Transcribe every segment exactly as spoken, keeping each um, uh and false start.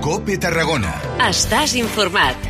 COPE Tarragona. Estàs informat.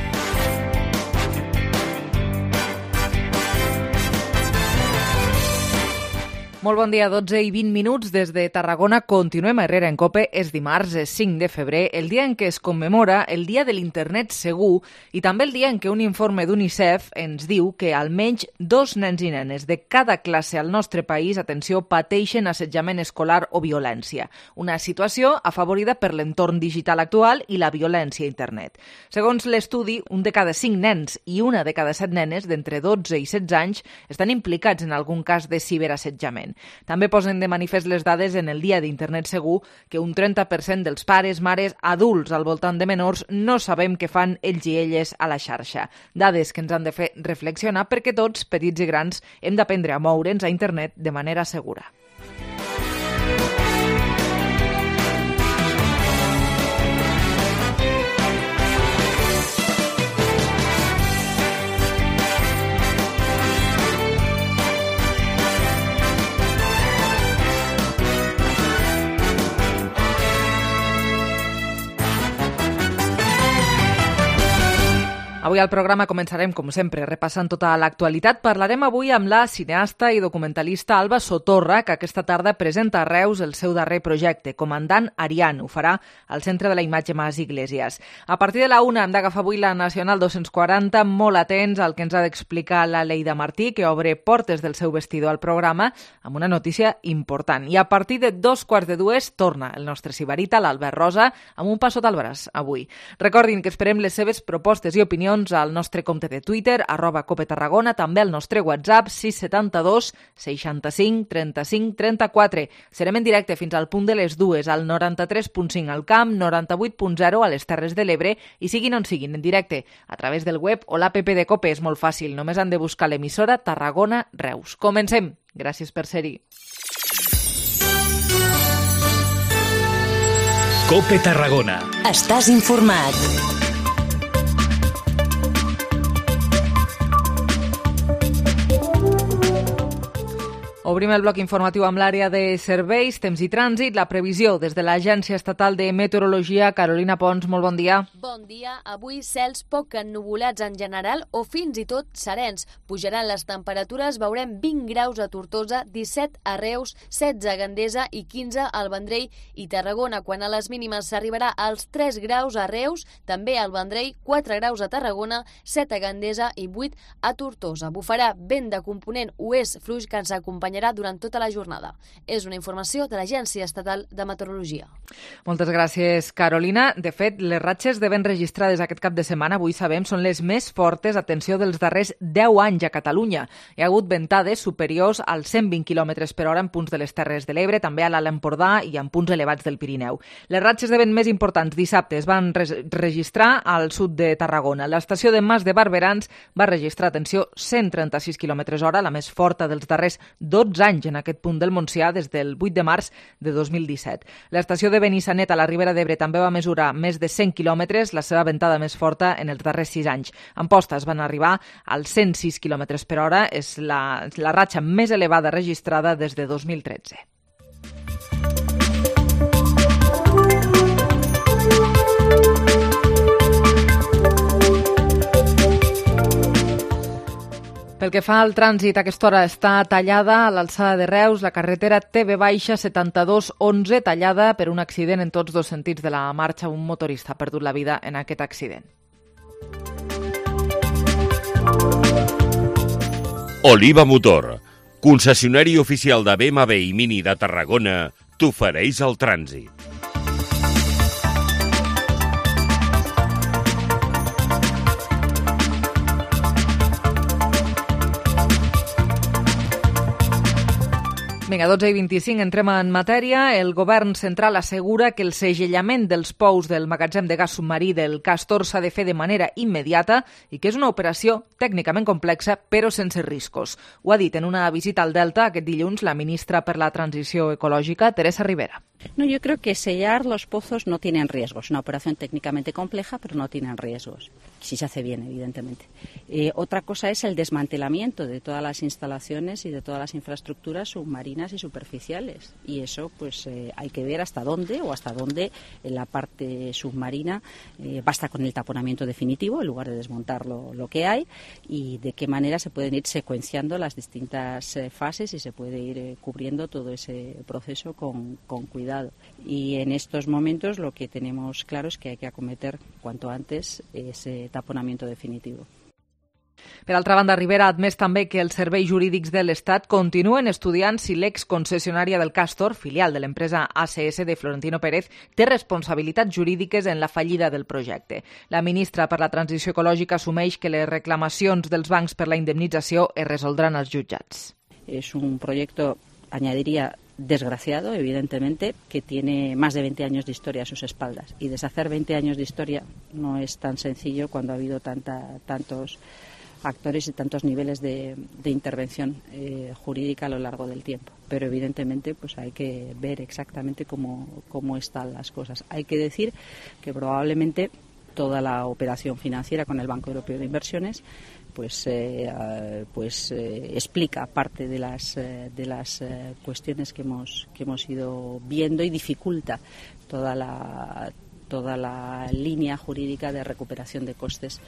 Molt bon dia, dotze i vint minuts des de Tarragona. Continuem a Herrera en COPE. És dimarts, és cinc de febrer, el dia en què es commemora el Dia de l'Internet Segur i també el dia en què un informe d'UNICEF ens diu que almenys dos nens i nenes de cada classe al nostre país, atenció, pateixen assetjament escolar o violència. Una situació afavorida per l'entorn digital actual i la violència a internet. Segons l'estudi, un de cada cinc nens i una de cada set nenes d'entre dotze i setze anys estan implicats en algun cas de ciberassetjament. També posen de manifest les dades en el Dia d'Internet Segur que un trenta per cent dels pares, mares, adults al voltant de menors no sabem què fan ells i elles a la xarxa. Dades que ens han de fer reflexionar perquè tots, petits i grans, hem d'aprendre a moure'ns a internet de manera segura. Avui al programa començarem, com sempre, repassant tota l'actualitat. Parlarem avui amb la cineasta i documentalista Alba Sotorra, que aquesta tarda presenta a Reus el seu darrer projecte, Comandant Arián. Ho farà al Centre de la Imatge Mas Iglesias. A partir de la una hem d'agafar avui la Nacional dos-cents quaranta, molt atents al que ens ha d'explicar la Leida Martí, que obre portes del seu vestidor al programa amb una notícia important. I a partir de dos quarts de dues torna el nostre sibarita, l'Albert Rosa, amb un passot al braç avui. Recordin que esperem les seves propostes i opinions al nostre compte de Twitter, arroba Cope Tarragona, també al nostre WhatsApp, sis setanta dos seixanta-cinc trenta-cinc trenta-quatre. Serem en directe fins al punt de les dues, al noranta-tres punt cinc al Camp, noranta-vuit punt zero a les Terres de l'Ebre, i siguin on siguin, en directe, a través del web o l'app de Cope. És molt fàcil, només han de buscar l'emissora Tarragona Reus. Comencem. Gràcies per ser-hi. COPE Tarragona. Estàs informat. Obrim el bloc informatiu amb l'àrea de serveis, temps i trànsit, la previsió des de l'Agència Estatal de Meteorologia. Carolina Pons, molt bon dia. Bon dia. Avui cels poc ennuvolats en general o fins i tot serens. Pujaran les temperatures, veurem vint graus a Tortosa, disset a Reus, setze a Gandesa i quinze al Vendrell i Tarragona. Quan a les mínimes s'arribarà als tres graus a Reus, també al Vendrell, quatre graus a Tarragona, set a Gandesa i vuit a Tortosa. Bufarà vent de component oest fluix que ens acompanyarà durant tota la jornada. És una informació de l'Agència Estatal de Meteorologia. Moltes gràcies, Carolina. De fet, les ratxes de vent registrades aquest cap de setmana, avui sabem, són les més fortes, atenció, dels darrers deu anys a Catalunya. Hi ha hagut ventades superiors als cent vint quilòmetres per hora en punts de les Terres de l'Ebre, també a l'Alt Empordà i en punts elevats del Pirineu. Les ratxes de vent més importants dissabte es van re- registrar al sud de Tarragona. L'estació de Mas de Barberans va registrar, atenció, cent trenta-sis quilòmetres hora, la més forta dels darrers dotze anys en aquest punt del Montsià des del vuit de març de dos mil disset. L'estació de Benissanet a la Ribera d'Ebre també va mesurar més de cent quilòmetres, la seva ventada més forta en els darrers sis anys. Ampostes van arribar als cent sis quilòmetres per hora, és la, la ratxa més elevada registrada des de dos mil tretze. Pel que fa al trànsit, a aquesta hora està tallada a l'alçada de Reus la carretera T V setanta-dos onze, tallada per un accident en tots dos sentits de la marxa. Un motorista ha perdut la vida en aquest accident. Oliva Motor, concessionari oficial de B M W i Mini de Tarragona, t'ofereix el trànsit. Vinga, dotze i vint-i-cinc, entrem en matèria. El govern central assegura que el segellament dels pous del magatzem de gas submarí del Castor s'ha de fer de manera immediata i que és una operació tècnicament complexa però sense riscos. Ho ha dit en una visita al Delta aquest dilluns la ministra per la Transició Ecològica, Teresa Ribera. No, yo creo que sellar los pozos no tienen riesgos. Es una operación técnicamente compleja, pero no tienen riesgos. Si se hace bien, evidentemente. Eh, otra cosa es el desmantelamiento de todas las instalaciones y de todas las infraestructuras submarinas y superficiales. Y eso, pues, eh, hay que ver hasta dónde o hasta dónde en la parte submarina eh, basta con el taponamiento definitivo en lugar de desmontar lo, lo que hay, y de qué manera se pueden ir secuenciando las distintas eh, fases y se puede ir eh, cubriendo todo ese proceso con, con cuidado. Y en estos momentos lo que tenemos claro es que hay que acometer cuanto antes ese taponamiento definitivo. Per altra banda, Rivera ha admès també que els serveis jurídics de l'Estat continuen estudiant si l'exconcessionària del Castor, filial de l'empresa A C S de Florentino Pérez, té responsabilitats jurídiques en la fallida del projecte. La ministra per la Transició Ecològica assumeix que les reclamacions dels bancs per la indemnització es resoldran als jutjats. És un projecte, añadiría, desgraciado, evidentemente, que tiene más de veinte años de historia a sus espaldas. Y deshacer veinte años de historia no es tan sencillo cuando ha habido tanta, tantos actores y tantos niveles de, de intervención eh, jurídica a lo largo del tiempo. Pero evidentemente pues hay que ver exactamente cómo, cómo están las cosas. Hay que decir que probablemente toda la operación financiera con el Banco Europeo de Inversiones pues eh, pues eh, explica parte de las eh, de las eh, cuestiones que hemos que hemos ido viendo y dificulta toda la toda la línea jurídica de recuperación de costes.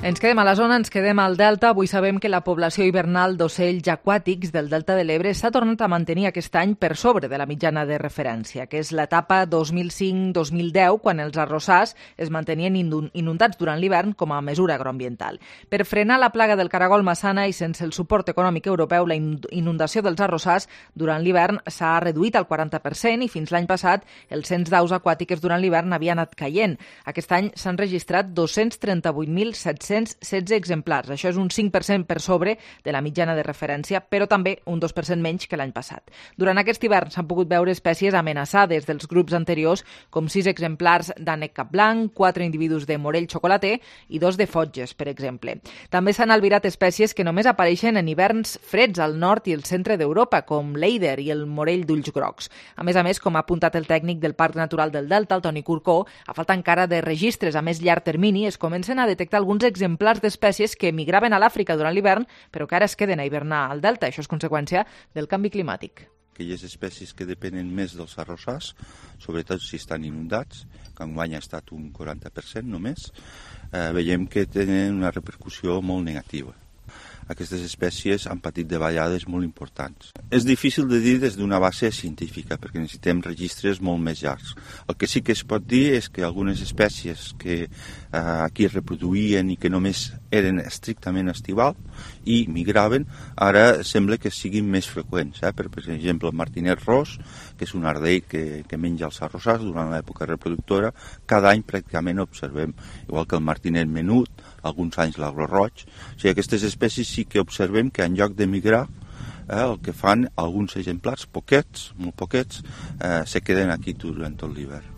Ens quedem a la zona, ens quedem al Delta. Avui sabem que la població hivernal d'ocells aquàtics del Delta de l'Ebre s'ha tornat a mantenir aquest any per sobre de la mitjana de referència, que és l'etapa dos mil cinc dos mil deu, quan els arrossars es mantenien inundats durant l'hivern com a mesura agroambiental. Per frenar la plaga del caragol massana i sense el suport econòmic europeu, la inundació dels arrossars durant l'hivern s'ha reduït al quaranta per cent i fins l'any passat el cens d'aus aquàtiques durant l'hivern havia anat caient. Aquest any s'han registrat dos-cents trenta-vuit mil set-cents setze exemplars. Això és un cinc per cent per sobre de la mitjana de referència, però també un dos per cent menys que l'any passat. Durant aquest hivern s'han pogut veure espècies amenaçades dels grups anteriors, com sis exemplars d'ànec capblanc, quatre individus de morell xocolater i dos de fotges, per exemple. També s'han albirat espècies que només apareixen en hiverns freds al nord i el centre d'Europa, com l'eider i el morell d'ulls grocs. A més a més, com ha apuntat el tècnic del Parc Natural del Delta, el Toni Curcó, a falta encara de registres a més llarg termini, es comencen a detectar alguns exemplars exemplars d'espècies que migraven a l'Àfrica durant l'hivern, però que ara es queden a hivernar al delta. Això és conseqüència del canvi climàtic. Aquelles espècies que depenen més dels arrossars, sobretot si estan inundats, que enguany ha estat un quaranta per cent només, eh, veiem que tenen una repercussió molt negativa. Aquestes espècies han patit davallades molt importants. És difícil de dir des d'una base científica, perquè necessitem registres molt més llargs. El que sí que es pot dir és que algunes espècies que eh, aquí es reproduïen i que només eren estrictament estival i migraven, ara sembla que siguin més freqüents. Eh? Per, per exemple, el martinet ros, que és un ardell que, que menja els arrossars durant l'època reproductora, cada any pràcticament observem, igual que el martinet menut, alguns anys l'agro roig. O sigui, aquestes espècies sí que observem que en lloc de migrar, eh, el que fan alguns exemplars, poquets, molt poquets, eh, se queden aquí durant tot l'hivern.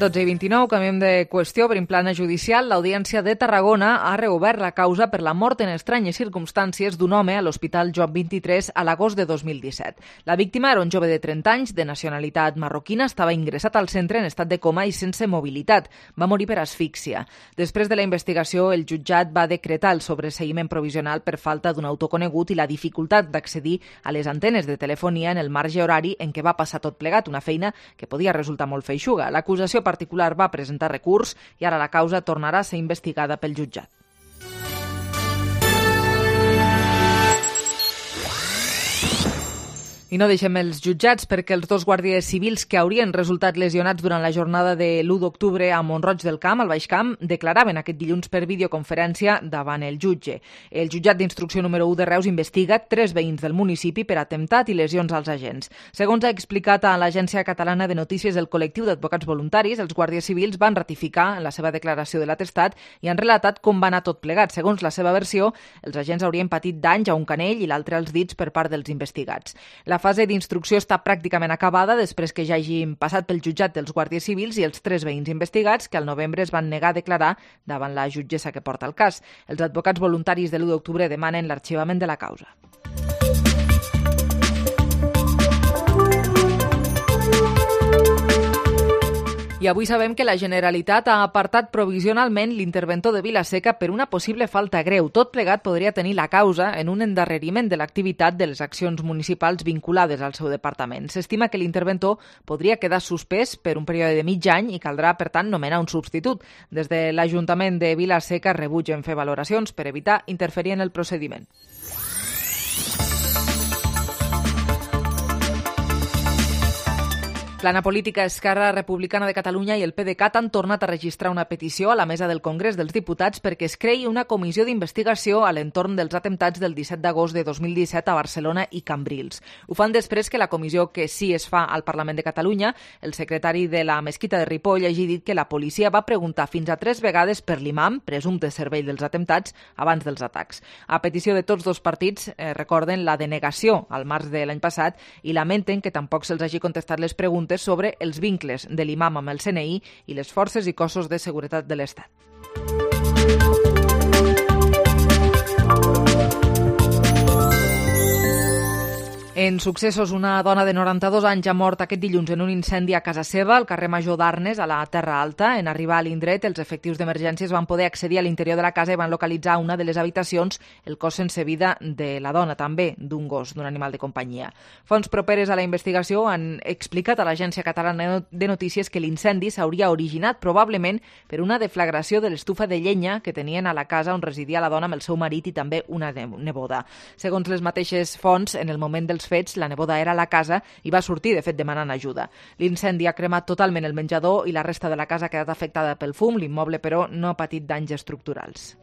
dotze i vint-i-nou, canviem de qüestió. Per plana judicial, l'Audiència de Tarragona ha reobert la causa per la mort en estranyes circumstàncies d'un home a l'Hospital Joan vint-i-tres a l'agost de dos mil disset. La víctima era un jove de trenta anys, de nacionalitat marroquina, estava ingressat al centre en estat de coma i sense mobilitat. Va morir per asfíxia. Després de la investigació, el jutjat va decretar el sobreseïment provisional per falta d'un autor conegut i la dificultat d'accedir a les antenes de telefonia en el marge horari en què va passar tot plegat, una feina que podia resultar molt feixuga. L'acusació particular va presentar recurs i ara la causa tornarà a ser investigada pel jutjat. I no deixem els jutjats perquè els dos guàrdies civils que haurien resultat lesionats durant la jornada de l'u d'octubre a Mont-roig del Camp, al Baix Camp, declaraven aquest dilluns per videoconferència davant el jutge. El jutjat d'instrucció número u de Reus investiga tres veïns del municipi per atemptat i lesions als agents. Segons ha explicat a l'Agència Catalana de Notícies del col·lectiu d'advocats voluntaris, els guàrdies civils van ratificar en la seva declaració de l'atestat i han relatat com va anar tot plegat. Segons la seva versió, els agents haurien patit danys a un canell i l'altre als dits per part dels investigats. La fase d'instrucció està pràcticament acabada després que ja hagin passat pel jutjat dels guàrdies civils i els tres veïns investigats que al novembre es van negar a declarar davant la jutgessa que porta el cas. Els advocats voluntaris de l'u d'octubre demanen l'arxivament de la causa. I avui sabem que la Generalitat ha apartat provisionalment l'interventor de Vila-seca per una possible falta greu. Tot plegat podria tenir la causa en un endarreriment de l'activitat de les accions municipals vinculades al seu departament. S'estima que l'interventor podria quedar suspès per un període de mig any i caldrà, per tant, nomenar un substitut. Des de l'Ajuntament de Vila-seca rebutgen fer valoracions per evitar interferir en el procediment. Plana Política, Esquerra Republicana de Catalunya i el P D C A T han tornat a registrar una petició a la mesa del Congrés dels Diputats perquè es creï una comissió d'investigació a l'entorn dels atemptats del disset d'agost de dos mil disset a Barcelona i Cambrils. Ho fan després que la comissió que sí es fa al Parlament de Catalunya, el secretari de la Mesquita de Ripoll, hagi dit que la policia va preguntar fins a tres vegades per l'imam, presumpte cervell dels atemptats, abans dels atacs. A petició de tots dos partits, eh, recorden la denegació al març de l'any passat i lamenten que tampoc se'ls hagi contestat les preguntes sobre els vincles de l'imam amb el C N I i les forces i cossos de seguretat de l'Estat. En successos, una dona de noranta-dos anys ha mort aquest dilluns en un incendi a casa seva, al carrer Major d'Arnes, a la Terra Alta. En arribar a l'indret, els efectius d'emergències van poder accedir a l'interior de la casa i van localitzar una de les habitacions el cos sense vida de la dona, també d'un gos, d'un animal de companyia. Fonts properes a la investigació han explicat a l'Agència Catalana de Notícies que l'incendi s'hauria originat probablement per una deflagració de l'estufa de llenya que tenien a la casa on residia la dona amb el seu marit i també una neboda. Segons les mateixes fonts, en el moment dels fets, la neboda era a la casa i va sortir, de fet, demanant ajuda. L'incendi ha cremat totalment el menjador i la resta de la casa ha quedat afectada pel fum. L'immoble, però, no ha patit danys estructurals.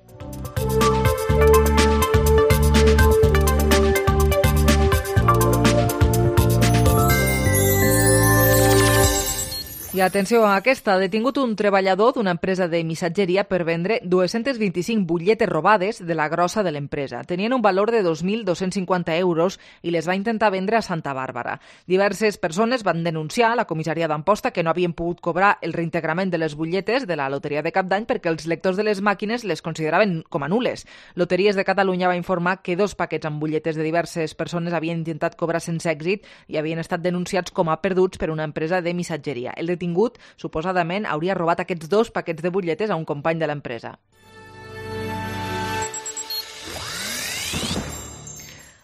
I atenció a aquesta, ha detingut un treballador d'una empresa de missatgeria per vendre dos-cents vint-i-cinc butlletes robades de la grossa de l'empresa. Tenien un valor de dos mil dos-cents cinquanta euros i les va intentar vendre a Santa Bàrbara. Diverses persones van denunciar a la comissaria d'Amposta que no havien pogut cobrar el reintegrament de les butlletes de la loteria de Cap d'Any perquè els lectors de les màquines les consideraven com a nules. Loteries de Catalunya va informar que dos paquets amb butlletes de diverses persones havien intentat cobrar sense èxit i havien estat denunciats com a perduts per una empresa de missatgeria. El detingut, suposadament, hauria robat aquests dos paquets de butlletes a un company de l'empresa.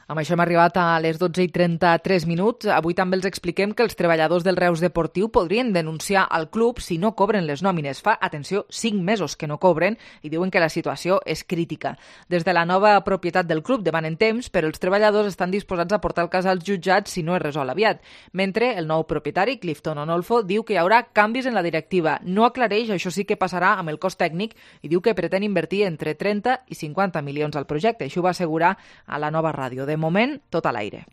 Amb això hem arribat a les dotze i trenta-tres minuts. Avui també els expliquem que els treballadors del Reus Deportiu podrien denunciar al club si no cobren les nòmines. Fa, atenció, cinc mesos que no cobren i diuen que la situació és crítica. Des de la nova propietat del club demanen temps, però els treballadors estan disposats a portar el cas als jutjats si no es resol aviat. Mentre el nou propietari, Clifton Onolfo, diu que hi haurà canvis en la directiva. No aclareix, això sí que passarà amb el cost tècnic i diu que pretén invertir entre trenta i cinquanta milions al projecte. Això ho va assegurar a la Nova Ràdio. De moment, tot a l'aire.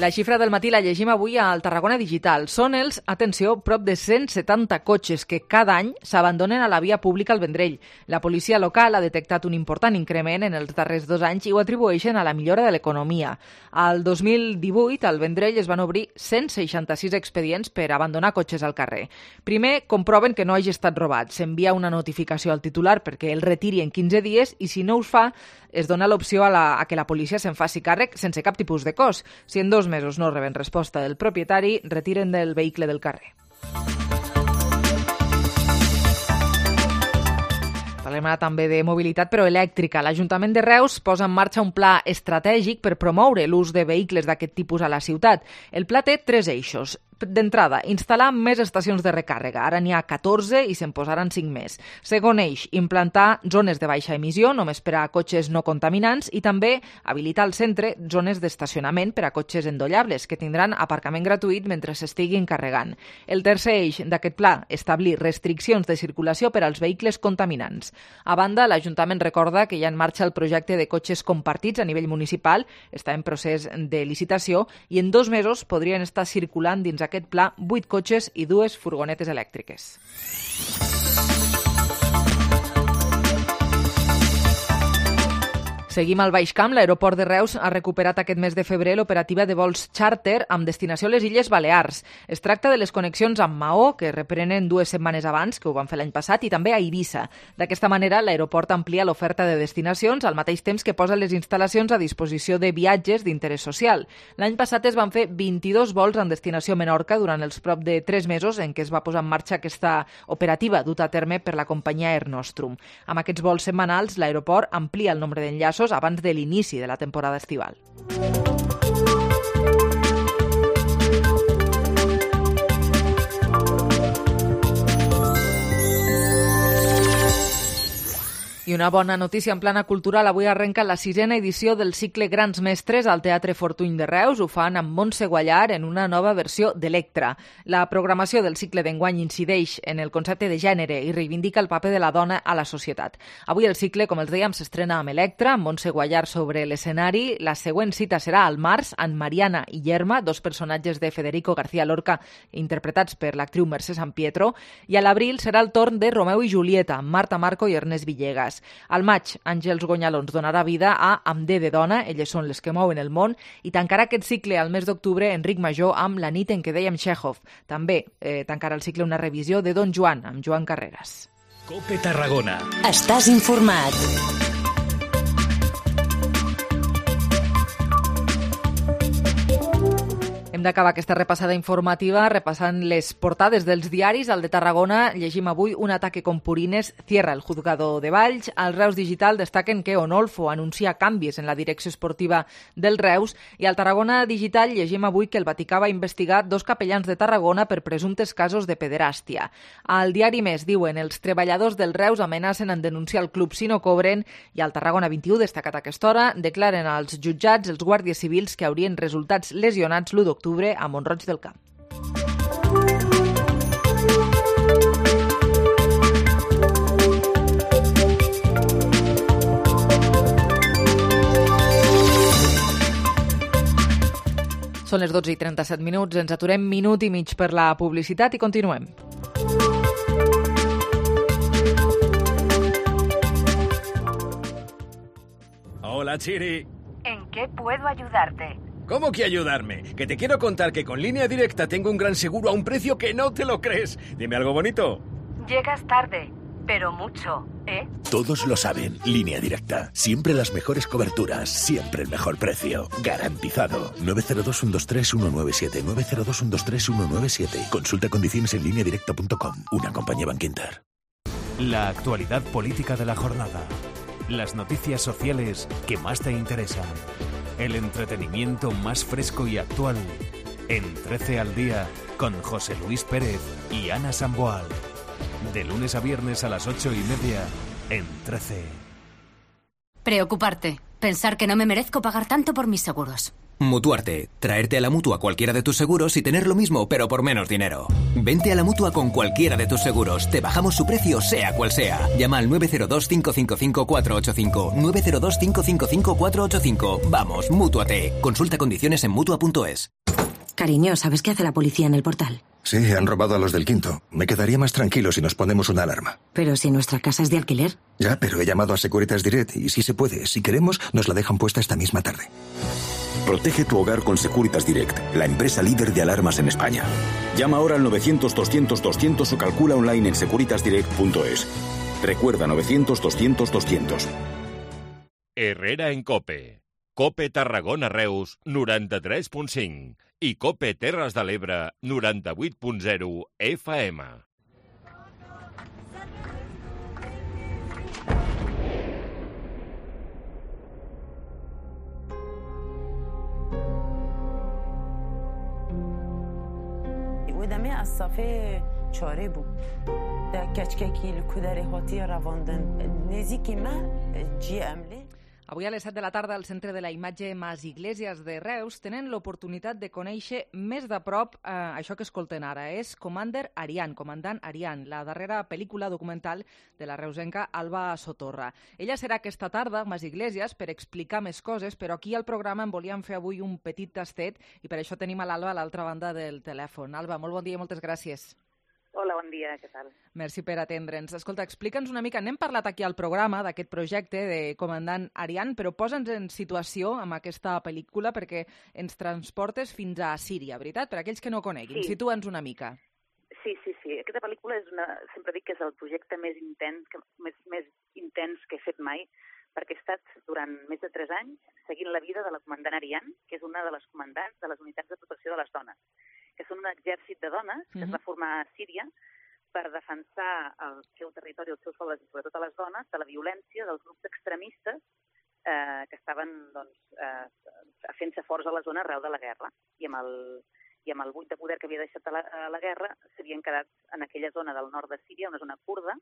La xifra del matí la llegim avui al Tarragona Digital. Són els, atenció, prop de cent setanta cotxes que cada any s'abandonen a la via pública al Vendrell. La policia local ha detectat un important increment en els darrers dos anys i ho atribueixen a la millora de l'economia. Al dos mil divuit, al Vendrell es van obrir cent seixanta-sis expedients per abandonar cotxes al carrer. Primer, comproven que no hagi estat robat. S'envia una notificació al titular perquè el retiri en quinze dies i si no us fa, es dona l'opció a, la, a que la policia se'n faci càrrec sense cap tipus de cost. Si en dos mesos no reben resposta del propietari, retiren del vehicle del carrer. Parlem ara també de mobilitat, però elèctrica. L'Ajuntament de Reus posa en marxa un pla estratègic per promoure l'ús de vehicles d'aquest tipus a la ciutat. El pla té tres eixos. D'entrada, instal·lar més estacions de recàrrega. Ara n'hi ha catorze i se'n posaran cinc més. Segon eix, implantar zones de baixa emissió, només per a cotxes no contaminants, i també habilitar al centre zones d'estacionament per a cotxes endollables, que tindran aparcament gratuït mentre s'estiguin carregant. El tercer eix d'aquest pla, establir restriccions de circulació per als vehicles contaminants. A banda, l'Ajuntament recorda que hi ha en marxa el projecte de cotxes compartits a nivell municipal, està en procés de licitació, i en dos mesos podrien estar circulant dins aquest pla vuit cotxes i dues furgonetes elèctriques. Seguim al Baix Camp. L'aeroport de Reus ha recuperat aquest mes de febrer l'operativa de vols xàrter amb destinació a les Illes Balears. Es tracta de les connexions amb Maó, que reprenen dues setmanes abans, que ho van fer l'any passat, i també a Eivissa. D'aquesta manera, l'aeroport amplia l'oferta de destinacions al mateix temps que posa les instal·lacions a disposició de viatges d'interès social. L'any passat es van fer vint-i-dos vols en destinació a Menorca durant els prop de tres mesos en què es va posar en marxa aquesta operativa duta a terme per la companyia Air Nostrum. Amb aquests vols setmanals, l'aeroport amplia el nombre d'enllaços abans de l'inici de la temporada estival. I una bona notícia en plana cultural. Avui arrenca la sisena edició del cicle Grans Mestres al Teatre Fortuny de Reus. Ho fan amb Montse Guallar en una nova versió d'Electra. La programació del cicle d'enguany incideix en el concepte de gènere i reivindica el paper de la dona a la societat. Avui el cicle, com els dèiem, s'estrena amb Electra, amb Montse Guallar sobre l'escenari. La següent cita serà al març, amb Mariana i Yerma, dos personatges de Federico García Lorca, interpretats per l'actriu Mercè Sampietro. I a l'abril serà el torn de Romeu i Julieta, amb Marta Marco i Ernest Villegas. Al maig, Àngels Gonyalons donarà vida a Amb D de dona, elles són les que mouen el món, i tancarà aquest cicle al mes d'octubre Enric Major amb La nit en què dèiem Chekhov. També eh, tancarà el cicle una revisió de Don Joan, amb Joan Carreras. Cope Tarragona. Estàs informat. Hem d'acabar aquesta repassada informativa repassant les portades dels diaris. Al de Tarragona llegim avui Un ataque con purines cierra el juzgado de Valls. Al Reus Digital destaquen que Onolfo anuncia canvis en la direcció esportiva del Reus. I al Tarragona Digital llegim avui que el Vaticà va investigar dos capellans de Tarragona per presumptes casos de pederàstia. Al Diari Més diuen els treballadors del Reus amenacen en denunciar el club si no cobren. I al Tarragona vint-i-u, destacat a aquesta hora, declaren als jutjats els guàrdies civils que haurien resultats lesionats l'u d'octubre a Mont-roig del Camp. Són les dotze i trenta-set minuts, ens aturem minut i mig per la publicitat i continuem. Hola, Chiri. ¿En qué puedo ayudarte? ¿Cómo que ayudarme? Que te quiero contar que con Línea Directa tengo un gran seguro a un precio que no te lo crees. Dime algo bonito. Llegas tarde, pero mucho, ¿eh? Todos lo saben. Línea Directa. Siempre las mejores coberturas. Siempre el mejor precio. Garantizado. nueve cero dos, uno dos tres, uno nueve siete. nueve cero dos, uno dos tres, uno nueve siete. Consulta condiciones en línea directa punto com. Una compañía Bankinter. La actualidad política de la jornada. Las noticias sociales que más te interesan. El entretenimiento más fresco y actual. En trece al día, con José Luis Pérez y Ana Samboal. De lunes a viernes a las ocho y media, en trece. Preocuparte. Pensar que no me merezco pagar tanto por mis seguros. Mutuarte. Traerte a la Mutua cualquiera de tus seguros y tener lo mismo, pero por menos dinero. Vente a la Mutua con cualquiera de tus seguros. Te bajamos su precio, sea cual sea. Llama al nueve cero dos, cinco cinco cinco, cuatro ocho cinco. nueve cero dos, cinco cinco cinco, cuatro ocho cinco. Vamos, Mútuate. Consulta condiciones en Mutua punto es. Cariño, ¿sabes qué hace la policía en el Portal? Sí, han robado a los del Quinto. Me quedaría más tranquilo si nos ponemos una alarma. Pero si nuestra casa es de alquiler. Ya, pero he llamado a Securitas Direct y si se puede, si queremos, nos la dejan puesta esta misma tarde. Protege tu hogar con Securitas Direct, la empresa líder de alarmas en España. Llama ahora al novecientos, doscientos, doscientos o calcula online en securitas direct punto es. Recuerda novecientos, doscientos, doscientos. Herrera en Cope. Cope Tarragona Reus, noranta-tres punt cinc. I Cope Terres de l'Ebre, noranta-vuit punt zero F M. ودمه از صفحه چاره بود در کچککی لکودر هاتی رواندن نزیکی من جی عمله. Avui a les set de la tarda al Centre de la Imatge Mas Iglesias de Reus tenen l'oportunitat de conèixer més de prop eh, això que escolten ara. És Commander Ariane, Comandant Ariane, la darrera pel·lícula documental de la reusenca Alba Sotorra. Ella serà aquesta tarda a Mas Iglesias per explicar més coses, però aquí al programa en volíem fer avui un petit tastet i per això tenim a l'Alba a l'altra banda del telèfon. Alba, molt bon dia i moltes gràcies. Hola, bon dia, què tal? Merci per atendre'ns. Escolta, explica'ns una mica, n'hem parlat aquí al programa d'aquest projecte de Comandant Arian, però posa'ns en situació amb aquesta pel·lícula perquè ens transportes fins a Síria, veritat? Per aquells que no coneguin, Sí. situa'ns una mica. Sí, sí, sí. Aquesta pel·lícula és una... Sempre dic que és el projecte més intens que, més, més intens que he fet mai, perquè he estat durant més de tres anys seguint la vida de la comandant Arian, que és una de les comandants de les unitats de protecció de les dones, que són un exèrcit de dones que es va formar a Síria per defensar el seu territori, els seus pobles i sobretot a les dones de la violència dels grups extremistes eh, que estaven doncs, eh, fent-se forts a la zona arreu de la guerra. I amb el, i amb el buit de poder que havia deixat a la, a la guerra s'havien quedat en aquella zona del nord de Síria, una zona kurda,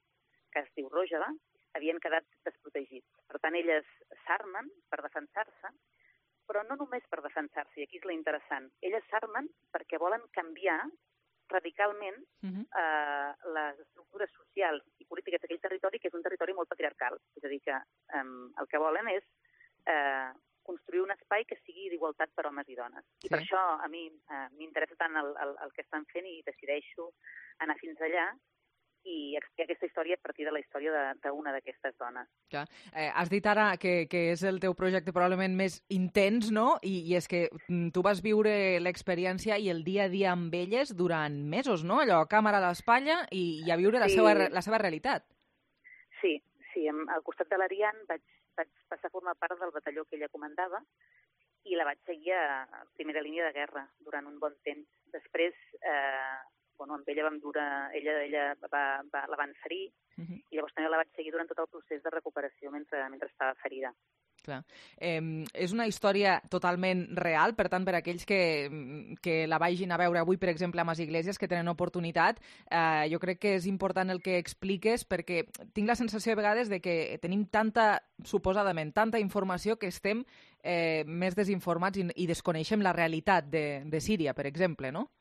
que es diu Rojava, havien quedat desprotegits. Per tant, elles s'armen per defensar-se, però no només per defensar-se, i aquí és la interessant. Elles s'armen perquè volen canviar radicalment uh-huh. eh, les estructures socials i polítiques d'aquell territori, que és un territori molt patriarcal. És a dir, que eh, el que volen és eh, construir un espai que sigui d'igualtat per homes i dones. Sí. I per això a mi eh, m'interessa tant el, el, el que estan fent i decideixo anar fins allà i explicar aquesta història a partir de la història d'una d'aquestes dones. Clar. Eh, has dit ara que, que és el teu projecte probablement més intens, no? I, i és que tu vas viure l'experiència i el dia a dia amb elles durant mesos, no? Allò, càmera a l'espatlla i, i a viure la, Sí. seva, la seva realitat. Sí, sí, al costat de l'Arian vaig, vaig passar a formar part del batalló que ella comandava i la vaig seguir a primera línia de guerra durant un bon temps. Després, eh, bueno, amb ella vam durar, ella, ella va, va, la van ferir uh-huh. i llavors també la vaig seguir durant tot el procés de recuperació mentre, mentre estava ferida. Clar. Eh, és una història totalment real, per tant, per aquells que, que la vagin a veure avui, per exemple, a Mas Iglesias, que tenen oportunitat, eh, jo crec que és important el que expliques, perquè tinc la sensació de vegades de que tenim tanta, suposadament, tanta informació que estem eh, més desinformats i, i desconeixem la realitat de, de Síria, per exemple, no?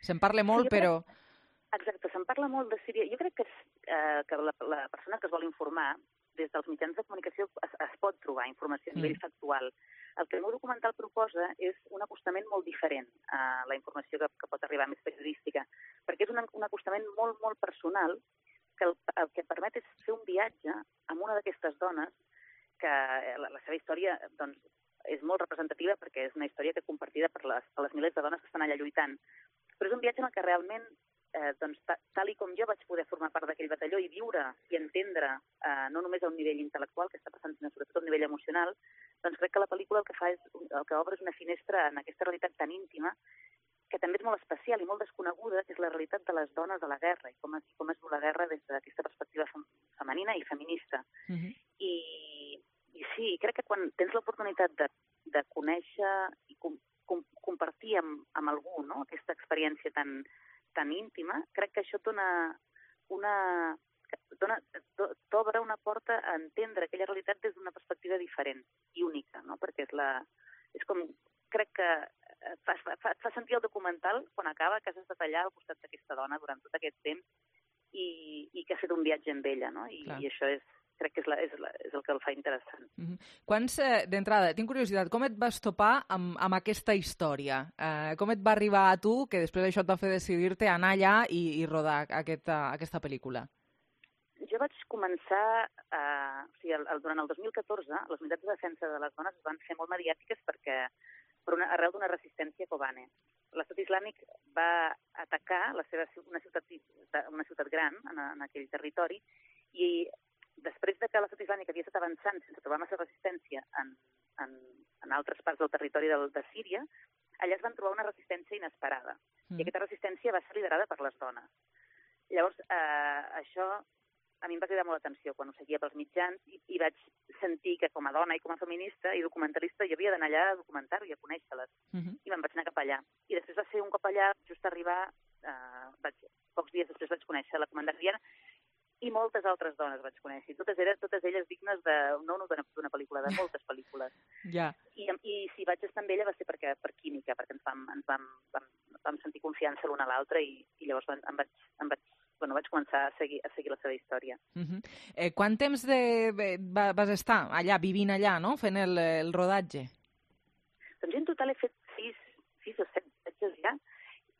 Se'n parla molt, sí, crec, però... Exacte, se'n parla molt de Síria. Jo crec que, eh, que la, la persona que es vol informar, des dels mitjans de comunicació es, es pot trobar informació a nivell mm. factual. El que el meu documental proposa és un acostament molt diferent a la informació que, que pot arribar més periodística, perquè és un, un acostament molt, molt personal que el, el que permet és fer un viatge amb una d'aquestes dones que la, la seva història doncs, és molt representativa perquè és una història que compartida per les, per les milers de dones que estan allà lluitant. Però és un viatge en el que realment, eh, doncs, tal i com jo vaig poder formar part d'aquell batalló i viure i entendre, eh, no només a un nivell intel·lectual que està passant, sinó sobretot a un nivell emocional, doncs crec que la pel·lícula el que fa és, el que obre és una finestra en aquesta realitat tan íntima que també és molt especial i molt desconeguda, que és la realitat de les dones de la guerra i com es, com es viu la guerra des d'aquesta perspectiva femenina i feminista. Uh-huh. I, I sí, crec que quan tens l'oportunitat de, de conèixer i com, com, compartir amb, amb algú, no?, aquesta experiència tan, tan íntima, crec que això dona una... t'obre una porta a entendre aquella realitat des d'una perspectiva diferent i única, no?, perquè és la... és com... crec que fa, fa, fa sentir el documental quan acaba que has estat allà al costat d'aquesta dona durant tot aquest temps i, i que ha fet un viatge amb ella, no?, i, i això és crec que és, la, és, la, és el que el fa interessant. Mm-hmm. Quants, eh, d'entrada, tinc curiositat, com et vas topar amb, amb aquesta història? Eh, com et va arribar a tu, que després d'això et va fer decidir-te a anar allà i, i rodar aquesta, aquesta pel·lícula? Jo vaig començar, eh, o sigui, el, el, durant el dos mil catorze, les unitats de defensa de les dones van ser molt mediàtiques perquè, per una, arrel d'una resistència Kobane. L'Estat Islàmic va atacar la seva, una, ciutat, una ciutat gran en, en aquell territori i després de que l'Estat Islàmic havia estat avançant sense trobar massa resistència en, en, en altres parts del territori de, de Síria, allà es van trobar una resistència inesperada. Mm. I aquesta resistència va ser liderada per les dones. Llavors, eh, això a mi em va cridar molt l'atenció quan ho seguia pels mitjans i, i vaig sentir que com a dona i com a feminista i documentalista jo havia d'anar allà a documentar-ho i a conèixer-les. Mm-hmm. I me'n vaig anar cap allà. I després va ser un cop allà, just arribar, eh, vaig, pocs dies després vaig conèixer la comandant Arian i moltes altres dones vaig conèixer. Totes eren, totes elles dignes de, no d'una pel·lícula, de moltes pel·lícules. Yeah. I, I si vaig estar amb ella va ser perquè, per química, perquè ens vam, ens vam, vam, vam sentir confiança l'una a l'altra i, i llavors em vaig, em vaig, bueno, vaig començar a seguir, a seguir la seva història. Uh-huh. eh, quant temps de, va, vas estar allà, vivint allà, no?, fent el, el rodatge? Doncs jo en total he fet sis, sis o set viatges ja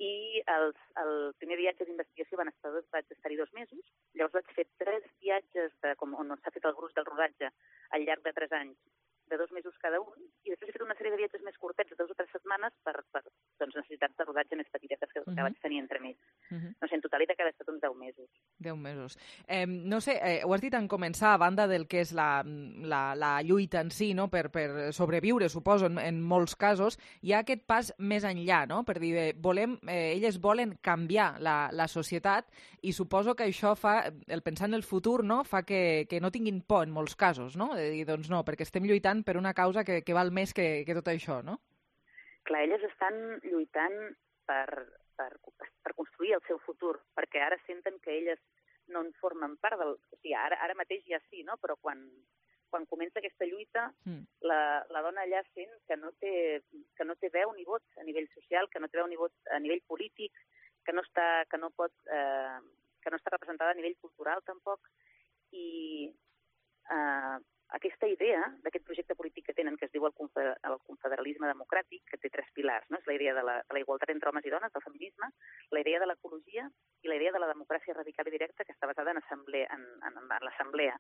i els, el primer viatge d'investigació van estar, vaig estar-hi dos mesos, llavors vaig fer tres viatges de, com, on s'ha fet el gruix del rodatge al llarg de tres anys, de dos mesos cada un, i després he fet una sèrie de viatges més curtets, de dues o tres setmanes, per, per doncs, necessitats de rodatge més petitetes que, uh -huh. que vaig tenir entre mig. Uh -huh. No sé, en totalitat que ha estat uns deu mesos. Deu mesos. Eh, no sé, eh, ho has dit en començar, a banda del que és la, la, la lluita en si, no?, per, per sobreviure, suposo, en, en molts casos, hi ha aquest pas més enllà, no?, per dir, eh, volem, eh, elles volen canviar la, la societat, i suposo que això fa, el pensar en el futur, no?, fa que, que no tinguin por en molts casos, no?, de dir, doncs no, perquè estem lluitant per una causa que, que val més que, que tot això, no? Clar, elles estan lluitant per, per, per construir el seu futur, perquè ara senten que elles no en formen part del... O sigui, ara, ara mateix ja sí, no? Però quan, quan comença aquesta lluita, mm. la, la dona allà sent que no, té, que no té veu ni vot a nivell social, que no té veu ni vot a nivell polític, que no està, que no pot, eh, que no està representada a nivell cultural tampoc, i eh, aquesta idea d'aquest projecte polític que tenen, que es diu el, confer el confederalisme democràtic, que té tres pilars, no? És la idea de la, de la igualtat entre homes i dones, del feminisme, la idea de l'ecologia i la idea de la democràcia radical i directa, que està basada en, assemblea, en, en, en l'assemblea.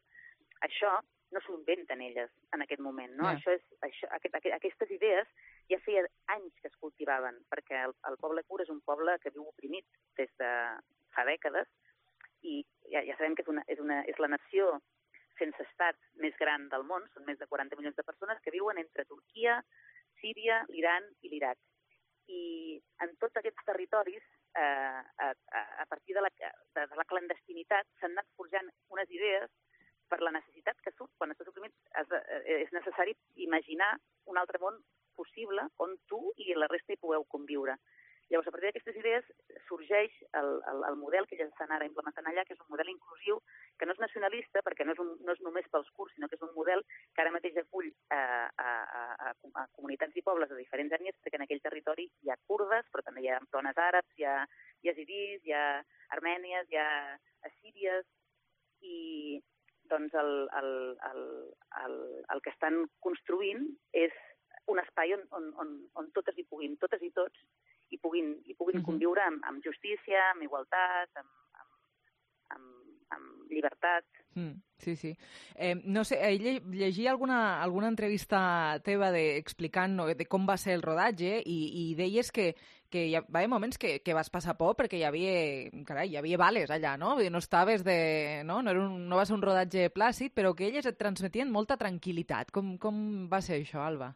Això no s'ho inventen elles en aquest moment, no? Yeah. Això és, això, aquest, aquest, aquestes idees ja feia anys que es cultivaven, perquè el, el poble kurd és un poble que viu oprimit des de fa dècades, i ja, ja sabem que és, una, és, una, és la nació sense estat més gran del món, són més de quaranta milions de persones que viuen entre Turquia, Síria, l'Iran i l'Iraq. I en tots aquests territoris, eh, a, a partir de la, de, de la clandestinitat, s'han anat forjant unes idees per la necessitat que surt. Quan estàs oprimit és necessari imaginar un altre món possible on tu i la resta hi pugueu conviure. Llavors, a partir d'aquestes idees sorgeix el, el, el model que ja estan ara implementant allà, que és un model inclusiu, que no és nacionalista, perquè no és, un, no és només pels kurds, sinó que és un model que ara mateix acull a, a, a, a comunitats i pobles de diferents ètnies, perquè en aquell territori hi ha kurdes, però també hi ha dones àrabs, hi ha yazidis, hi ha armènies, hi ha assíries, i doncs el, el, el, el, el que estan construint és un espai on, on, on, on totes hi puguin, totes i tots, i puguin, i puguin uh-huh. conviure amb, amb justícia, amb igualtat, amb, amb, amb, amb llibertat. Mm, sí, sí. Eh, no sé, eh, llegia alguna, alguna entrevista teva de, explicant no, de com va ser el rodatge, i, i deies que, que hi va haver moments que, que vas passar por perquè hi havia, carai, hi havia bales allà, no? No estaves de... No, no, era un, no va ser un rodatge plàcid, però que elles et transmetien molta tranquil·litat. Com, com va ser això, Alba?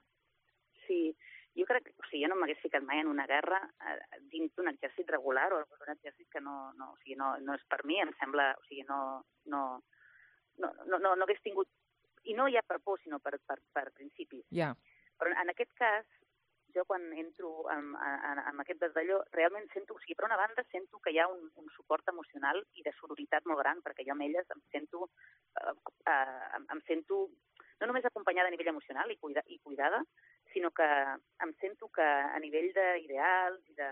Sí, jo crec que, o sigui, jo no m'hagués ficat mai en una guerra eh, dins d'un exèrcit regular o un exèrcit que no, no, o sigui, no, no és per mi, em sembla, o sigui, no, no, no, no, no, no hagués tingut, i no ja per por, sinó per, per, per principis. Yeah. Però en aquest cas, jo quan entro en, en, en aquest desdalló, realment sento, o sigui, per una banda sento que hi ha un, un suport emocional i de sororitat molt gran, perquè jo amb elles em sento, eh, eh, em, em sento no només acompanyada a nivell emocional i, cuida, i cuidada, sinó que em sento que a nivell d'ideals i de,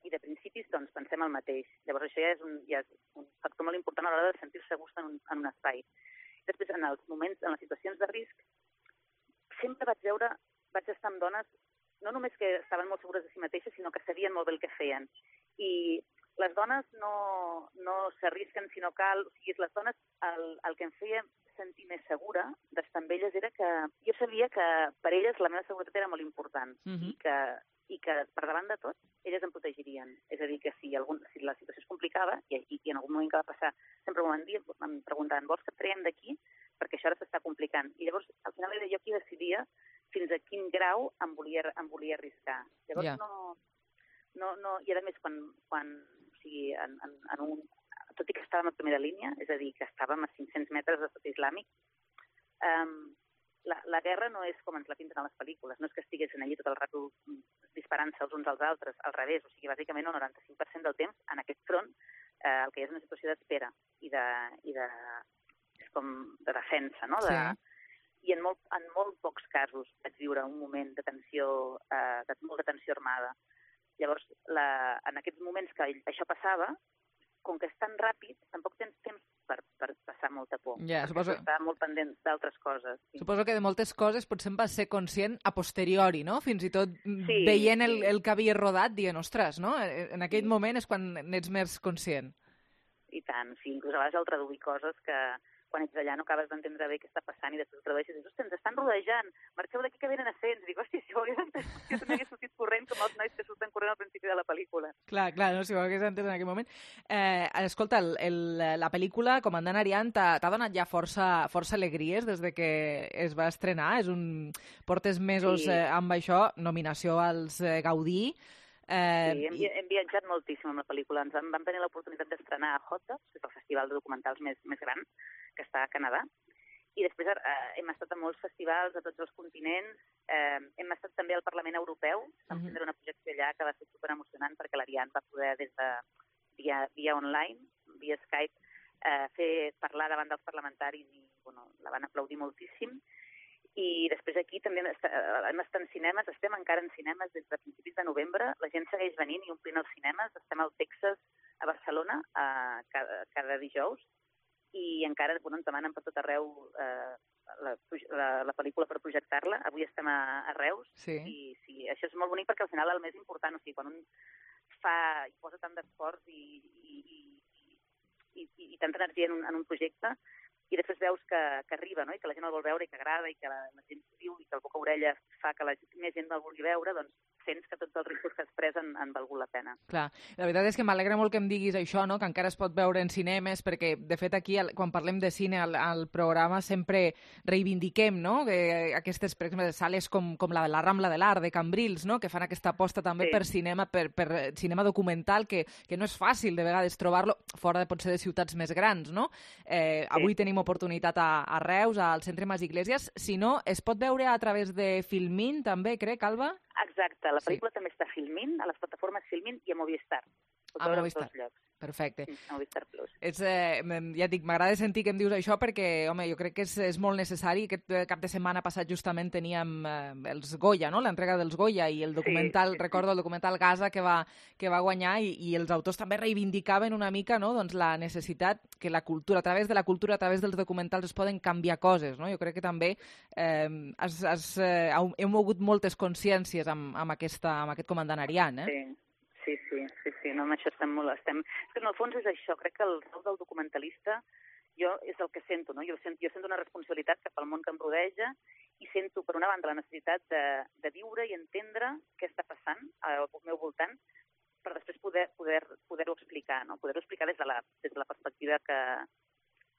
i de principis doncs pensem el mateix. Llavors això ja és un, ja és un factor molt important a l'hora de sentir-se a gust en un, en un espai. Després, en els moments, en les situacions de risc, sempre vaig veure, vaig estar amb dones no només que estaven molt segures de si mateixes, sinó que sabien molt bé el que feien. I les dones no, no s'arrisquen si no cal, o sigui, les dones, el, el que em feia sentir més segura d'estar amb elles era que jo sabia que per elles la meva seguretat era molt important uh-huh. i, que, i que per davant de tot elles em protegirien. És a dir, que si, algun, si la situació es complicava i, i, i en algun moment que va passar sempre m'ho van dir, em preguntaven, vols que et traiem d'aquí? Perquè això ara s'està complicant. I llavors, al final era jo qui decidia fins a quin grau em volia, em volia arriscar. Llavors, yeah. no, no, no... I a més, quan, quan o sigui, en, en, en un... tot i que estàvem a primera línia, és a dir, que estàvem a cinc-cents metres d'estat islàmic, um, la, la guerra no és com ens la pinten a les pel·lícules, no és que estiguessin allí tot el rato disparant-se els uns als altres, al revés, o sigui, bàsicament el noranta-cinc per cent del temps, en aquest front, eh, el que hi ha és una situació d'espera i de, i de, és com de defensa, no? De, sí. I en molt, en molt pocs casos vaig viure un moment de tensió, eh, de molta tensió armada. Llavors, la, en aquests moments que això passava, com que és tan ràpid, tampoc tens temps per, per passar molta por. Ja, suposo... Està molt pendent d'altres coses. Sí. Suposo que de moltes coses potser en vas ser conscient a posteriori, no? Fins i tot sí, veient el, sí. el que havia rodat, dient, ostres, no? En aquell sí. moment és quan n'ets més conscient. I tant, sí, inclús a vegades al traduir coses que quan ets allà no acabes d'entendre bé què està passant i després ho tradueixes i dius, hòstia, ens estan rodejant, marxeu d'aquí que venen ascens. I dic, hòstia, si ho hagués entès, jo també hagués sortit corrent com els nois que surten corrent al principi de la pel·lícula. Clar, clar, no, si ho hagués entès en aquell moment. Eh, escolta, el, el, la pel·lícula, Comandant Ariane, t'ha donat ja força, força alegries des de que es va estrenar. És un... Portes mesos sí. eh, amb això, nominació als eh, Gaudí. Eh, sí, hem, i... hem viatjat moltíssim amb la pel·lícula. Ens vam, vam tenir l'oportunitat d'estrenar a Hot Docs, que és el festival de documentals més, més gran, que està a Canadà, i després eh, hem estat a molts festivals a tots els continents, eh, hem estat també al Parlament Europeu, vam tindre una projecció allà que va ser superemocionant perquè l'Ariane va poder des de via, via online, via Skype, eh, fer parlar davant dels parlamentaris i bueno, la van aplaudir moltíssim. I després aquí també hem estat en cinemes, estem encara en cinemes des de principis de novembre, la gent segueix venint i omplint els cinemes, estem al Texas, a Barcelona, a cada, cada dijous, i encara bueno, ens demanen per tot arreu eh, la, la, la pel·lícula per projectar-la. Avui estem a, a Reus, sí. i sí, això és molt bonic perquè al final el més important, o sigui, quan un fa i posa tant d'esforç i, i, i, i, i, i tanta energia en un, en un projecte, i després veus que, que arriba, no? I que la gent el vol veure i que agrada i que la, la gent s'ho diu i que el boca-orella fa que la, més gent el vulgui veure, doncs sents que tots els riscos que has pres han, han valgut la pena. Clar, la veritat és que m'alegra molt que em diguis això, no? Que encara es pot veure en cinemes, perquè de fet aquí, quan parlem de cine al, al programa, sempre reivindiquem, no? Que aquestes, per exemple, sales com, com la de la Rambla de l'Art, de Cambrils, no? Que fan aquesta aposta també sí. per cinema, per, per cinema documental, que, que no és fàcil de vegades trobar-lo fora de potser de ciutats més grans, no? Eh, sí. Avui tenim oportunitat a, a Reus, al Centre Mas Iglesias. Si no, es pot veure a través de Filmin, també, crec, Alba? Exacte, la pel·lícula sí. també està a Filmin, a les plataformes Filmin i a Movistar. A Movistar. Perfecte. Sí, Movistar Plus. Ets, eh, ja et dic, m'agrada sentir que em dius això perquè, home, jo crec que és, és molt necessari. Aquest cap de setmana passat justament teníem eh, els Goya, no?, l'entrega dels Goya i el documental, sí, sí, sí. recordo el documental Gaza que va, que va guanyar i, i els autors també reivindicaven una mica, no?, doncs la necessitat que la cultura, a través de la cultura, a través dels documentals es poden canviar coses, no? Jo crec que també eh, has, has, eh, heu mogut moltes consciències amb, amb, aquesta, amb aquest Comandant Ariane, eh? Sí. Sí, sí, sí, sí, no, amb això estem molt... Estem... És que en el fons és això, crec que el rol del documentalista jo és el que sento, no? Jo sento, jo sento una responsabilitat cap al món que em rodeja i sento, per una banda, la necessitat de, de viure i entendre què està passant al meu voltant per després poder, poder, poder-ho explicar, no? Poder-ho explicar des de la, des de la perspectiva que...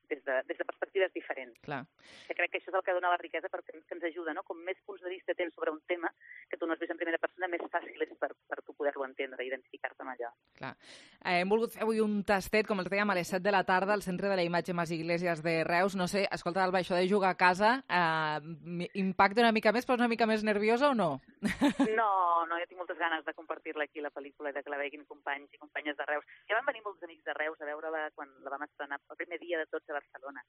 Des de, des de perspectives diferents. Clar. Que crec que això és el que dona la riquesa perquè que ens ajuda, no? Com més punts de vista tens sobre un tema que tu no has vist en primera persona, més fàcil és per, per tu poder-lo entendre i identificar-te amb allò. Clar. Eh, hem volgut fer avui un tastet, com els dèiem, a les set de la tarda al Centre de la Imatge Mas Iglesias de Reus. No sé, escolta, Alba, això de jugar a casa eh, impacta una mica més, però una mica més nerviosa o no? No, no, jo tinc moltes ganes de compartir-la aquí, la pel·lícula, i de que la veguin companys i companyes de Reus. Ja van venir molts amics de Reus a veure-la quan la vam estrenar el primer dia de tots a Barcelona.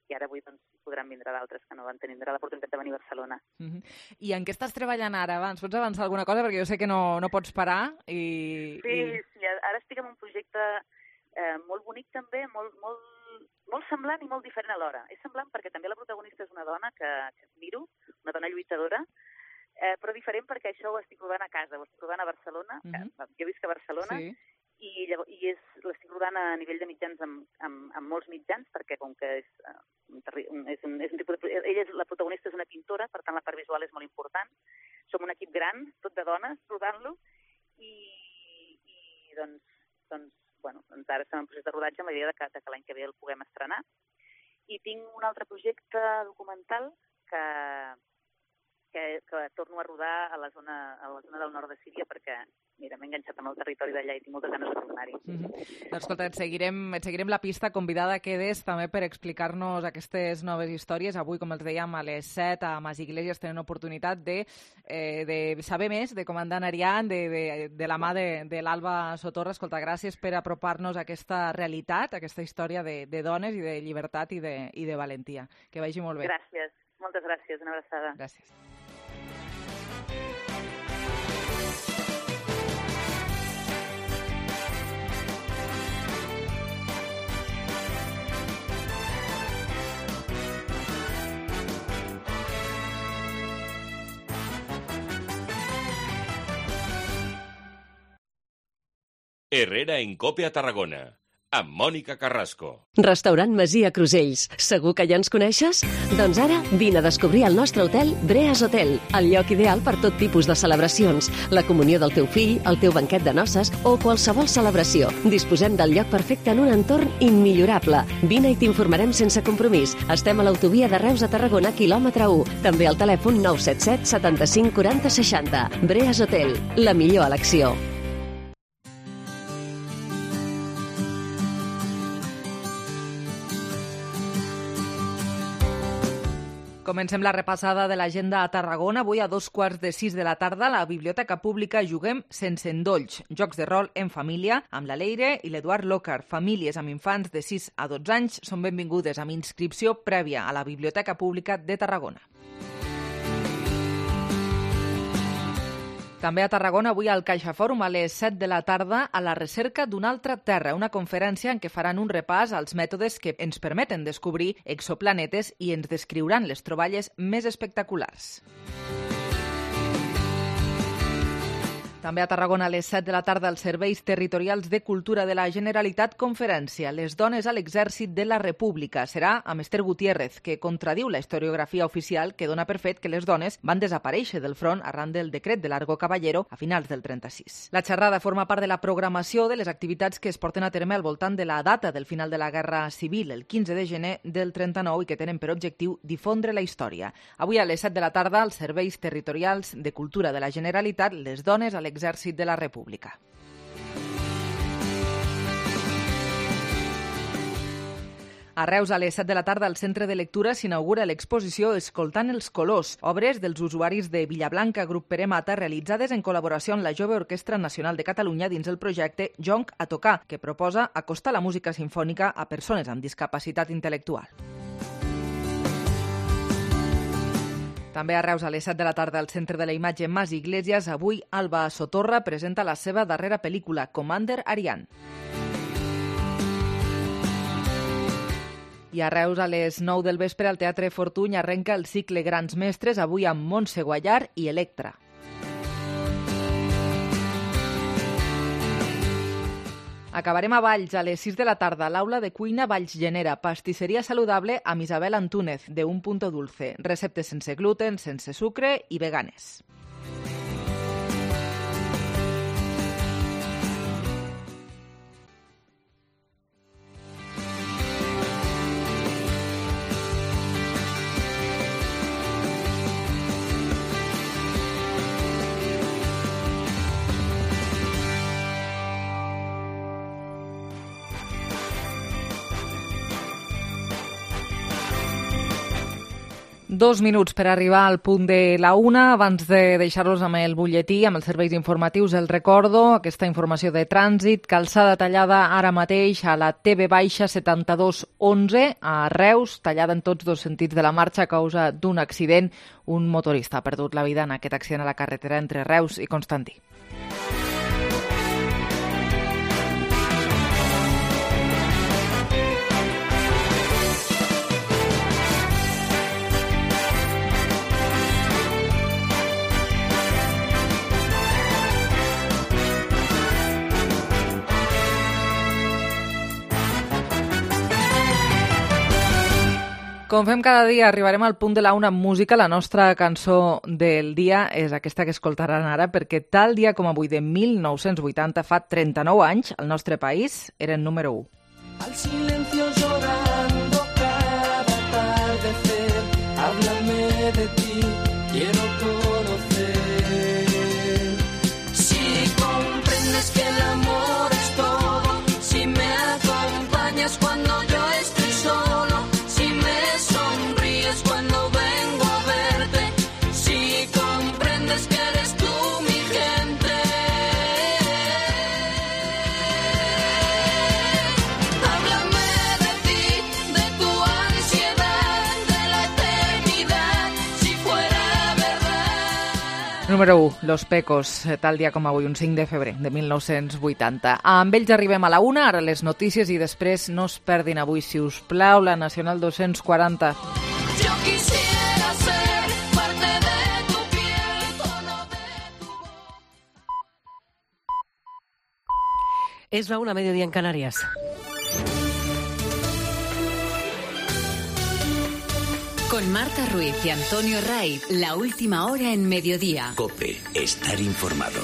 I ara avui doncs, podran vindre d'altres que no van tenir l'oportunitat de venir a Barcelona. Uh-huh. I en què estàs treballant ara? Ens pots avançar alguna cosa? Perquè jo sé que no, no pots parar. I, sí, i... sí, ara estic en un projecte eh, molt bonic també, molt, molt, molt semblant i molt diferent alhora. És semblant perquè també la protagonista és una dona que, que admiro, una dona lluitadora, eh, però diferent perquè això ho estic rodant a casa, ho estic rodant a Barcelona, uh-huh. que, jo visc a Barcelona, sí. I, llavors, i és, l'estic rodant a nivell de mitjans amb, amb, amb molts mitjans, perquè com que és, uh, és, un, és un tipus de... Ella és, la protagonista és una pintora, per tant la part visual és molt important. Som un equip gran, tot de dones, rodant-lo, i, i doncs, doncs, bueno, doncs ara estem en procés de rodatge amb la idea de que, de que l'any que ve el puguem estrenar. I tinc un altre projecte documental que, que, que torno a rodar a la zona, a la zona del nord de Síria perquè mira, m'he enganxat amb el territori d'allà i tinc moltes ganes de tornar-hi. Mm-hmm. Doncs escolta, et seguirem, et seguirem la pista, convidada quedes també per explicar-nos aquestes noves històries. Avui, com els dèiem, a les set a Mas Iglesias tenen oportunitat de, eh, de saber més de Comandant Ariane, de, de, de la mà de, de l'Alba Sotorra. Escolta, gràcies per apropar-nos a aquesta realitat, a aquesta història de, de dones i de llibertat i de, i de valentia. Que vagi molt bé. Gràcies, moltes gràcies, una abraçada. Gràcies. Herrera en Cope a Tarragona, amb Mònica Carrasco. Restaurant Masia Crusells. Segur que ja ens coneixes? Doncs ara vine a descobrir el nostre hotel Breas Hotel, el lloc ideal per tot tipus de celebracions, la comunió del teu fill, el teu banquet de noces o qualsevol celebració. Disposem del lloc perfecte en un entorn immillorable. Vine i t'informarem sense compromís. Estem a l'autovia de Reus a Tarragona, quilòmetre u. També al telèfon nou set set setanta-cinc quaranta seixanta. Breas Hotel, la millor elecció. Comencem la repassada de l'agenda a Tarragona. Avui a dos quarts de sis de la tarda a la Biblioteca Pública juguem sense endolls. Jocs de rol en família amb la Leire i l'Eduard Lócar. Famílies amb infants de sis a dotze anys són benvingudes amb inscripció prèvia a la Biblioteca Pública de Tarragona. També a Tarragona, avui al CaixaFòrum a les set de la tarda, a la recerca d'una altra terra, una conferència en què faran un repàs als mètodes que ens permeten descobrir exoplanetes i ens descriuran les troballes més espectaculars. També a Tarragona a les set de la tarda als Serveis Territorials de Cultura de la Generalitat conferència Les dones a l'exèrcit de la República. Serà amb Esther Gutiérrez, que contradiu la historiografia oficial que dona per fet que les dones van desaparèixer del front arran del decret de Largo Caballero a finals del trenta-sis. La xerrada forma part de la programació de les activitats que es porten a terme al voltant de la data del final de la Guerra Civil, el quinze de gener del trenta-nou, i que tenen per objectiu difondre la història. Avui a les set de la tarda als Serveis Territorials de Cultura de la Generalitat, Les dones a l'exèrcit de la República. A Reus, a les set de la tarda, al Centre de Lectura s'inaugura l'exposició Escoltant els colors, obres dels usuaris de Villablanca, Grup Pere Mata, realitzades en col·laboració amb la Jove Orquestra Nacional de Catalunya dins el projecte Jonc a tocar, que proposa acostar la música simfònica a persones amb discapacitat intel·lectual. També a Reus, a les set de la tarda, al Centre de la Imatge Mas Iglesias, avui Alba Sotorra presenta la seva darrera pel·lícula, Commander Ariane. I a Reus, a les nou del vespre, al Teatre Fortuny arrenca el cicle Grans Mestres, avui amb Montse Guallar i Electra. Acabarem a Valls a les sis de la tarda a l'aula de cuina Valls Genera, pastisseria saludable amb Isabel Antúnez, de Un Punto Dulce. Receptes sense gluten, sense sucre i veganes. Dos minuts per arribar al punt de la una. Abans de deixar-los amb el butlletí, amb els serveis informatius, el recordo, aquesta informació de trànsit, calçada tallada ara mateix a la T V setanta-dos onze, a Reus, tallada en tots dos sentits de la marxa a causa d'un accident. Un motorista ha perdut la vida en aquest accident a la carretera entre Reus i Constantí. Com fem cada dia, arribarem al punt de la una amb música. La nostra cançó del dia és aquesta que escoltaran ara, perquè tal dia com avui de mil nou-cents vuitanta, fa trenta-nou anys, el nostre país era el número u. Al silencio llorando cada atardecer, háblame de ti, quiero conocer. Si comprendes que el amor es todo, si me acompañas cuando yo estoy solo, cuando vengo a verte, si comprendes que eres tú mi gente. Háblame de ti, de tu ansiedad, de la eternidad, si fuera verdad. Número u, Los Pecos, tal dia com avui, un cinc de febrer de mil nou-cents vuitanta. Amb ells arribem a la una, ara les notícies, i després no es perdin avui, si us plau, la Nacional dos-cents quaranta. Yo quisiera ser parte de tu piel, tono de tu voz. Es la una, mediodía en Canarias. Con Marta Ruiz y Antonio Ray, la última hora en mediodía. COPE, estar informado.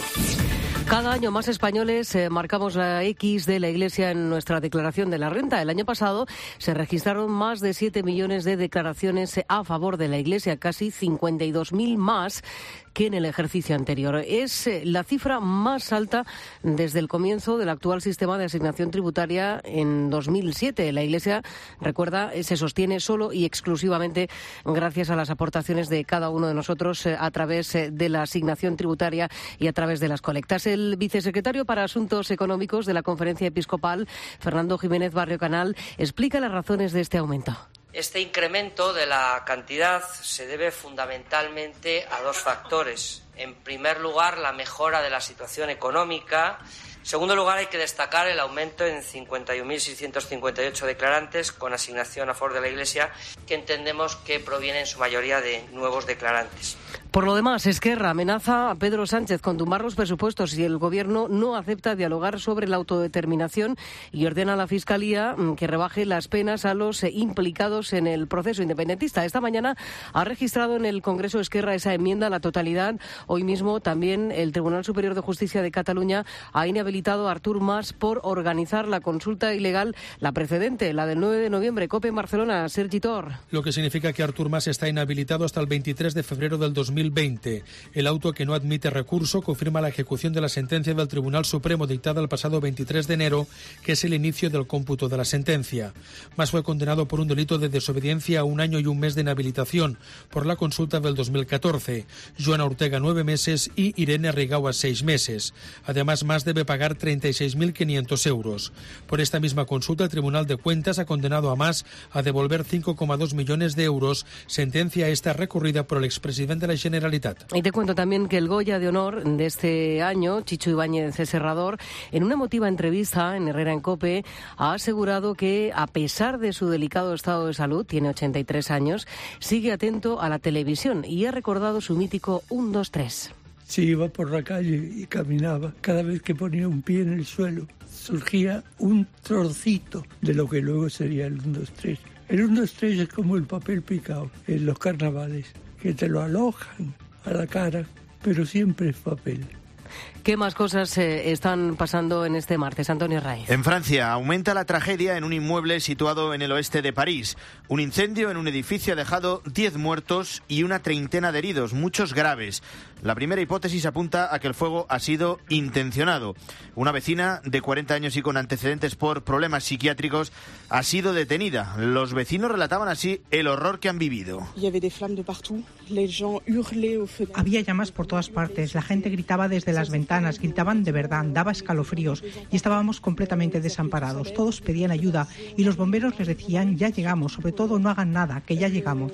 Cada año más españoles eh, marcamos la X de la Iglesia en nuestra declaración de la renta. El año pasado se registraron más de siete millones de declaraciones a favor de la Iglesia, casi cincuenta y dos mil más que en el ejercicio anterior. Es eh, la cifra más alta desde el comienzo del actual sistema de asignación tributaria en dos mil siete. La Iglesia, recuerda, se sostiene solo y exclusivamente gracias a las aportaciones de cada uno de nosotros eh, a través eh, de la asignación tributaria y a través de las colectas. El vicesecretario para Asuntos Económicos de la Conferencia Episcopal, Fernando Jiménez Barrio Canal, explica las razones de este aumento. Este incremento de la cantidad se debe fundamentalmente a dos factores. En primer lugar, la mejora de la situación económica. En segundo lugar, hay que destacar el aumento en cincuenta y un mil seiscientos cincuenta y ocho declarantes con asignación a favor de la Iglesia, que entendemos que proviene en su mayoría de nuevos declarantes. Por lo demás, Esquerra amenaza a Pedro Sánchez con tumbar los presupuestos si el Gobierno no acepta dialogar sobre la autodeterminación y ordena a la Fiscalía que rebaje las penas a los implicados en el proceso independentista. Esta mañana ha registrado en el Congreso Esquerra esa enmienda a la totalidad. Hoy mismo también el Tribunal Superior de Justicia de Cataluña ha inhabilitado a Artur Mas por organizar la consulta ilegal, la precedente, la del nueve de noviembre. COPE en Barcelona, Sergi Tor. Lo que significa que Artur Mas está inhabilitado hasta el veintitrés de febrero del dos mil veinte. El auto, que no admite recurso, confirma la ejecución de la sentencia del Tribunal Supremo dictada el pasado veintitrés de enero, que es el inicio del cómputo de la sentencia. Mas fue condenado por un delito de desobediencia a un año y un mes de inhabilitación por la consulta del dos mil catorce. Joana Ortega, nueve meses, y Irene Rigau, a seis meses. Además, Mas debe pagar treinta y seis mil quinientos euros. Por esta misma consulta, el Tribunal de Cuentas ha condenado a Mas a devolver cinco coma dos millones de euros, sentencia esta recurrida por el expresidente de la Generalitat. Y te cuento también que el Goya de Honor de este año, Chicho Ibáñez Serrador, en una emotiva entrevista en Herrera en COPE, ha asegurado que, a pesar de su delicado estado de salud, tiene ochenta y tres años, sigue atento a la televisión y ha recordado su mítico uno, dos, tres. Si iba por la calle y caminaba, cada vez que ponía un pie en el suelo, surgía un trocito de lo que luego sería el uno, dos, tres. El uno, dos, tres es como el papel picado en los carnavales, que te lo alojan a la cara, pero siempre es papel. ¿Qué más cosas eh, están pasando en este martes, Antonio Raiz? En Francia aumenta la tragedia en un inmueble situado en el oeste de París. Un incendio en un edificio ha dejado diez muertos y una treintena de heridos, muchos graves. La primera hipótesis apunta a que el fuego ha sido intencionado. Una vecina de cuarenta años y con antecedentes por problemas psiquiátricos ha sido detenida. Los vecinos relataban así el horror que han vivido. Había llamas por todas partes, la gente gritaba desde las ventanas, gritaban de verdad, daba escalofríos y estábamos completamente desamparados. Todos pedían ayuda y los bomberos les decían: ya llegamos, sobre todo no hagan nada, que ya llegamos.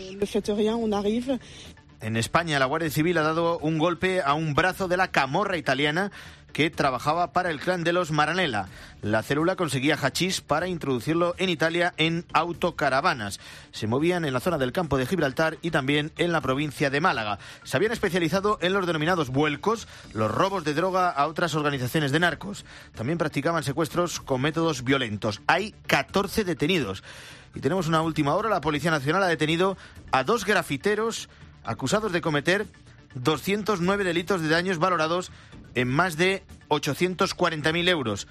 En España, la Guardia Civil ha dado un golpe a un brazo de la camorra italiana que trabajaba para el clan de los Maranella. La célula conseguía hachís para introducirlo en Italia en autocaravanas. Se movían en la zona del campo de Gibraltar y también en la provincia de Málaga. Se habían especializado en los denominados vuelcos, los robos de droga a otras organizaciones de narcos. También practicaban secuestros con métodos violentos. Hay catorce detenidos. Y tenemos una última hora. La Policía Nacional ha detenido a dos grafiteros acusados de cometer doscientos nueve delitos de daños valorados en más de ochocientos cuarenta mil euros.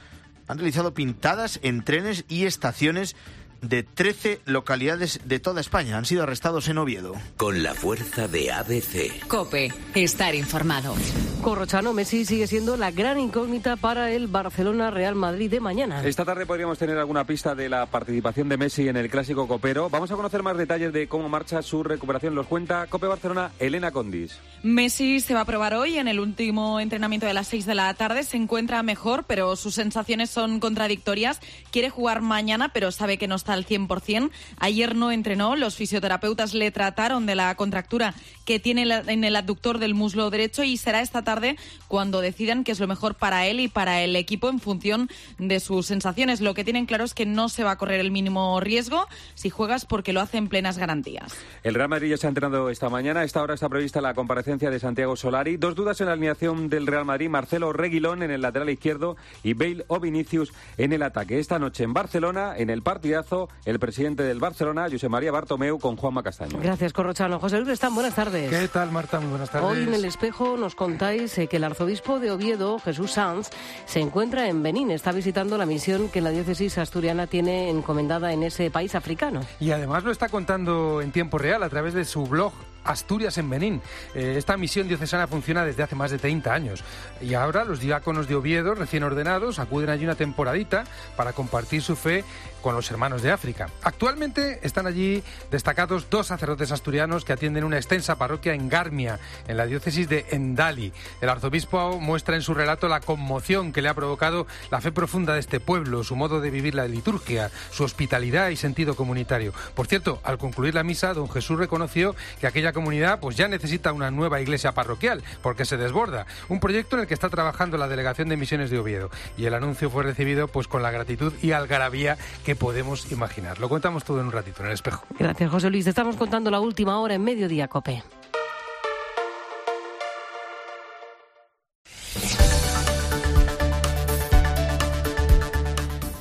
Han realizado pintadas en trenes y estaciones de trece localidades de toda España. Han sido arrestados en Oviedo. Con la fuerza de A B C. COPE, estar informado. Corrochano, Messi sigue siendo la gran incógnita para el Barcelona-Real Madrid de mañana. Esta tarde podríamos tener alguna pista de la participación de Messi en el Clásico Copero. Vamos a conocer más detalles de cómo marcha su recuperación. Los cuenta COPE Barcelona, Elena Condis. Messi se va a probar hoy en el último entrenamiento de las seis de la tarde. Se encuentra mejor, pero sus sensaciones son contradictorias. Quiere jugar mañana, pero sabe que no está hasta el cien por ciento. Ayer no entrenó, los fisioterapeutas le trataron de la contractura que tiene en el abductor del muslo derecho y será esta tarde cuando decidan qué es lo mejor para él y para el equipo en función de sus sensaciones. Lo que tienen claro es que no se va a correr el mínimo riesgo si juegas porque lo hace en plenas garantías. El Real Madrid ya se ha entrenado esta mañana. A esta hora está prevista la comparecencia de Santiago Solari. Dos dudas en la alineación del Real Madrid: Marcelo Reguilón en el lateral izquierdo y Bale o Vinicius en el ataque. Esta noche en Barcelona, en el partidazo, el presidente del Barcelona, Josep María Bartomeu, con Juanma Castaño. Gracias, Corrochano. José Luis Están, buenas tardes. ¿Qué tal, Marta? Muy buenas tardes. Hoy en El Espejo nos contáis eh, que el arzobispo de Oviedo, Jesús Sanz, se encuentra en Benín. Está visitando la misión que la diócesis asturiana tiene encomendada en ese país africano. Y además lo está contando en tiempo real a través de su blog Asturias en Benín. Eh, esta misión diocesana funciona desde hace más de treinta años y ahora los diáconos de Oviedo, recién ordenados, acuden allí una temporadita para compartir su fe con los hermanos de África. Actualmente están allí destacados dos sacerdotes asturianos que atienden una extensa parroquia en Garmia, en la diócesis de Endali. El arzobispo muestra en su relato la conmoción que le ha provocado la fe profunda de este pueblo, su modo de vivir la liturgia, su hospitalidad y sentido comunitario. Por cierto, al concluir la misa, don Jesús reconoció que aquella comunidad pues ya necesita una nueva iglesia parroquial, porque se desborda. Un proyecto en el que está trabajando la Delegación de Misiones de Oviedo. Y el anuncio fue recibido pues con la gratitud y algarabía que podemos imaginar. Lo contamos todo en un ratito, en El Espejo. Gracias, José Luis. Te estamos contando la última hora en Mediodía, COPE.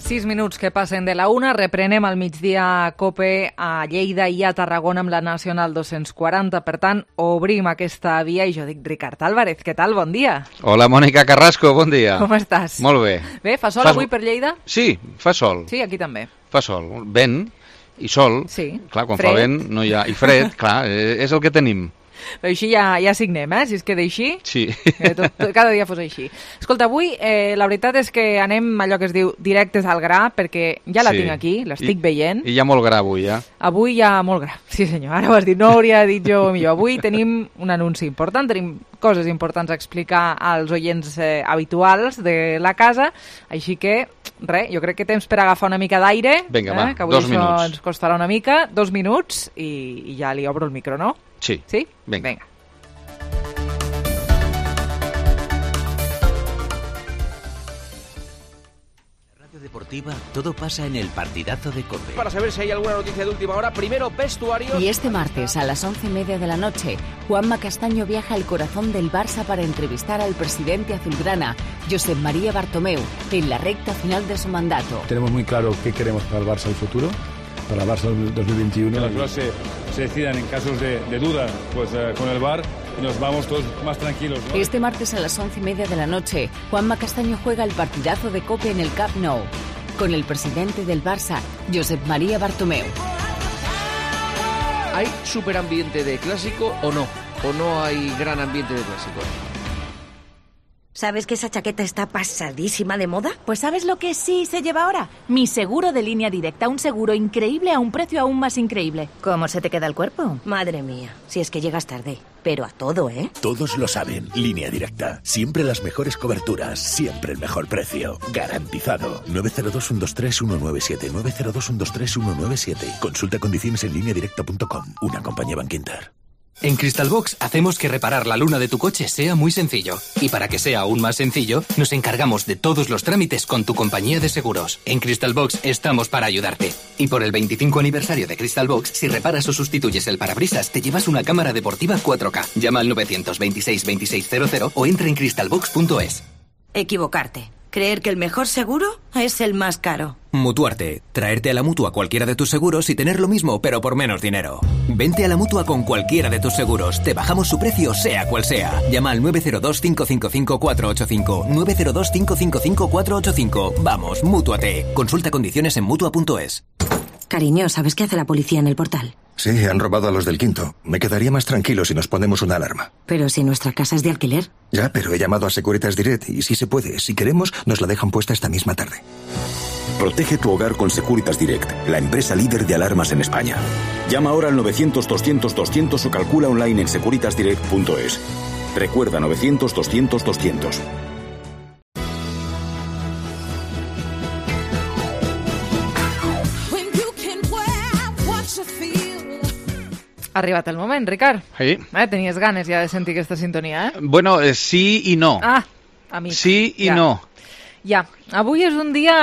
Sis minuts que passen de la una. Reprenem al migdia COPE a Lleida i a Tarragona amb la Nacional dos-cents quaranta. Per tant, obrim aquesta via i jo dic Ricard Álvarez. Què tal? Bon dia. Hola, Mònica Carrasco, bon dia. Com estàs? Molt bé. Bé, fa sol Fas... avui per Lleida? Sí, fa sol. Sí, aquí també. Fa sol. Vent i sol. Sí. Clar, quan fred. fa vent no hi ha... I fred, clar, és el que tenim. Però així ja, ja signem, eh? Si es queda així, sí. que tot, tot, cada dia fos així. Escolta, avui eh, la veritat és que anem allò que es diu directes al gra, perquè ja la sí. tinc aquí, l'estic veient. I hi ha molt gra avui, ja. Avui hi ha molt gra, sí senyor, ara ho has dit, no ho hauria dit jo millor. Avui tenim un anunci important, tenim coses importants a explicar als oients eh, habituals de la casa, així que, res, jo crec que temps per agafar una mica d'aire. Vinga, eh, va, que avui dos això minuts. ens costarà una mica, dos minuts, i, i ja li obro el micro, no? Sí. Sí? Vinga. Vinga. Deportiva, todo pasa en el partidazo de COPE. Para saber si hay alguna noticia de última hora, primero vestuario. Y este martes a las once y media de la noche, Juanma Castaño viaja al corazón del Barça para entrevistar al presidente azulgrana, Josep María Bartomeu, en la recta final de su mandato. Tenemos muy claro qué queremos para el Barça en el futuro, para el Barça dos mil veintiuno. Que las cosas se, se decidan en casos de, de duda, pues eh, con el V A R, y nos vamos todos más tranquilos, ¿no? Este martes a las once y media de la noche, Juanma Castaño juega el partidazo de COPE en el Camp Nou, con el presidente del Barça, Josep María Bartomeu. ¿Hay superambiente de clásico o no? ¿O no hay gran ambiente de clásico? ¿Sabes que esa chaqueta está pasadísima de moda? Pues ¿sabes lo que sí se lleva ahora? Mi seguro de línea directa, un seguro increíble a un precio aún más increíble. ¿Cómo se te queda el cuerpo? Madre mía, si es que llegas tarde. Pero a todo, ¿eh? Todos lo saben. Línea Directa. Siempre las mejores coberturas. Siempre el mejor precio. Garantizado. nueve cero dos, uno dos tres, uno nueve siete. nueve cero dos, uno dos tres, uno nueve siete. Consulta condiciones en línea directa punto com. Una compañía Bankinter. En Crystalbox hacemos que reparar la luna de tu coche sea muy sencillo. Y para que sea aún más sencillo, nos encargamos de todos los trámites con tu compañía de seguros. En Crystalbox estamos para ayudarte. Y por el veinticinco aniversario de Crystalbox, si reparas o sustituyes el parabrisas, te llevas una cámara deportiva cuatro K. Llama al nueve dos seis, veintiséis cero cero o entra en crystalbox punto es. Equivocarte. Creer que el mejor seguro es el más caro. Mutuarte. Traerte a la Mutua cualquiera de tus seguros y tener lo mismo, pero por menos dinero. Vente a la Mutua con cualquiera de tus seguros. Te bajamos su precio, sea cual sea. Llama al nueve cero dos, cinco cinco cinco, cuatro ocho cinco. nueve cero dos, cinco cinco cinco, cuatro ocho cinco. Vamos, Mútuate. Consulta condiciones en mutua punto es. Cariño, ¿sabes qué hace la policía en el portal? Sí, han robado a los del quinto. Me quedaría más tranquilo si nos ponemos una alarma. Pero si nuestra casa es de alquiler. Ya, pero he llamado a Securitas Direct y si se puede, si queremos, nos la dejan puesta esta misma tarde. Protege tu hogar con Securitas Direct, la empresa líder de alarmas en España. Llama ahora al novecientos, doscientos, doscientos o calcula online en securitas direct punto es. Recuerda novecientos, doscientos, doscientos. Ha arribat el moment, Ricard. Sí. Eh, tenies ganes ja de sentir aquesta sintonia, eh? Bueno, eh, sí i no. Ah, amic. Sí i ja. no. Ja. Avui és un dia...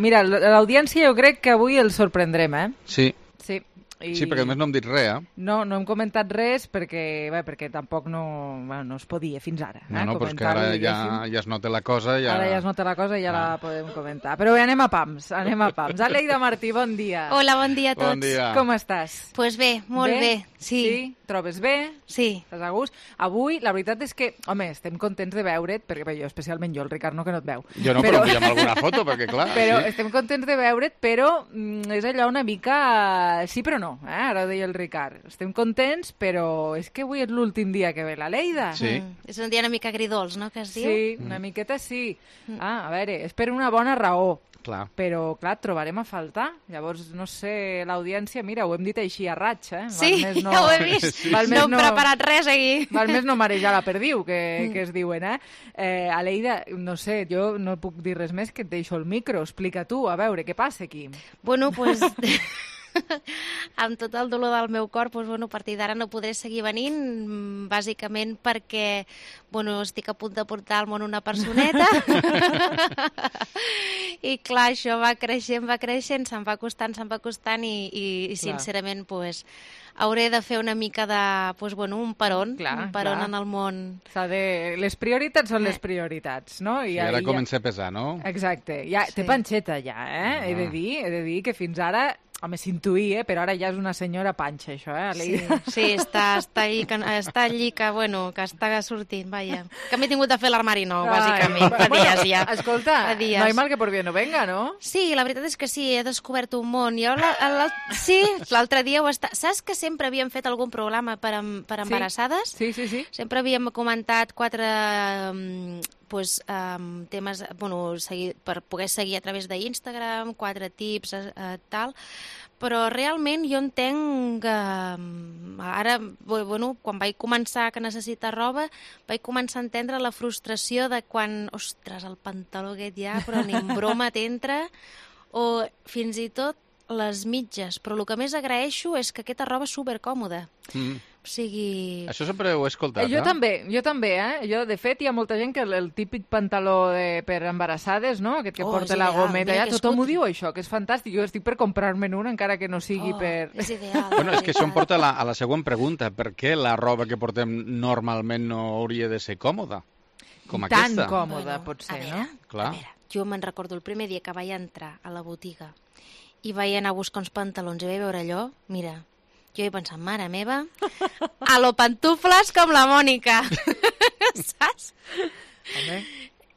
Mira, l'audiència jo crec que avui el sorprendrem, eh? Sí. Sí. I... Sí, perquè a més no hem dit res, eh? No, no hem comentat res perquè, bé, perquè tampoc no, bueno, no es podia fins ara. Eh? No, no, però és que ara ja, ja es nota la cosa. Ja... Ara ja es nota la cosa i ja ah. la podem comentar. Però bé, anem a pams, anem a pams. Aleida Martí, bon dia. Hola, bon dia a tots. Bon dia. Com estàs? Pues bé, molt bé, bé sí. Sí? Trobes bé? Sí. Estàs a gust? Avui, la veritat és que, home, estem contents de veure't, perquè bé, jo, especialment jo, el Ricard no, que no et veu. Jo no, però, però envia'm alguna foto, perquè clar... Però sí. estem contents de veure't, però mm, és allò una mica... Sí, però no, eh? Ara ho deia el Ricard. Estem contents, però és que avui és l'últim dia que ve la Leida. Sí. Mm. És un dia una mica agridols, no?, que es diu? Sí, una miqueta sí. Ah, a veure, és per una bona raó. Clar. Però, clar, et trobarem a faltar. Llavors, no sé, l'audiència, mira, ho hem dit així a raig, eh? Val Sí, més no... ja ho he vist. Sí. No hem no... preparat res aquí. Val més no marejar la perdiu, que, que es diuen, eh? eh? Aleida, no sé, jo no puc dir res més que et deixo el micro. Explica tu, a veure, què passa aquí? Bueno, doncs... Pues... amb tot el dolor del meu cor, doncs, bueno, a partir d'ara no podré seguir venint, bàsicament perquè bueno, estic a punt de portar al món una personeta i clar, això va creixent, va creixent, se'm va costant, se'm va costant i, i, i sincerament pues, hauré de fer una mica de, pues, bueno, un peron, clar, un peron clar. En el món. De... Les prioritats són les prioritats, no? I, I ara ja... comença a pesar, no? Exacte. Ja, sí. Té panxeta ja, eh? Ah. He de dir, he de dir que fins ara home, s'intuïa, eh? Però ara ja és una senyora panxa, això, eh? Sí, sí, està, està, allí, que, està allí que, bueno, que està sortint, vaja. Que m'he tingut de fer l'armari nou, bàsicament, fa dies ja. Escolta, dies. No hi mal que por bien no venga, no? Sí, la veritat és que sí, he descobert un món. Jo, la, la, sí, l'altre dia ho està... Saps que sempre havíem fet algun programa per, per embarassades? Sí, sí, sí. sí. Sempre havíem comentat quatre... Um, pues, um, temes bueno, seguir, per poder seguir a través d'Instagram, quatre tips, uh, tal, però realment jo entenc que um, ara, bueno, quan vaig començar que necessita roba, vaig començar a entendre la frustració de quan, ostres, el pantaló aquest ja, però ni en broma t'entra, o fins i tot les mitges, però el que més agraeixo és que aquesta roba és supercòmoda. Mm. O sigui... Això sempre ho he escoltat, jo eh? també, jo també, eh? Jo, de fet, hi ha molta gent que el, el típic pantaló de, per embarassades, no? Aquest que oh, porta la gometa, ja tothom ho diu, això, que és fantàstic. Jo estic per comprar-me'n un, encara que no sigui oh, per... És ideal. Bueno, és que això em porta a la, a la següent pregunta. Per què la roba que portem normalment no hauria de ser còmoda? Com Tan aquesta? còmoda bueno, pot ser, veure, no? Clar. A veure, jo me'n recordo el primer dia que vaig entrar a la botiga i vaig anar a buscar uns pantalons i vaig veure allò, mira, jo he pensat, mare meva, a lo pantufles com la Mònica. Saps? Home.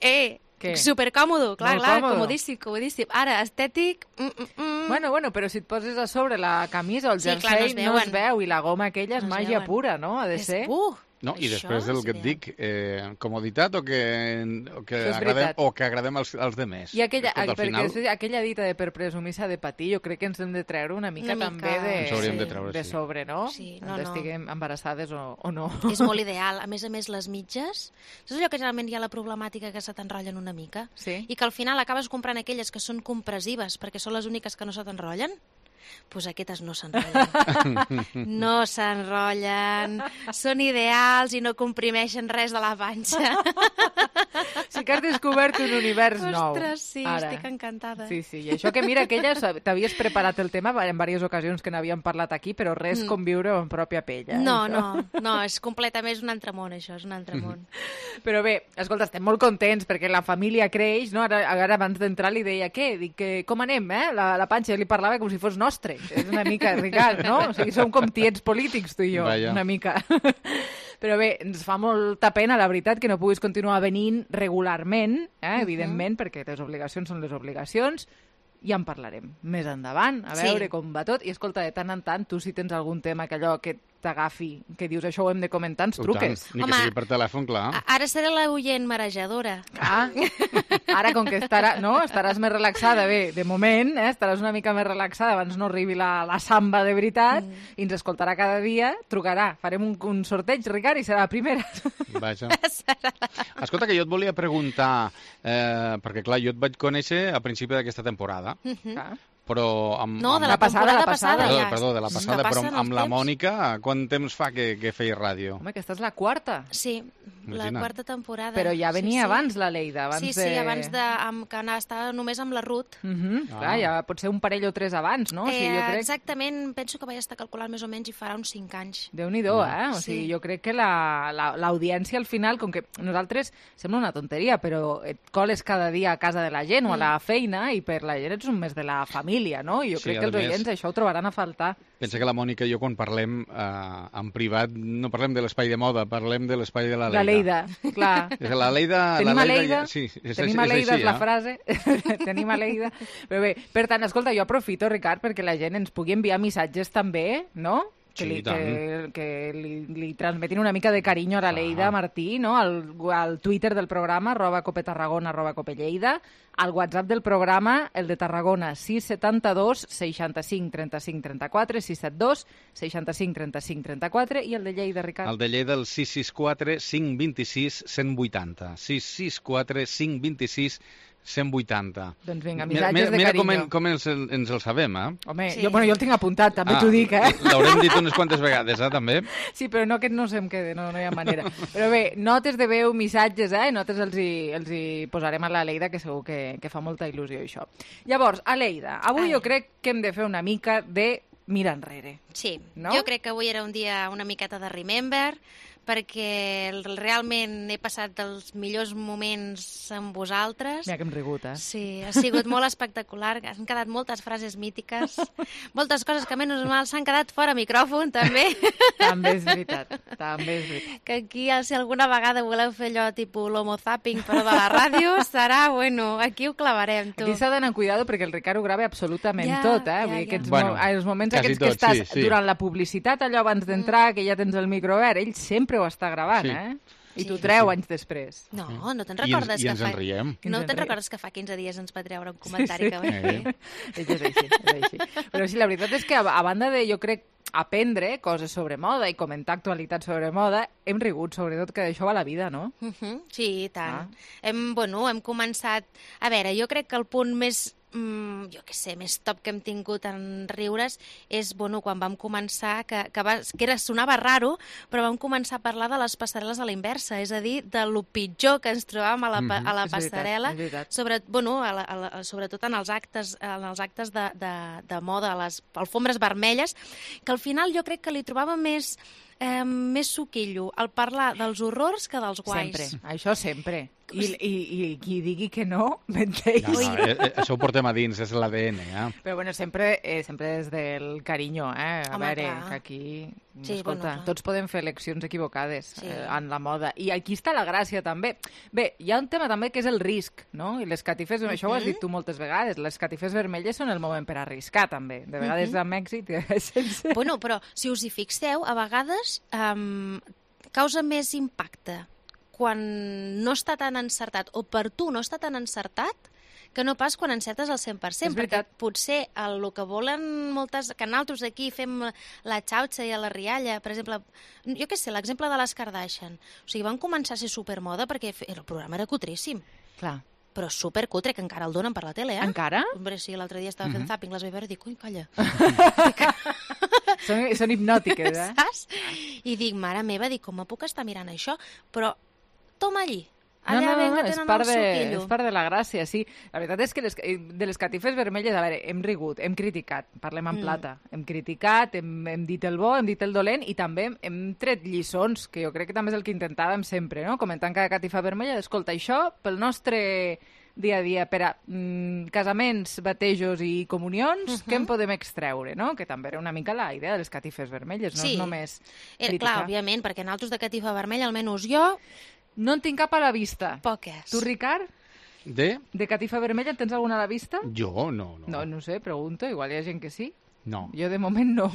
Eh, Què? supercòmodo, clar, Molt clar, còmodo. comodíssim, comodíssim. Ara, estètic... Mm, mm, mm. Bueno, bueno, però si et poses a sobre la camisa o el Sí, jersei, clar, no es no es veuen. veu, i la goma aquella és No es màgia veuen. pura, no? Ha de És, ser. uh, No, i Això després del és que et ideal. dic, eh, comoditat o que, o que Això és agradem, veritat. o que agradem als, als demés. I aquella, Escolta, al perquè final, és aquella dita de per presumir s'ha de patir, jo crec que ens hem de treure una mica, Una també mica, de, Ens hauríem de treure, de sí. sobre, no? Sí, no, no. Estiguem embarassades o, o no. És molt ideal. A més a més, les mitges... Saps allò que generalment hi ha la problemàtica que se t'enrotllen una mica? Sí. I que al final acabes comprant aquelles que són compressives perquè són les úniques que no se t'enrotllen? Doncs pues aquestes no s'enrotllen. No s'enrotllen, són ideals i no comprimeixen res de la panxa. Sí que has descobert un univers nou. Ostres, sí, ara. estic encantada. Sí, sí, i això que mira, aquella t'havies preparat el tema en diverses ocasions que n'havíem parlat aquí, però res Mm. com viure en pròpia pell. Eh, No, això. no, no, és completament és un altre món, això, és un altre món. Però bé, escolta, estem molt contents perquè la família creix, no? Ara, ara abans d'entrar li deia, què? Dic, que, com anem, eh? La, la panxa, li parlava com si fos nostre. És una mica, Ricard, no? O sigui, som com tiets polítics, tu i jo, Vaja. una mica. Però bé, ens fa molta pena, la veritat, que no puguis continuar venint regularment, eh? Evidentment, uh-huh. perquè les obligacions són les obligacions, ja en parlarem més endavant, a veure Sí. com va tot. I escolta, de tant en tant, tu si tens algun tema que allò que t'agafi, que dius això ho hem de comentar, ens truques. Ni Home, que sigui per telèfon, clar. A- Ara seré la oient marejadora. Ah, ara com que estarà, no? estaràs més relaxada, bé, de moment, eh? estaràs una mica més relaxada abans no arribi la, la samba de veritat, mm. i ens escoltarà cada dia, trucarà, farem un, un sorteig, Ricard, i serà la primera. Vaja. Escolta, que jo et volia preguntar, eh, perquè clar, jo et vaig conèixer a principi d'aquesta temporada, Uh-huh. Ah. però amb... No, amb... de la temporada passada, perdó, ja. Perdó, de la passada, però amb, amb la Mònica, quant temps fa que, que feia ràdio? Home, aquesta és la quarta. Sí, la Imagina't. quarta temporada. Però ja venia sí, sí. abans la Leida, abans sí, de... Sí, abans de... Amb, que anava, estava només amb la Ruth. Uh -huh. ah. Clar, ja pot ser un parell o tres abans, no? Eh, o sigui, jo crec... Exactament, penso que vaig estar calculant més o menys i farà uns cinc anys. Déu-n'hi-do, eh? O sigui, sí. jo crec que l'audiència la, la, al final, com que nosaltres sembla una tonteria, però et coles cada dia a casa de la gent mm. o a la feina i per la gent ets un mes de la família, no? I jo Sí, crec que els oients més, això ho trobaran a faltar. Pensa que la Mònica i jo, quan parlem eh, en privat, no parlem de l'espai de moda, parlem de l'espai de la Leida. La Leida, clar. La Leida... Tenim la a Leida, Leida, ja, sí, és, tenim és, a Leida, és, així, és la eh? frase, tenim a Leida. Però bé, per tant, escolta, jo aprofito, Ricard, perquè la gent ens pugui enviar missatges també, no? Que, Sí, li, tant. que, que li, li transmetin una mica de carinyo a la Leida ah. Martí, no? Al, al Twitter del programa, arroba copetarragona, arroba copelleida, al WhatsApp del programa, el de Tarragona, sis setanta dos seixanta-cinc trenta-cinc trenta-quatre, sis setanta dos seixanta-cinc trenta-cinc trenta-quatre, i el de Lleida, Ricard? El de Lleida, el sis sis quatre cinc dos sis cent vuitanta. sis sis quatre cinc dos sis cent vuitanta. Doncs vinga, missatges mira, mira, de mira carinyo. Mira com, com ens, el, ens el sabem, eh? Home, sí. jo, bueno, jo el tinc apuntat, també ah, t'ho dic, eh? L'haurem dit unes quantes vegades, eh, també? Sí, però no, aquest no se'm quede, no, no hi ha manera. Però bé, notes de veu, missatges, eh? Notes els hi, els hi posarem a la Leida, que segur que, que fa molta il·lusió, això. Llavors, a Leida, avui Ai. jo crec que hem de fer una mica de mirar enrere. Sí, no? Jo crec que avui era un dia una miqueta de remember, perquè realment he passat els millors moments amb vosaltres. Mira que hem rigut, eh? Sí, ha sigut molt espectacular, han quedat moltes frases mítiques, moltes coses que menys mal s'han quedat fora micròfon, també. També és veritat, també és veritat. Que aquí, si alguna vegada voleu fer allò tipus l'homo zapping, però de la ràdio, serà, bueno, aquí ho clavarem, tu. Aquí s'ha d'anar cuidado perquè el Ricard ho grava absolutament ja, tot, eh? Ja, Vull dir, ja. aquests Bueno, mo els moments aquests tot, que estàs sí, sí. durant la publicitat, allò abans d'entrar, que ja tens el micro obert, ell sempre ho està gravant, Sí. eh? I Sí. t'ho treu Sí. anys després. No, no te'n I ens- recordes i que ens fa... en riem. No Ens en te'n riem. recordes que fa quinze dies ens va treure un comentari Sí, sí. que vaig fer? És que és així, és així. Però sí, la veritat és que a, a banda de, jo crec, aprendre coses sobre moda i comentar actualitats sobre moda, hem rigut, sobretot, que d'això va la vida, no? Uh -huh. Sí, i tant. Ah. Hem, bueno, hem començat... A veure, jo crec que el punt més, mm, jo què sé, més top que hem tingut en riures és, bueno, quan vam començar, que, que, va, que era, sonava raro, però vam començar a parlar de les passarel·les a la inversa, és a dir, de lo pitjor que ens trobàvem a la, pa- a la És veritat, passarel·la, és veritat. sobre, bueno, a la, a la, sobretot en els actes, en els actes de, de, de moda, a les alfombres vermelles, que al final jo crec que li trobava més, eh, més suquillo al parlar dels horrors que dels guais. Sempre, això sempre. I, i, i qui digui que no, menteix. No, no, eh, eh, això ho portem a dins, és l'A D N, eh? Però bueno, sempre, eh, sempre des del carinyo, eh? A Home, veure, clar. que aquí... Sí, escolta, bueno, clar. tots podem fer eleccions equivocades Sí. eh, en la moda. I aquí està la gràcia, també. Bé, hi ha un tema també que és el risc, no? I les catifes, uh -huh. això ho has dit tu moltes vegades, les catifes vermelles són el moment per arriscar, també. De vegades Uh -huh. amb èxit... Sense... Bueno, però si us hi fixeu, a vegades um, causa més impacte quan no està tan encertat, o per tu no està tan encertat, que no pas quan encertes al cent per cent, És veritat. perquè potser el, el que volen moltes... que nosaltres aquí fem la xauxa i la rialla, per exemple, jo què sé, l'exemple de les Kardashian. O sigui, van començar a ser supermoda perquè el programa era cutríssim. Clar. Però supercutre, que encara el donen per la tele, eh? Encara? Hombre, sí, l'altre dia estava fent Mhm. zapping, les vaig veure i dic, ui, calla. són, són hipnòtiques, eh? Saps? I dic, mare meva, dic, com puc estar mirant això? Però toma allí. No, Allà no, no, venga, no, és tenen part, el de, suquillo. és part de la gràcia, sí. La veritat és que les, de les catifes vermelles, a veure, hem rigut, hem criticat, parlem en Mm. plata, hem criticat, hem, hem dit el bo, hem dit el dolent i també hem, hem tret lliçons, que jo crec que també és el que intentàvem sempre, no? Comentant cada catifa vermella, escolta, això pel nostre dia a dia per a mm, casaments, batejos i comunions, Mhm. què en podem extreure, no? Que també era una mica la idea de les catifes vermelles, no Sí. és només Era, criticar. clar, òbviament, perquè nosaltres de catifa vermella, almenys jo, No en tinc cap a la vista. poques. Tu, Ricard, De? de catifa vermella, en tens alguna a la vista? Jo, no, no. No, no sé, pregunto, igual hi ha gent que sí. No, Jo de moment no.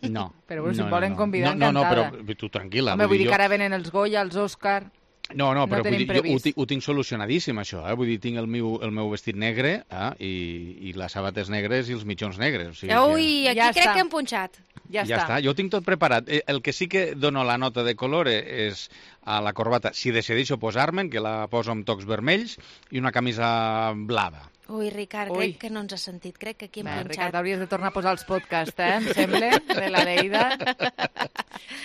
no. Però bueno, si no, em no, volen no. convidar, no, no, encantada. No, però tu tranquil·la. Home, vull dir jo- que ara venen els Goya, els Òscar... No, no, no però vull tenim dir, jo ho, previst. ti- ho tinc solucionadíssim, això, eh? Vull dir, tinc el meu, el meu vestit negre eh? I, i les sabates negres i els mitjons negres. O sigui Ui, aquí Ja crec està. que hem punxat. Ja, ja està. està, jo ho tinc tot preparat. Eh, El que sí que dono la nota de color eh, és a la corbata, si decideixo posar-me'n, que la poso amb tocs vermells, i una camisa blava. Ui, Ricard, Ui. crec que no ens ha sentit. Crec que aquí hem Bé, punxat. Ricard, hauries de tornar a posar els podcasts, eh, em sembla, de l'Aleida.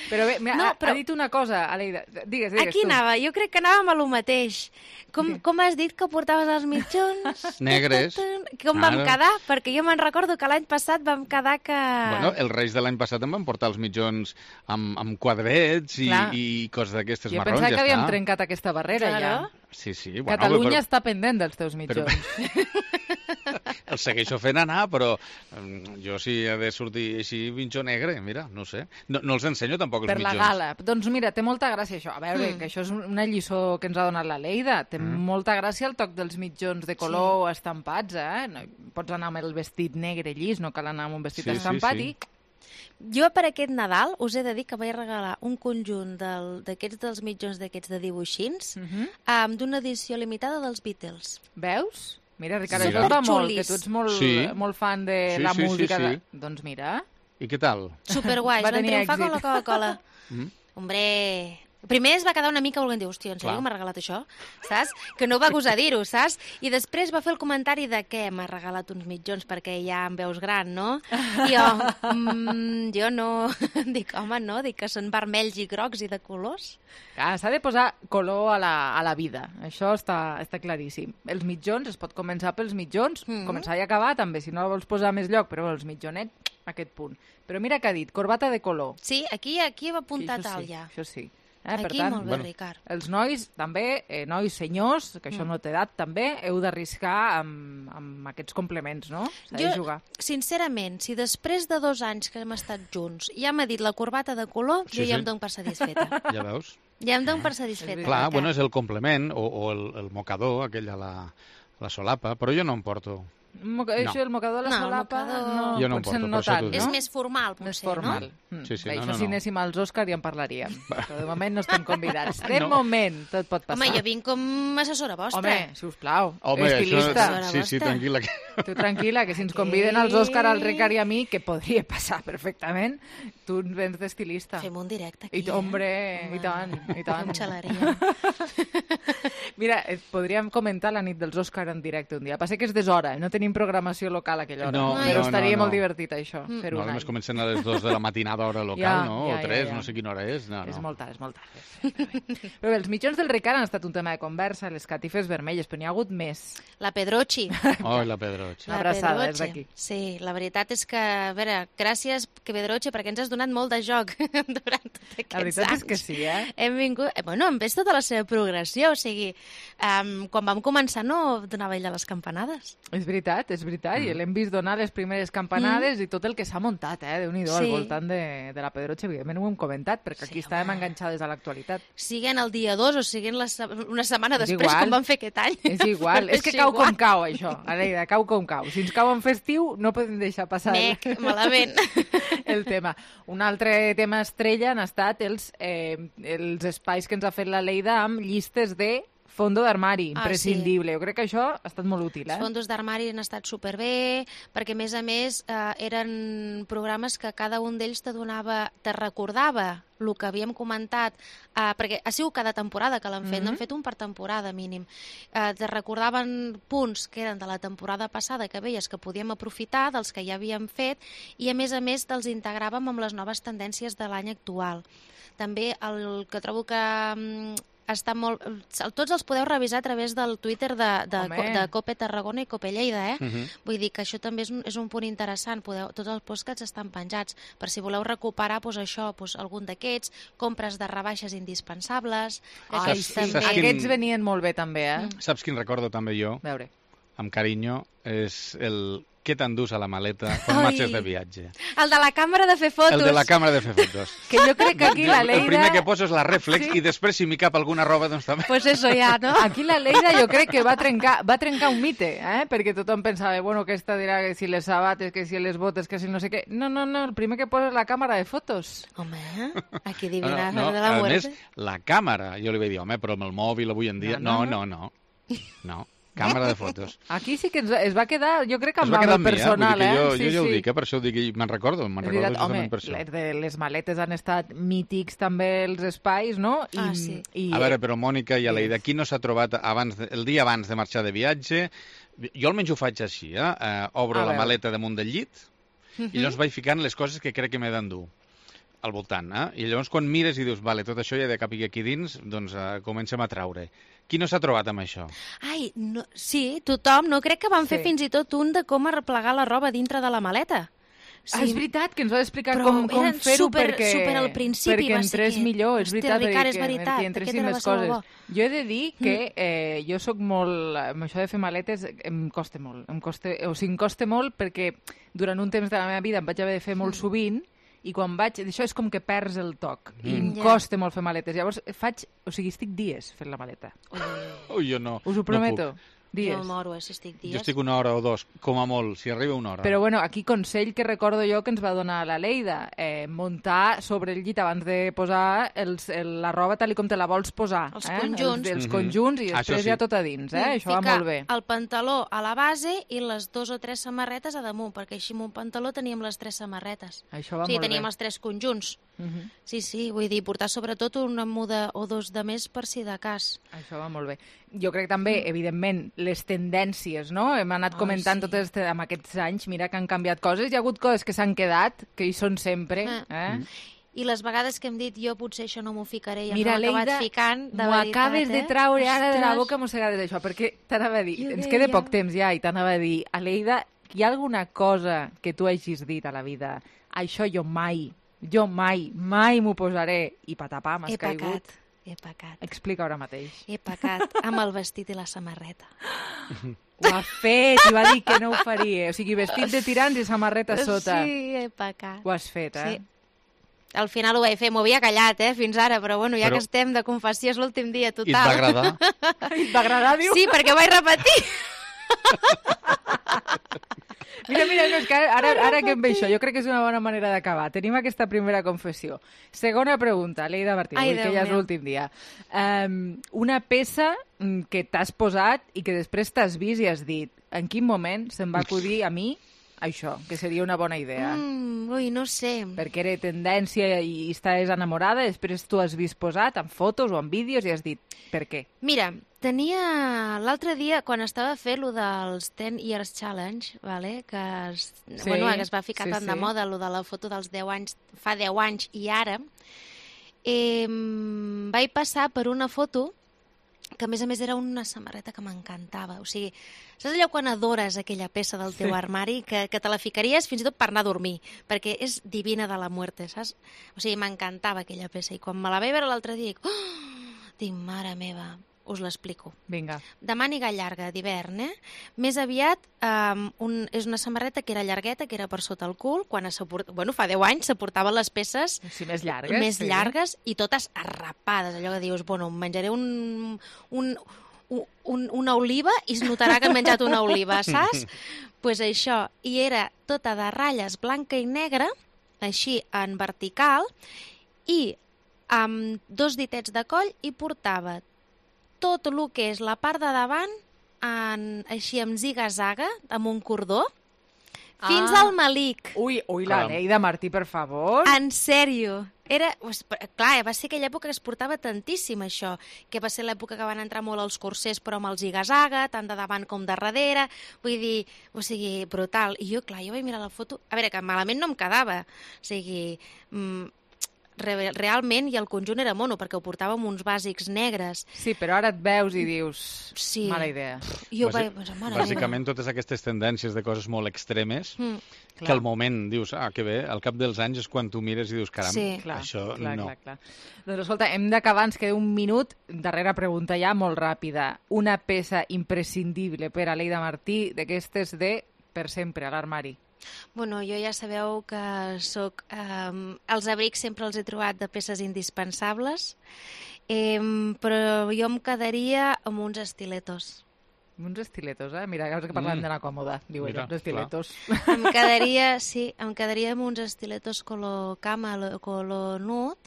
Però bé, mira, No, ha, però- ha dit una cosa, Aleida. Digues, digues Aquí tu. anava, jo crec que anàvem a lo mateix. Com, com has dit que portaves els mitjons? Negres. Com vam Claro. quedar? Perquè jo me'n recordo que l'any passat vam quedar que... Bueno, els Reis de l'any passat em van portar els mitjons amb, amb quadrets i, Clar. i coses d'aquestes Jo marrons, pensava ja que havíem està. trencat aquesta barrera, Claro. ja. Sí, sí. Bueno, Catalunya però, està pendent dels teus mitjons. el segueixo fent anar, però mm, jo si he de sortir així mitjó negre, mira, no sé. No, no els ensenyo tampoc els Per la mitjons. gala. Doncs mira, té molta gràcia això. A veure, Mm. que això és una lliçó que ens ha donat la Leida. Té Mm. molta gràcia el toc dels mitjons de color estampats, eh? No, pots anar amb el vestit negre llis, no cal anar amb un vestit Sí, sí, estampat sí. i... Jo per aquest Nadal us he de dir que vaig regalar un conjunt del- d'aquests dels mitjons d'aquests de dibuixins Mhm. um, d'una edició limitada dels Beatles. Veus? Mira, Ricard, Sí. això es va molt, Superxulis. que tu ets molt, Sí. molt fan de Sí, la sí, sí, música. sí. De... Doncs mira, I què tal? Superguais, Va van tenir triomfar com èxit. la Coca-Cola. Mm? Hombre... Primer es va quedar una mica volent dir, hòstia, en sèrio Clar. que m'ha regalat això? Saps? Que no va gosar dir-ho, saps? I després va fer el comentari de què m'ha regalat uns mitjons perquè ja em veus gran, no? I jo, mm, jo no... Dic, home, no, dic que són vermells i grocs i de colors. ah, s'ha de posar color a la, a la vida. Això està, està claríssim. Els mitjons, es pot començar pels mitjons, Mhm. començar i acabar també, si no vols posar més lloc, però els mitjonets, aquest punt. Però mira què ha dit, corbata de color. Sí, aquí aquí hem apuntat Sí, això alt sí, ja. Això sí. Eh, per Aquí tant, molt bé, bueno. Ricard. els nois també, eh, nois senyors, que això Mm. no té edat també, heu d'arriscar amb, amb aquests complements, no? S'ha de Jo, jugar. sincerament, si després de dos anys que hem estat junts ja m'ha dit la corbata de color, Sí, jo ja sí. em dono per satisfeta. Ja veus? Ja em dono per satisfeta. Clar, Ricard. bueno, és el complement, o, o el, el mocador, aquell a la, la solapa, però jo no em porto. Moca, No. Això, el mocador a la No, el solapa, mocador- no, Jo no em potser porto, no per això tant, t'ho no? dic. És més formal, potser, Més formal. no? Mm. Sí, sí, Bé, no, això no, si no. anéssim als Òscar ja en parlaríem. Però de moment no estem convidats. De No. moment, tot pot passar. Home, jo vinc com assessora vostra. Home, sisplau, Home, estilista. això... Sí, sí, tranquil·la. Que... Tu tranquil·la, que si ens conviden als Òscar, al Ricard i a mi, que podria passar perfectament, tu ens vens d'estilista. Fem un directe aquí, I, hombre, eh? i tant, i tant. Fem xaleria. Mira, eh, podríem comentar la nit dels Òscar en directe un dia. Passa que és deshora, no tenim programació local a aquella hora. No, però no, estaria no, molt no. divertit, això, Mm. fer-ho No, un només any. comencen a les dues de la matinada hora local, Ja, no? ja, o ja, tres, ja. no sé quina hora és. No, És no. molt tard, és molt tard. Però bé. Però bé, els mitjons del Ricard han estat un tema de conversa, les catifes vermelles, però n'hi ha hagut més. La Pedrochi. Oh, la Pedroche. La abraçada, Pedroche. és d'aquí. Sí, la veritat és que, a veure, gràcies, que Pedroche, perquè ens has donat molt de joc durant tots aquests La veritat anys. és que sí, eh? Hem vingut... eh, Bueno, hem vist tota la seva progressió, o sigui, um, quan vam començar no donava ella les campanades. És veritat, és veritat, Mm. i l'hem vist donar les primeres campanades i tot el que s'ha muntat, eh? Déu-n'hi-do, Sí. al voltant de, de la Pedroche, evidentment ho hem comentat, perquè aquí Sí, estàvem home. enganxades a l'actualitat. Siguen el dia dos o siguen la, se- una setmana És després, igual. com vam fer aquest any. És igual, és que cau com cau, això, Aleida, cau com cau. Si ens cau en festiu, no podem deixar passar Mec, malament. el tema. Un altre tema estrella han estat els, eh, els espais que ens ha fet la Leida amb llistes de fondo d'armari, Ah, imprescindible. Jo crec que això ha estat molt útil, eh? Els fondos d'armari han estat superbé, perquè a més a més eh, eren programes que cada un d'ells te donava, te recordava el que havíem comentat, eh, perquè ha sigut cada temporada que l'han fet, Mhm. n'han fet un per temporada mínim. Eh, te recordaven punts que eren de la temporada passada que veies que podíem aprofitar, dels que ja havíem fet, i a més a més te'ls integràvem amb les noves tendències de l'any actual. També el que trobo que mm, està molt... Tots els podeu revisar a través del Twitter de, de, Home. de Cope Tarragona i Cope Lleida, eh? Mhm. Vull dir que això també és un, és un punt interessant. Podeu, tots els podcasts estan penjats. Per si voleu recuperar doncs, això, doncs, algun d'aquests, compres de rebaixes indispensables... que Ai, aquests sí, també... Saps quin- aquests venien molt bé també, eh? Mm. Saps quin recordo també jo, A veure. amb carinyo, és el què t'endús a la maleta quan Ai. marxes de viatge. El de la càmera de fer fotos. El de la càmera de fer fotos. Que jo crec que aquí la El Leida... primer que poso és la reflex Sí. i després si m'hi cap alguna roba doncs també. Pues eso ja, no? Aquí la Leida jo crec que va trencar, va trencar un mite, eh? Perquè tothom pensava, bueno, aquesta dirà que si les sabates, que si les botes, que si no sé què... No, no, no, el primer que posa és la càmera de fotos. Home, aquí No, adivina no, de la a muerte. més, la càmera, jo li vaig dir, home, però amb el mòbil avui en dia... No, No, no, no, no. No, càmera de fotos. Aquí sí que ens, es va quedar, jo crec que Es amb va el quedar amb mi, eh? personal, Vull dir eh? que jo, sí, jo ja ho sí. dic, eh? Per això ho dic, i me'n recordo, me'n És recordo veritat, home, justament per això. les, de, les maletes han estat mítics també els espais, no? I, Ah, sí. i, A veure, però Mònica i Aleida, qui no s'ha trobat abans de, el dia abans de marxar de viatge Jo almenys ho faig així, eh? eh obro A la veure. maleta damunt del llit Mhm. i llavors vaig ficant les coses que crec que m'he d'endur al voltant, eh? I llavors quan mires i dius, vale, tot això ja de cap i aquí dins, doncs eh, comencem a traure. Qui no s'ha trobat amb això? Ai, no, sí, tothom. No crec que van fer Sí. fins i tot un de com arreplegar la roba dintre de la maleta. Sí. Ah, és veritat, que ens va explicar Però com, com eren fer-ho super- perquè, super al principi, perquè va ser entrés que- millor, és Hòstia, veritat, Ricard, és perquè, veritat, perquè aquest entressin era més va ser molt coses. Jo he de dir que eh, jo sóc molt... Amb això de fer maletes em costa molt. Em costa, o sigui, em costa molt perquè durant un temps de la meva vida em vaig haver de fer molt sovint i quan vaig... Això és com que perds el toc i Mm. em Ja. costa molt fer maletes. Llavors faig... O sigui, estic dies fent la maleta. Ui, jo no. Us ho no prometo. puc. Dies. Jo moro, eh, si estic dies. Jo estic una hora o dos, com a molt, si arriba una hora. Però bueno, aquí consell que recordo jo que ens va donar la Leida, eh, muntar sobre el llit abans de posar els, el, la roba tal i com te la vols posar. Els eh? conjunts. Els, els Mhm. conjunts i Això després sí. ja tot a dins, eh? Mm, Això va ficar molt bé. el pantaló a la base i les dos o tres samarretes a damunt, perquè així amb un pantaló teníem les tres samarretes. Això va o sigui, molt teníem bé. els tres conjunts. Mhm. Sí, sí, vull dir, portar sobretot una muda o dos de més per si de cas. Això va molt bé. Jo crec també, evidentment, les tendències, no? Hem anat Ai, comentant sí. tot este, amb aquests anys, mira que han canviat coses, hi ha hagut coses que s'han quedat, que hi són sempre, Ah. eh? I les vegades que hem dit jo potser això no m'ho ficaré i Mira, ens ho hem Leida, acabat ficant, de m'ho veritat, acabes de eh? traure ara de la Ostres. boca mossegades això, perquè t'anava a dir, Jo ens deia. queda poc temps ja, i t'anava a dir, Aleida, hi ha alguna cosa que tu hagis dit a la vida, això jo mai, jo mai, mai m'ho posaré, i patapà, m'has He caigut. pecat, he pecat. Explica ara mateix. He pecat amb el vestit i la samarreta. Ho ha fet, i va dir que no ho faria. O sigui, vestit de tirants i samarreta a sota. Sí, he pecat. Ho has fet, eh? Sí. Al final ho vaig fer, m'ho havia callat, eh, fins ara, però bueno, ja Però- que estem de confessió és l'últim dia, total. I et va agradar? Et va agradar, diu? Sí, perquè ho vaig repetir. Mira, mira, no, és que ara, ara que em ve això, jo crec que és una bona manera d'acabar. Tenim aquesta primera confessió. Segona pregunta, Leida Martí, Ai, avui, que Déu ja és meu. l'últim dia. Um, una peça mm, que t'has posat i que després t'has vist i has dit en quin moment se'm va acudir a mi això, que seria una bona idea. Mm, ui, no sé. Perquè era tendència i estàs enamorada, després tu has vist posat en fotos o en vídeos i has dit, per què? Mira, tenia l'altre dia, quan estava fent lo dels ten years challenge, vale? que, es, Sí, bueno, que es va ficar sí, tant de sí. moda, lo de la foto dels deu anys, fa deu anys i ara, eh, vaig passar per una foto que a més a més era una samarreta que m'encantava. O sigui, saps allò quan adores aquella peça del teu Sí. armari que, que te la ficaries fins i tot per anar a dormir, perquè és divina de la muerte, saps? O sigui, m'encantava aquella peça i quan me la vaig veure l'altre dia dic, oh! dic, mare meva, us l'explico. Vinga. De màniga llarga d'hivern, eh? Més aviat um, un, és una samarreta que era llargueta, que era per sota el cul, quan es port... bueno, fa deu anys se portaven les peces Sí, més llargues. més sí. llargues i totes arrapades, allò que dius, bueno, em menjaré un, un, un, una oliva i es notarà que he menjat una oliva, saps? Doncs pues això, i era tota de ratlles blanca i negra, així en vertical, i amb dos ditets de coll i portava tot el que és la part de davant en, així amb ziga-zaga, amb un cordó, fins Ah. al malic. Ui, ui, la Caram. Leida Martí, per favor. En sèrio. Era, pues, clar, va ser aquella època que es portava tantíssim això, que va ser l'època que van entrar molt els corsers però amb el ziga-zaga, tant de davant com de darrere, vull dir, o sigui, brutal. I jo, clar, jo vaig mirar la foto, a veure, que malament no em quedava, o sigui, mm, re realment, i el conjunt era mono, perquè ho portava amb uns bàsics negres. Sí, però ara et veus i dius, Sí. mala idea. Jo Bàsic- vaig pensar, mare meva. Bàsicament, totes aquestes tendències de coses molt extremes, Mm. que al moment dius, ah, que bé, al cap dels anys és quan tu mires i dius, caram, Sí. Clar, això clar, no. clar, clar. Doncs escolta, hem d'acabar, ens queda un minut. Darrera pregunta ja, molt ràpida. Una peça imprescindible per a Leida Martí d'aquestes de per sempre a l'armari. Bueno, jo ja sabeu que soc... Eh, els abrics sempre els he trobat de peces indispensables, eh, però jo em quedaria amb uns estiletos. Uns estiletos, eh? Mira, ara que parlem Mm. d'anar còmoda, diu ella, Mira, uns estiletos. Em quedaria, sí, em quedaria amb uns estiletos color cama, color nude,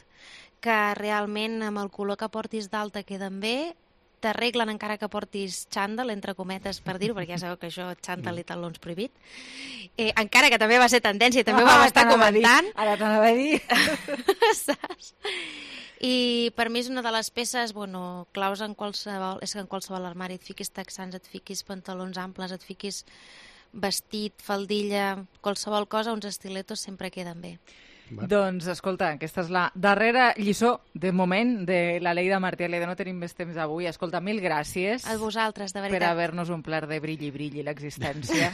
que realment amb el color que portis d'alta queden bé, t'arreglen encara que portis xandall, entre cometes, per dir-ho, perquè ja sabeu que això, xandall i talons prohibit. Eh, encara que també va ser tendència, i també ho vam Ah, estar t'anava a dir, comentant. Ara t'anava a dir. Saps? I per mi és una de les peces, bueno, claus en qualsevol, és que en qualsevol armari et fiquis texans, et fiquis pantalons amples, et fiquis vestit, faldilla, qualsevol cosa, uns estiletos sempre queden bé. Bueno. Doncs, escolta, aquesta és la darrera lliçó, de moment, de la Leida Martí. Leida, no tenim més temps avui. Escolta, mil gràcies. A vosaltres, de veritat. Per haver-nos omplert de brilli i brilli l'existència.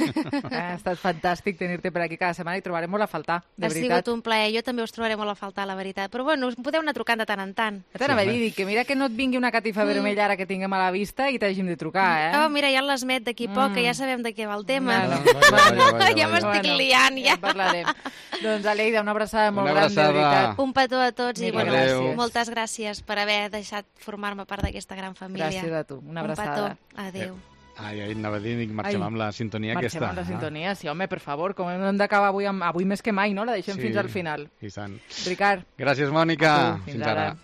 Ha estat fantàstic tenir-te per aquí cada setmana i trobarem molt a faltar, de ha veritat. Ha sigut un plaer. Jo també us trobaré molt a faltar, la veritat. Però bueno, us podeu anar trucant de tant en tant. T'anava a dir que mira que no et vingui una catifa mm. vermella ara que tinguem a la vista i t'hàgim de trucar, eh? Oh, mira, ja l'Esmet d'aquí poc, mm. que ja sabem de què va el tema. Vale, vale, vale, vale, ja m'estic bueno, liant, ja. Ja parlarem. Doncs, Aleida, una abraçada molt una abraçada. gran, de veritat. Un petó a tots i bueno, gràcies. moltes gràcies per haver deixat formar-me part d'aquesta gran família. Gràcies a tu, una abraçada. Un petó, adéu. Ai, ai, anava a dir, marxem Ai, amb la sintonia marxem aquesta. amb la sintonia, sí, home, per favor, com hem d'acabar avui, amb, avui més que mai, no? La deixem Sí, fins al final. i tant. Ricard. Gràcies, Mònica. A tu, fins, Fins ara. ara.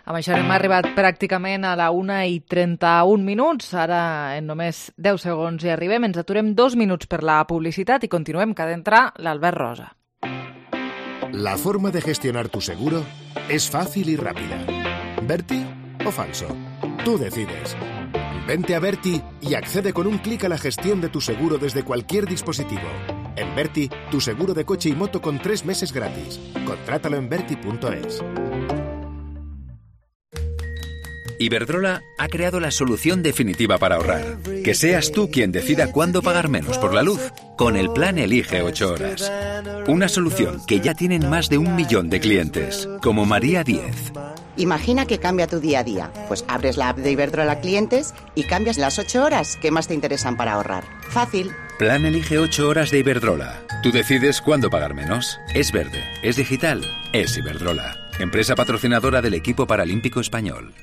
Amb això hem arribat pràcticament a la una i trenta-un minuts. Ara, en només deu segons hi arribem. Ens aturem dos minuts per la publicitat i continuem, que ha d'entrar l'Albert Rosa. La forma de gestionar tu seguro es fácil y rápida. ¿Berti o falso? Tú decides. Vente a Berti y accede con un clic a la gestión de tu seguro desde cualquier dispositivo. En Berti, tu seguro de coche y moto con tres meses gratis. Contrátalo en berti punto es. Iberdrola ha creado la solución definitiva para ahorrar. Que seas tú quien decida cuándo pagar menos por la luz, con el plan Elige ocho horas. Una solución que ya tienen más de un millón de clientes, como María diez. Imagina que cambia tu día a día. Pues abres la app de Iberdrola Clientes y cambias las ocho horas que más te interesan para ahorrar. Fácil. Plan Elige ocho horas de Iberdrola. Tú decides cuándo pagar menos. Es verde, es digital, es Iberdrola. Empresa patrocinadora del equipo paralímpico español.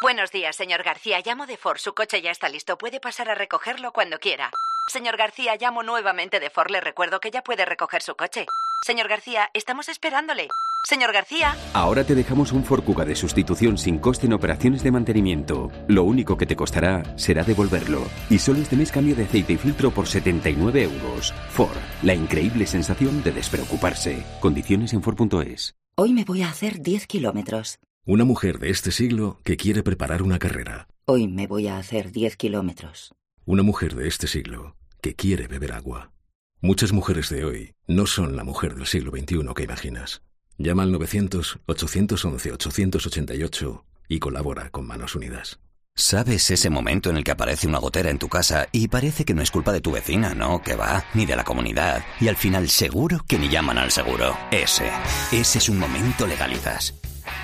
Buenos días, señor García. Llamo de Ford. Su coche ya está listo. Puede pasar a recogerlo cuando quiera. Señor García, llamo nuevamente de Ford. Le recuerdo que ya puede recoger su coche. Señor García, estamos esperándole. Señor García. Ahora te dejamos un Ford Kuga de sustitución sin coste en operaciones de mantenimiento. Lo único que te costará será devolverlo. Y solo este mes cambio de aceite y filtro por setenta y nueve euros. Ford, la increíble sensación de despreocuparse. Condiciones en Ford punto es. Hoy me voy a hacer diez kilómetros. Una mujer de este siglo que quiere preparar una carrera. Hoy me voy a hacer diez kilómetros. Una mujer de este siglo que quiere beber agua. Muchas mujeres de hoy no son la mujer del siglo veintiuno que imaginas. Llama al novecientos, ochocientos once, ochocientos ochenta y ocho y colabora con Manos Unidas. ¿Sabes ese momento en el que aparece una gotera en tu casa y parece que no es culpa de tu vecina, no, que va, ni de la comunidad, y al final seguro que ni llaman al seguro? Ese, ese es un momento legalizas.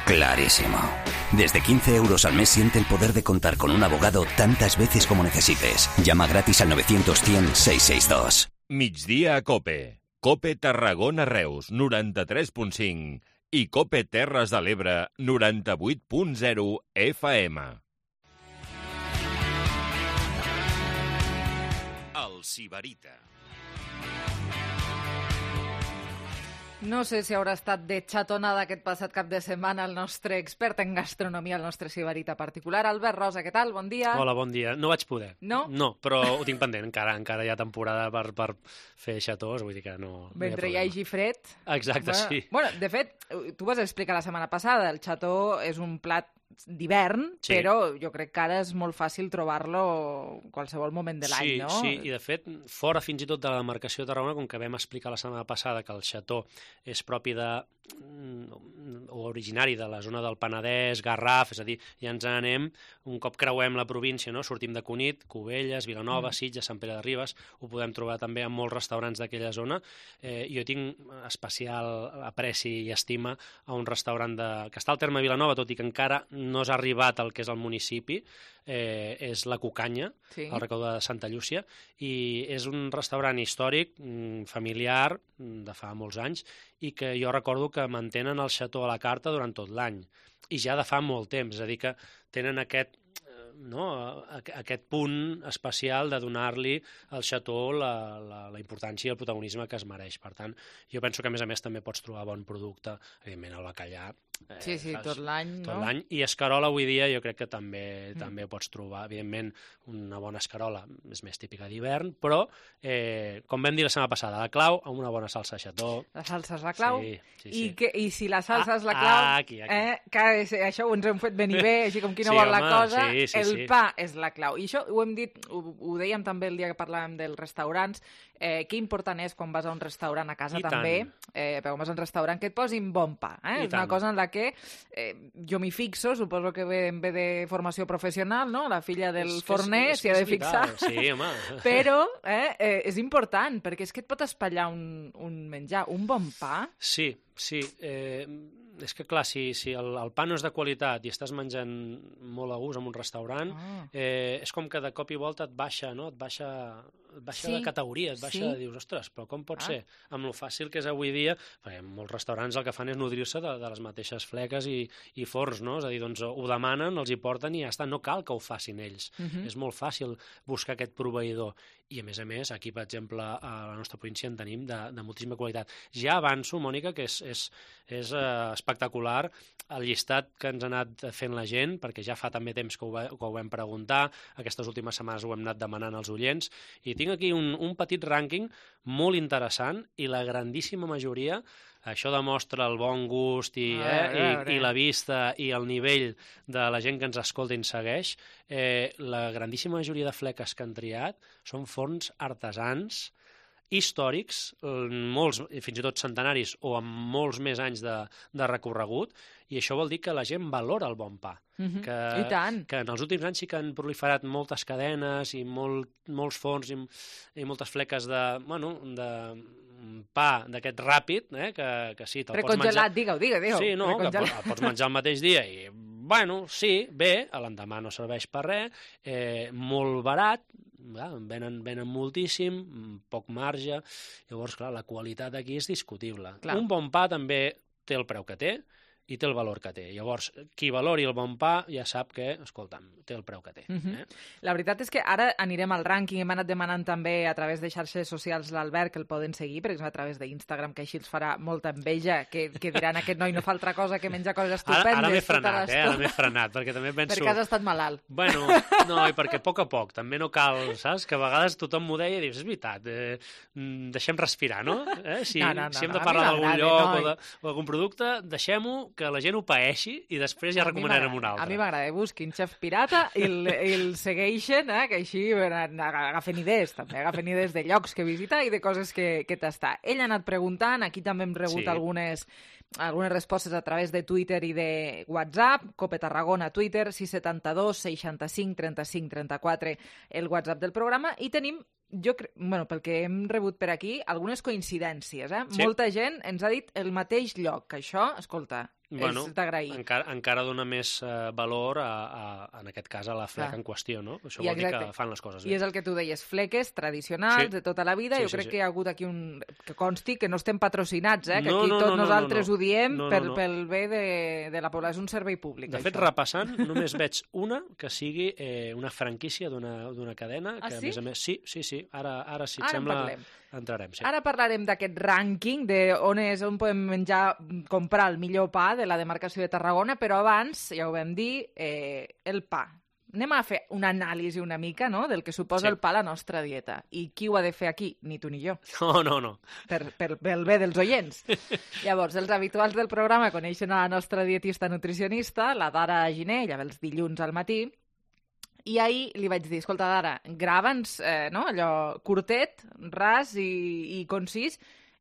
Clarísimo. Desde quince euros al mes siente el poder de contar con un abogado tantas veces como necesites. Llama gratis al novecientos, cien, seiscientos sesenta y dos. Migdia a Cope. Cope Tarragona Reus, noranta-tres punt cinc. I Cope Terres de l'Ebre, noranta-vuit punt zero F M. El Sibarita. No sé si haurà estat de xatonada aquest passat cap de setmana el nostre expert en gastronomia, el nostre sibarita particular. Albert Rosa, què tal? Bon dia. Hola, bon dia. No vaig poder. No? No, però ho tinc pendent. Encara encara hi ha temporada per, per fer xatós, vull dir que no... Mentre hi hagi fred... Exacte, bueno, sí. Bueno, de fet, tu vas explicar la setmana passada, el xató és un plat d'hivern, sí. Però jo crec que ara és molt fàcil trobar-lo qualsevol moment de l'any, sí, no? Sí, i de fet, fora fins i tot de la demarcació de Tarragona, com que vam explicar la setmana passada que el xató és propi de o originari de la zona del Penedès, Garraf, és a dir, ja ens anem, un cop creuem la província, no? Sortim de Cunit, Cubelles, Vilanova, mm. Sitges, Sant Pere de Ribes, ho podem trobar també en molts restaurants d'aquella zona. Eh, jo tinc especial apreci i estima a un restaurant de... que està al terme Vilanova, tot i que encara no s'ha arribat al que és el municipi, eh, és La Cucanya, sí. Al Recau de Santa Llúcia, i és un restaurant històric, familiar, de fa molts anys, i que jo recordo que mantenen el xató a la carta durant tot l'any, i ja de fa molt temps, és a dir que tenen aquest no, aquest punt especial de donar-li al Chateau la, la, la importància i el protagonisme que es mereix. Per tant, jo penso que a més a més també pots trobar bon producte, evidentment el bacallà. Eh, sí, sí, saps? tot l'any, Tot no? l'any. I escarola avui dia jo crec que també, Mm. també ho pots trobar. Evidentment, una bona escarola és més típica d'hivern, però, eh, com vam dir la setmana passada, la clau amb una bona salsa Chateau. La salsa és la clau. Sí, sí, I, sí. que, I si la salsa Ah, és la clau, ah, aquí, aquí. Eh, que és, això ho ens hem fet venir bé, així com qui no Sí, vol la home, cosa, sí, sí, el sí. pa és la clau. I això ho hem dit, ho, ho dèiem també el dia que parlàvem dels restaurants, eh, que important és quan vas a un restaurant a casa I també, tant. eh, però quan vas a un restaurant que et posin bon pa. Eh? I És una tant. cosa en la que eh, jo m'hi fixo, suposo que ve, ve de formació professional, no? La filla del És que és- forner és s'hi que ha de és vital, fixar. sí, home. Però eh, eh, és important, perquè és que et pot espatllar un, un menjar. Un bon pa... Sí, sí. Eh, és que, clar, si, si el, el pa no és de qualitat i estàs menjant molt a gust en un restaurant, Ah. eh, és com que de cop i volta et baixa, no? Et baixa, et baixa Sí, de categoria, et baixa sí. de dius, ostres, però com pot Ah. ser? Amb lo fàcil que és avui dia, perquè molts restaurants el que fan és nodrir-se de, de les mateixes fleques i, i forns, no? És a dir, doncs ho demanen, els hi porten i ja està, no cal que ho facin ells. Mhm. És molt fàcil buscar aquest proveïdor. I, a més a més, aquí, per exemple, a la nostra província en tenim de, de moltíssima qualitat. Ja avanço, Mònica, que és, és, és eh, espectacular el llistat que ens ha anat fent la gent, perquè ja fa també temps que ho, va, que ho vam preguntar, aquestes últimes setmanes ho hem anat demanant als oients, i tinc aquí un, un petit rànquing molt interessant, i la grandíssima majoria, això demostra el bon gust i, A eh, veure, a veure. i, i la vista i el nivell de la gent que ens escolta i ens segueix, eh, la grandíssima majoria de fleques que han triat són forns artesans històrics, molts, fins i tot centenaris o amb molts més anys de, de recorregut, i això vol dir que la gent valora el bon pa. Mhm. que, I tant. que en els últims anys sí que han proliferat moltes cadenes i molt, molts forns i, i moltes fleques de, bueno, de pa d'aquest ràpid, eh, que, que sí, te'l pots menjar... Precongelat, digue-ho, digue-ho. digue-ho. Sí, no, que Precongelat. pots, el pots menjar el mateix dia i, bueno, sí, bé, a l'endemà no serveix per res, eh, molt barat, ja, venen, venen moltíssim, poc marge, llavors, clar, la qualitat aquí és discutible. Clar. Un bon pa també té el preu que té, i té el valor que té. Llavors, qui valori el bon pa ja sap que, escolta'm, té el preu que té. Mhm. eh? La veritat és que ara anirem al rànquing, hem anat demanant també a través de xarxes socials l'Albert que el poden seguir, per exemple a través d'Instagram, que així els farà molta enveja, que, que diran aquest noi no fa altra cosa que menjar coses Ara, estupendes. ara m'he tota frenat, eh? l'estona. Ara m'he frenat, perquè també penso... Perquè has estat malalt. Bueno, no, i perquè a poc a poc, també no cal, saps? Que a vegades tothom m'ho deia i dius, és veritat, eh, mm, deixem respirar, no? Eh? Si, No, no, no, si hem no, de a parlar mi d'algun m'agrada, lloc noi. o de- o d'algun producte, deixem-ho, que la gent ho paeixi i després ja A mi recomanarem un m'agrada, altre. A mi m'agrada, busquin Xef Pirata i el, i el segueixen, eh, que així agafen idees, també, agafen idees de llocs que visitar i de coses que, que tastar. Ell ha anat preguntant, aquí també hem rebut Sí. algunes, algunes respostes a través de Twitter i de WhatsApp, Cope Tarragona, Twitter, sis setanta dos seixanta-cinc trenta-cinc trenta-quatre, el WhatsApp del programa, i tenim jo cre... bueno, pel que hem rebut per aquí, algunes coincidències. Eh? Sí. Molta gent ens ha dit el mateix lloc, que això, escolta, Bueno, és d'agrair. encara, encara dona més eh, valor, a, a, en aquest cas, a la fleca Clar. en qüestió, no? Això I vol dir exacte. que fan les coses I bé. és el que tu deies, fleques tradicionals Sí. de tota la vida. Sí, jo sí, crec sí. que hi ha hagut aquí un... que consti que no estem patrocinats, eh? que No, aquí no, tots no, no, nosaltres no, no. ho diem No, no, per, no. pel bé de, de la població. És un servei públic, De fet, això. repassant, només veig una que sigui eh, una franquícia d'una d'una cadena, Ah, que sí? a més a més... Sí, sí, sí, ara, ara si et Ara en sembla, parlem. entrarem. Sí. Ara parlarem d'aquest rànquing, de on és on podem menjar, comprar el millor pa de la demarcació de Tarragona, però abans, ja ho vam dir, eh, el pa. Anem a fer una anàlisi una mica, no?, del que suposa Sí. el pa a la nostra dieta. I qui ho ha de fer aquí? Ni tu ni jo. No, no, no. Per, per, pel bé dels oients. Llavors, els habituals del programa coneixen a la nostra dietista nutricionista, la Dara Giner, ella ve els dilluns al matí, i ahir li vaig dir, escolta, Dara, grava'ns, eh, no?, allò curtet, ras i, i concís,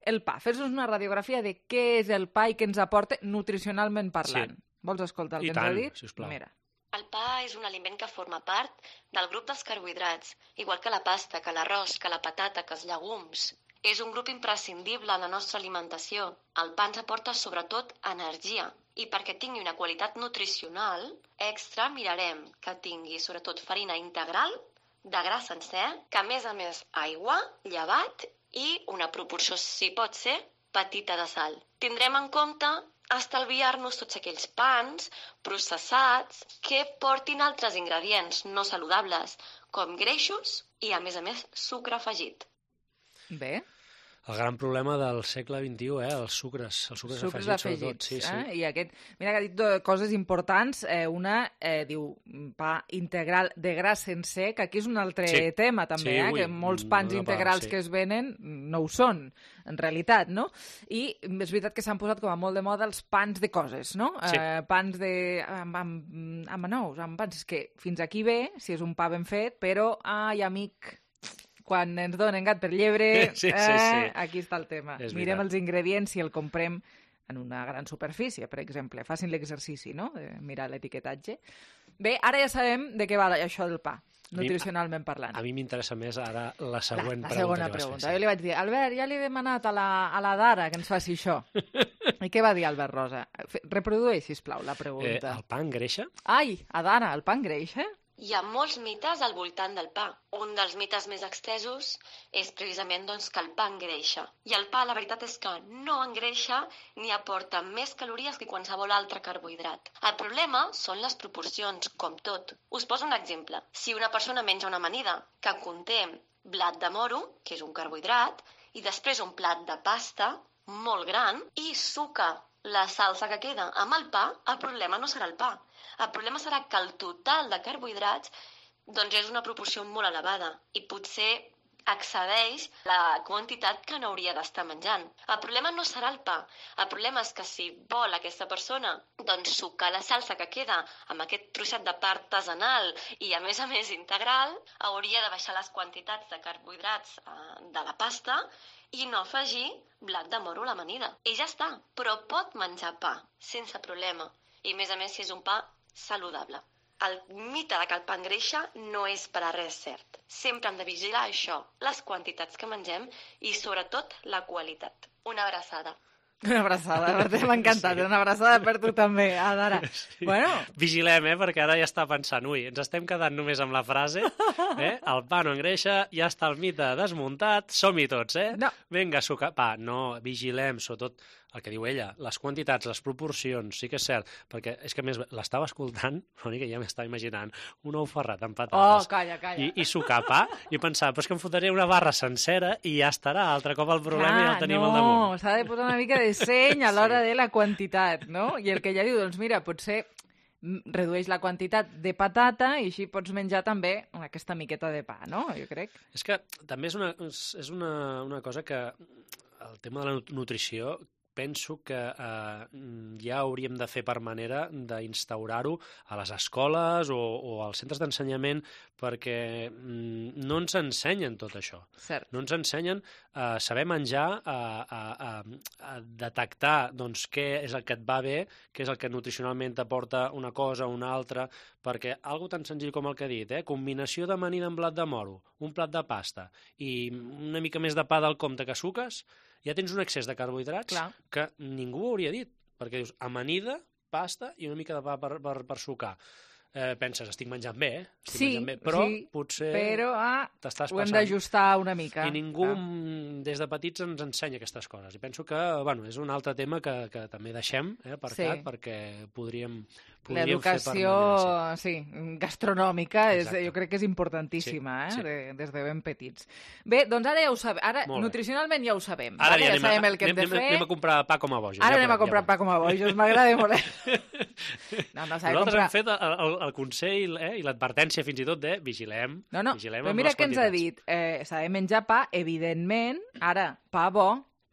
el pa. Fes-nos una radiografia de què és el pa i què ens aporta nutricionalment parlant. Sí. Vols escoltar el I que ens ha tant, dit? sisplau. Mira. El pa és un aliment que forma part del grup dels carbohidrats, igual que la pasta, que l'arròs, que la patata, que els llegums. És un grup imprescindible en la nostra alimentació. El pa ens aporta sobretot energia. I perquè tingui una qualitat nutricional extra, mirarem que tingui sobretot farina integral, de gra sencer, que a més a més aigua, llevat i una proporció, si pot ser, petita de sal. Tindrem en compte estalviar-nos tots aquells pans processats que portin altres ingredients no saludables, com greixos i, a més a més, sucre afegit. Bé. El gran problema del segle vint-i-u, eh? Els sucres, els sucres, sucres afegits, afegits sobretot. Sí, sí. Eh? I aquest, mira que ha dit dues coses importants. Eh, una, eh, diu, pa integral de gra sencer, que aquí és un altre sí. tema, també, sí, eh? ui, que molts pans no integrals part, sí. que es venen no ho són, en realitat, no? I és veritat que s'han posat com a molt de moda els pans de coses, no? Sí. Eh, pans de... amb, amb, amb anous, amb pans que fins aquí ve, si és un pa ben fet, però, ai, amic... quan ens donen gat per llebre, sí, sí, eh, sí. aquí està el tema. És Mirem veritat. els ingredients si el comprem en una gran superfície, per exemple. Facin l'exercici, no?, de mirar l'etiquetatge. Bé, ara ja sabem de què va això del pa, nutricionalment parlant. A mi m'interessa més ara la següent la, la pregunta. segona pregunta. Jo li vaig dir, Albert, ja li he demanat a la, a la Dara que ens faci això. I què va dir Albert Rosa? Reprodueix, sisplau, la pregunta. Eh, el pa engreixa? Ai, Adara, el pa engreixa? Hi ha molts mites al voltant del pa. Un dels mites més extesos és precisament doncs, que el pa engreixa. I el pa, la veritat és que no engreixa ni aporta més calories que qualsevol altre carbohidrat. El problema són les proporcions, com tot. Us poso un exemple. Si una persona menja una amanida que conté blat de moro, que és un carbohidrat, i després un plat de pasta molt gran i suca la salsa que queda amb el pa, el problema no serà el pa. El problema serà que el total de carbohidrats doncs, és una proporció molt elevada i potser excedeix la quantitat que n'hauria d'estar menjant. El problema no serà el pa. El problema és que si vol aquesta persona doncs, sucar la salsa que queda amb aquest trosset de pa artesanal i, a més a més, integral, hauria de baixar les quantitats de carbohidrats eh, de la pasta i no afegir blat de moro a l'amanida. I ja està, però pot menjar pa, sense problema. I, a més a més, si és un pa saludable. El mite de que el pa engreixa no és per a res cert. Sempre hem de vigilar això, les quantitats que mengem i, sobretot, la qualitat. Una abraçada. Una abraçada, m'ha encantat. Sí. Una abraçada per tu també, Adara. Sí. Bueno. Vigilem, eh, perquè ara ja està pensant, ui, ens estem quedant només amb la frase, eh? El pa no engreixa, ja està el mite desmuntat, som-hi tots, eh? No. Vinga, sucar, pa, no, vigilem, sobretot el que diu ella, les quantitats, les proporcions, sí que és cert, perquè és que més l'estava escoltant, l'únic que ja m'estava imaginant, un ou ferrat amb patates. Oh, calla, calla. I, i sucar pa, i pensava, però és que em fotré una barra sencera i ja estarà, altre cop el problema Clar, ja el tenim no, al damunt. No, s'ha de posar una mica de seny a l'hora sí. de la quantitat, no? I el que ella diu, doncs mira, potser redueix la quantitat de patata i així pots menjar també aquesta miqueta de pa, no? Jo crec. És que també és una, és una, una cosa que el tema de la nutrició penso que eh, ja hauríem de fer per manera d'instaurar-ho a les escoles o, o als centres d'ensenyament perquè mm, no ens ensenyen tot això. Cert. No ens ensenyen a eh, saber menjar, a, a, a, a detectar doncs, què és el que et va bé, què és el que nutricionalment t'aporta una cosa o una altra, perquè algo tan senzill com el que he dit, eh? Combinació d'amanida amb blat de moro, un plat de pasta i una mica més de pa del compte que suques, ja tens un excés de carbohidrats Clar. que ningú ho hauria dit, perquè dius amanida, pasta i una mica de pa per, per, per sucar. Eh, penses, estic menjant bé, eh? Estic sí, menjant bé, però sí, potser però, ah, t'estàs ho hem passant. d'ajustar una mica. I ningú ah. des de petits ens ensenya aquestes coses. I penso que bueno, és un altre tema que, que també deixem eh, aparcat sí. perquè podríem, podríem L'educació, fer sí, gastronòmica, és, jo crec que és importantíssima, sí, eh, sí. De, des de ben petits. Bé, doncs ara ja ho sabem. Ara, nutricionalment ja ho sabem. Ara, ara ja, ja sabem a, el que anem, hem de fer. Anem a comprar pa com a bojos. Ara ja anem a comprar ja pa com a bojos. M'agrada molt. No, no, Nosaltres comprar... hem fet el, el, el consell eh, i l'advertència fins i tot de vigilem. No, no, vigilem però mira què ens ha dit. Eh, S'ha de menjar pa, evidentment, ara, pa bo.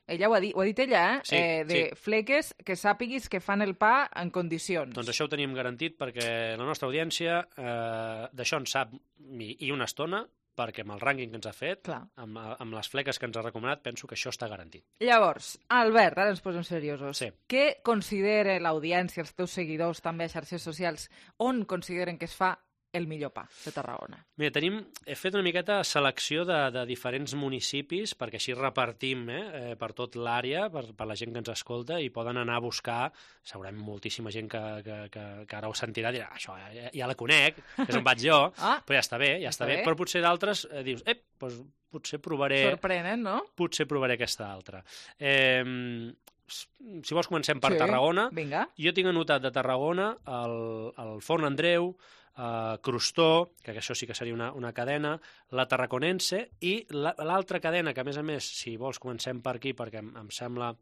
Ella ho ha dit, ho ha dit ella, eh? Sí, eh de sí. fleques que sàpiguis que fan el pa en condicions. Doncs això ho teníem garantit perquè la nostra audiència eh, d'això en sap i, i una estona, perquè amb el rànquing que ens ha fet, amb, amb les fleques que ens ha recomanat, penso que això està garantit. Llavors, Albert, ara ens posem seriosos. Sí. Què considera l'audiència, els teus seguidors, també a xarxes socials, on consideren que es fa el millor pa de Tarragona? Mira, tenim, he fet una miqueta selecció de, de diferents municipis, perquè així repartim eh, eh, per tot l'àrea, per, per la gent que ens escolta, i poden anar a buscar, segurament moltíssima gent que, que, que, que ara ho sentirà, dirà, això ja, ja la conec, és on vaig jo, ah, però ja està bé, ja està, està bé. bé, però potser d'altres eh, dius, ep, doncs potser provaré... Sorprenen, no? Potser provaré aquesta altra. Eh, si vols comencem per Sí, Tarragona. vinga. Jo tinc anotat de Tarragona el, el Forn Andreu, uh, Crostó, que això sí que seria una, una cadena, la Tarraconense, i l'altra cadena, que a més a més, si vols comencem per aquí, perquè em, em sembla...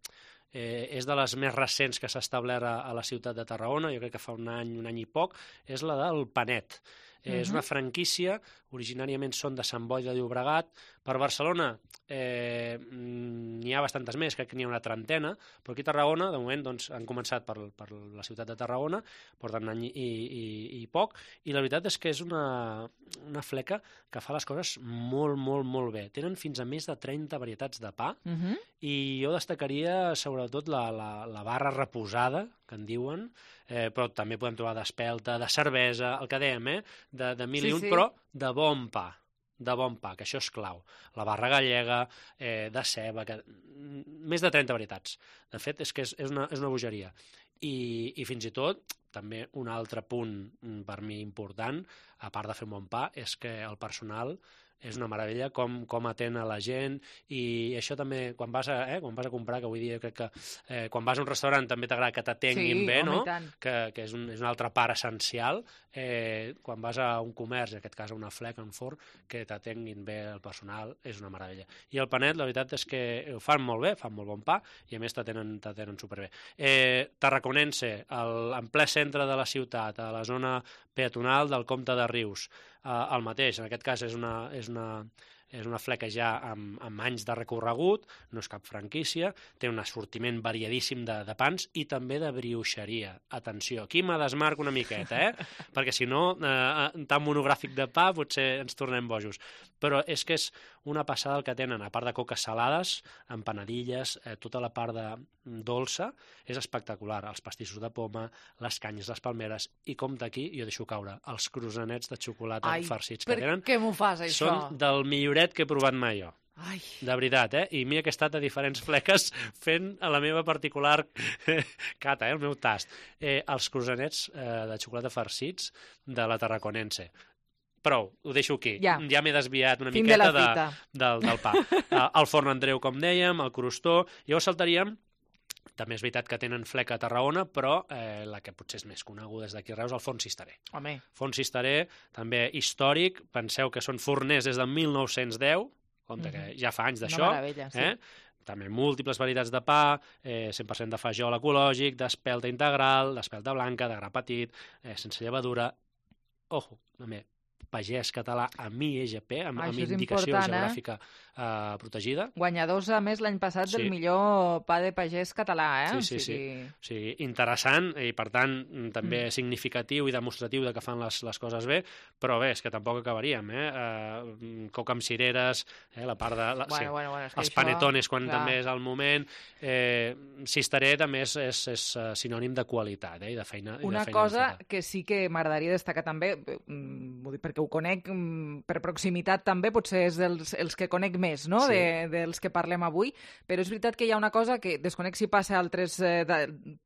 Eh, és de les més recents que s'ha establert a, a la ciutat de Tarragona, jo crec que fa un any, un any i poc, és la del Panet. Eh, uh-huh. És una franquícia, originàriament són de Sant Boi de Llobregat. Per Barcelona eh, n'hi ha bastantes més, crec que n'hi ha una trentena, però aquí a Tarragona, de moment, doncs, han començat per, per la ciutat de Tarragona, porten un any i, i, i poc, i la veritat és que és una, una fleca que fa les coses molt, molt, molt bé. Tenen fins a més de trenta varietats de pa, Uh-huh. i jo destacaria sobretot la, la, la barra reposada, que en diuen, eh, però també podem trobar d'espelta, de cervesa, el que dèiem, eh? de, de mil Sí, i un, sí. però de bon pa, de bon pa, que això és clau. La barra gallega, eh, de ceba, que... més de trenta varietats. De fet, és que és, és, una, és una bogeria. I, I fins i tot, també un altre punt per mi important, a part de fer un bon pa, és que el personal és una meravella com, com atén a la gent, i això també, quan vas a, eh, quan vas a comprar, que avui dia crec que eh, quan vas a un restaurant també t'agrada que t'atenguin Sí, bé, home, no? i tant. Que, que és, un, és una altra part essencial. Eh, quan vas a un comerç, en aquest cas a una fleca, a un forn, que t'atenguin bé el personal, és una meravella. I el panet, la veritat és que ho fan molt bé, fan molt bon pa, i a més t'atenen t'atenen superbé. Eh, Tarraconense, el, en ple centre de la ciutat, a la zona peatonal del Comte de Rius, eh, el mateix, en aquest cas és una, és una, és una fleca ja amb, amb anys de recorregut, no és cap franquícia, té un assortiment variadíssim de, de pans i també de brioixeria. Atenció, aquí me desmarco una miqueta, eh? Perquè si no, eh, tan monogràfic de pa potser ens tornem bojos. Però és que és una passada el que tenen, a part de coques salades, empanadilles, eh, tota la part de dolça, és espectacular. Els pastissos de poma, les canyes, les palmeres, i compte aquí, jo deixo caure, els croissanets de xocolata Ai, farcits per que tenen. què m'ho fas, això? Són del milloret que he provat mai jo. Ai. De veritat, eh? I mira que he estat a diferents fleques fent a la meva particular cata, eh? El meu tast. Eh, els croissanets eh, de xocolata farcits de la Tarraconense. Prou, ho deixo aquí. Ja. Ja m'he desviat una Fin de miqueta la de, cita. del, del pa. Uh, el Forn Andreu, com dèiem, el Crostó. Llavors saltaríem, també és veritat que tenen fleca a Tarragona, però eh, la que potser és més coneguda des d'aquí a Reus, el Forn Cisteré. Home. Forn Cisteré, també històric, penseu que són forners des de mil nou-cents deu, compte que ja fa anys d'això. Una meravella, sí. Eh? També múltiples varietats de pa, eh, cent per cent de fajol ecològic, d'espelta integral, d'espelta blanca, de gra petit, eh, sense llevadura. Ojo, també, pagès català amb I E G P, amb, Ah, amb això és indicació important, eh? geogràfica eh, protegida. Guanyadors, a més, l'any passat Sí. del millor pa de pagès català, eh? Sí, sí, o sigui... sí. O sigui, interessant i, per tant, també Mm. significatiu i demostratiu de que fan les, les coses bé, però bé, és que tampoc acabaríem, eh? eh coca amb cireres, eh? la part de... La, Bueno, sí. bueno, bueno, és que els això, panetones, quan clar. també és el moment. Eh, Cisteré també és, és, és eh, sinònim de qualitat, eh? I de feina, i Una de feina cosa ben feta. que sí que m'agradaria destacar també, mm, vull dir, perquè ho conec mm, per proximitat també, potser és dels, els que conec més, no?, Sí. de, dels que parlem avui, però és veritat que hi ha una cosa que desconec si passa a altres eh, de,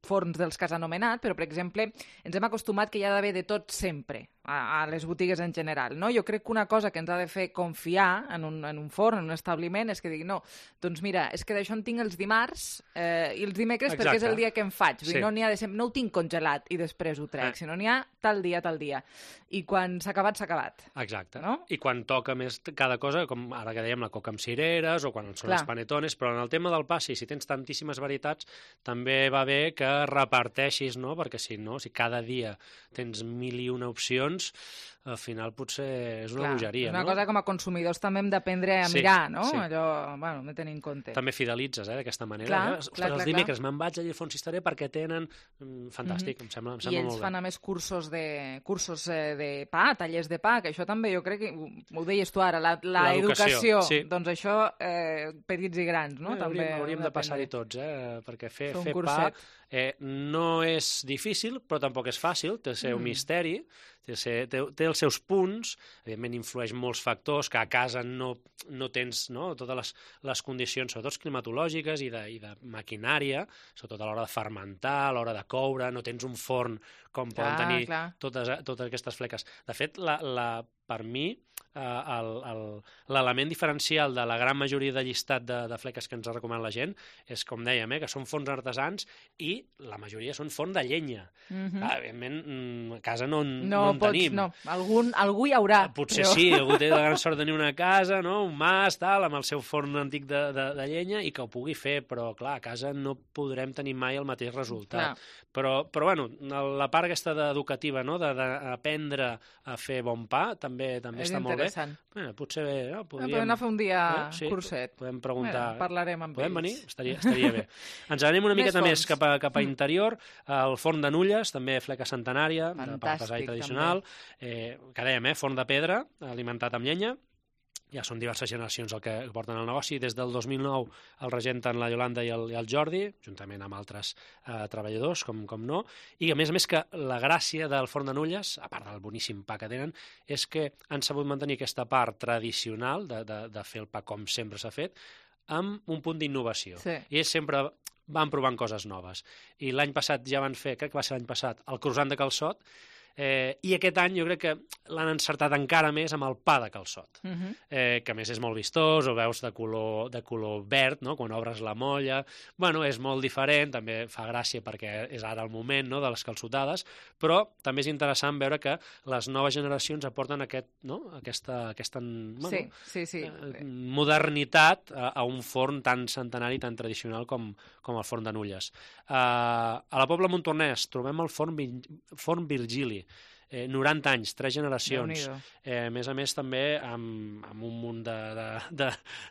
forns dels que has anomenat, però, per exemple, ens hem acostumat que hi ha d'haver de tot sempre a, a les botigues en general, no? Jo crec que una cosa que ens ha de fer confiar en un, en un forn, en un establiment, és que digui, no, doncs mira, és que d'això en tinc els dimarts eh, i els dimecres Exacte. perquè és el dia que em faig. Vull dir, Sí. no n'hi ha de sempre, no ho tinc congelat i després ho trec, Eh. sinó n'hi ha tal dia, tal dia. I quan s'ha acabat, s'ha acabat. Exacte. No? I quan toca més cada cosa, com ara que dèiem la coca amb cireres o quan són Clar. els panetones, però en el tema del pa, sí, si tens tantíssimes varietats, també va bé que reparteixis, no? Perquè si no, si cada dia tens mil i una opcions, al final potser és una Clar, bogeria, és una no? cosa com a consumidors també hem d'aprendre a Sí, mirar, no? sí. Allò, bueno, hem de tenir en compte. També fidelitzes, eh, d'aquesta manera. Clar, eh? Ostres, clar, clar, els dimecres me'n vaig allà al Fons Cisteré perquè tenen... Mm, fantàstic, em sembla, em I sembla ells molt fan bé. a més cursos de, cursos eh, de pa, tallers de pa, que això també jo crec que, ho, ho deies tu ara, la, la L'educació, educació, sí. doncs això, eh, petits i grans, no? Eh, també hauríem, hauríem de d'aprendre. passar-hi tots, eh? Perquè fer, Fer un fer pa curset. eh, no és difícil, però tampoc és fàcil, té el seu Mm. misteri, té, el seu- té, té els seus punts, evidentment influeix molts factors, que a casa no, no tens no? totes les, les condicions, sobretot climatològiques i de, i de maquinària, sobretot a l'hora de fermentar, a l'hora de coure, no tens un forn com poden Clar, tenir clar. totes, totes aquestes fleques. De fet, la, la per mi, l'element diferencial de la gran majoria de llistat de, de fleques que ens recomana la gent és, com dèiem, eh, que són forns artesans i la majoria són forn de llenya. Mm-hmm. ah, evidentment, a casa no, no, no en pots, tenim. No, algun, algú hi haurà. Potser però... sí, algú té la gran sort de tenir una casa, no? Un mas, tal, amb el seu forn antic de, de, de llenya i que ho pugui fer, però clar, a casa no podrem tenir mai el mateix resultat. Clar. Però, però bueno, la part aquesta educativa, no? D'aprendre a fer bon pa, també també està molt bé. Bé, potser no, podríem... Podem anar a fer un dia eh? sí, curset. Podem preguntar... Mira, parlarem amb podem ells. venir? Estaria, estaria bé. Ens anem una miqueta més, més cap, a, cap a interior. El forn de Nulles, també fleca centenària, de pesar tradicional. Eh, que dèiem, eh? Forn de pedra, alimentat amb llenya. Ja són diverses generacions el que porten el negoci. Des del dos mil nou el regenten la Iolanda i el, i el Jordi, juntament amb altres eh, treballadors, com, com no. I a més a més que la gràcia del forn de Nulles, a part del boníssim pa que tenen, és que han sabut mantenir aquesta part tradicional de, de, de fer el pa com sempre s'ha fet, amb un punt d'innovació. Sí. I ells sempre van provant coses noves. I l'any passat ja van fer, crec que va ser l'any passat, el croissant de calçot, Eh, i aquest any jo crec que l'han encertat encara més amb el pa de calçot, uh-huh. eh, que a més és molt vistós, ho veus de color, de color verd, no? Quan obres la molla. Bueno, és molt diferent, també fa gràcia perquè és ara el moment, no? De les calçotades, però també és interessant veure que les noves generacions aporten aquest, no? aquesta, aquesta bueno, sí, sí, sí. Eh, modernitat a, a un forn tan centenari, tan tradicional com, com el forn de Nulles. Eh, a la Pobla Montornès trobem el forn, forn Virgili, Eh, noranta anys, tres generacions. Eh, a més a més, també amb, amb un munt de, de, de,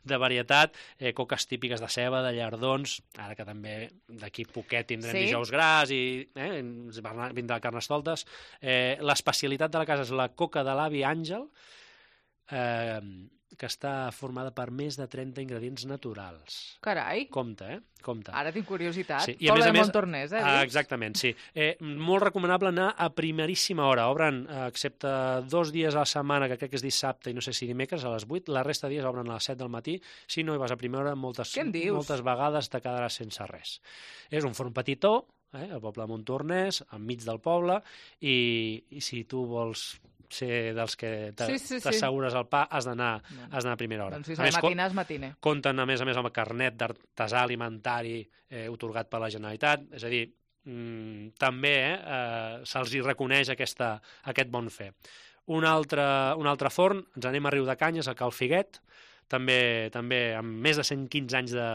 de varietat, eh, coques típiques de ceba, de llardons, ara que també d'aquí poquet tindrem sí? dijous gras i eh, ens vindrà carnestoltes. Eh, l'especialitat de la casa és la coca de l'avi Àngel, eh, que està formada per més de trenta ingredients naturals. Carai! Compte, eh? Compte. Ara tinc curiositat. Sí. Pobla de Montornès, eh? Ah, exactament, sí. Eh, molt recomanable anar a primeríssima hora. Obren, eh, excepte dos dies a la setmana, que crec que és dissabte i no sé si dimecres, a les vuit, la resta de dies obren a les set del matí. Si no hi vas a primera hora, moltes, moltes vegades te quedaràs sense res. És un forn petitó, eh, al poble de Montornès, enmig del poble, i, i si tu vols ser dels que t'assegures sí, sí, sí. el pa, has d'anar a primera hora. Doncs si s'ha de matinar, és matiner. Compten, a més a més, amb el carnet d'artesà alimentari eh, otorgat per la Generalitat, és a dir, mmm, també eh, eh, se'ls hi reconeix aquesta, aquest bon fer. Un altre, un altre forn, ens anem a Riudecanyes, a Cal Figuet, també, també amb més de cent quinze anys de,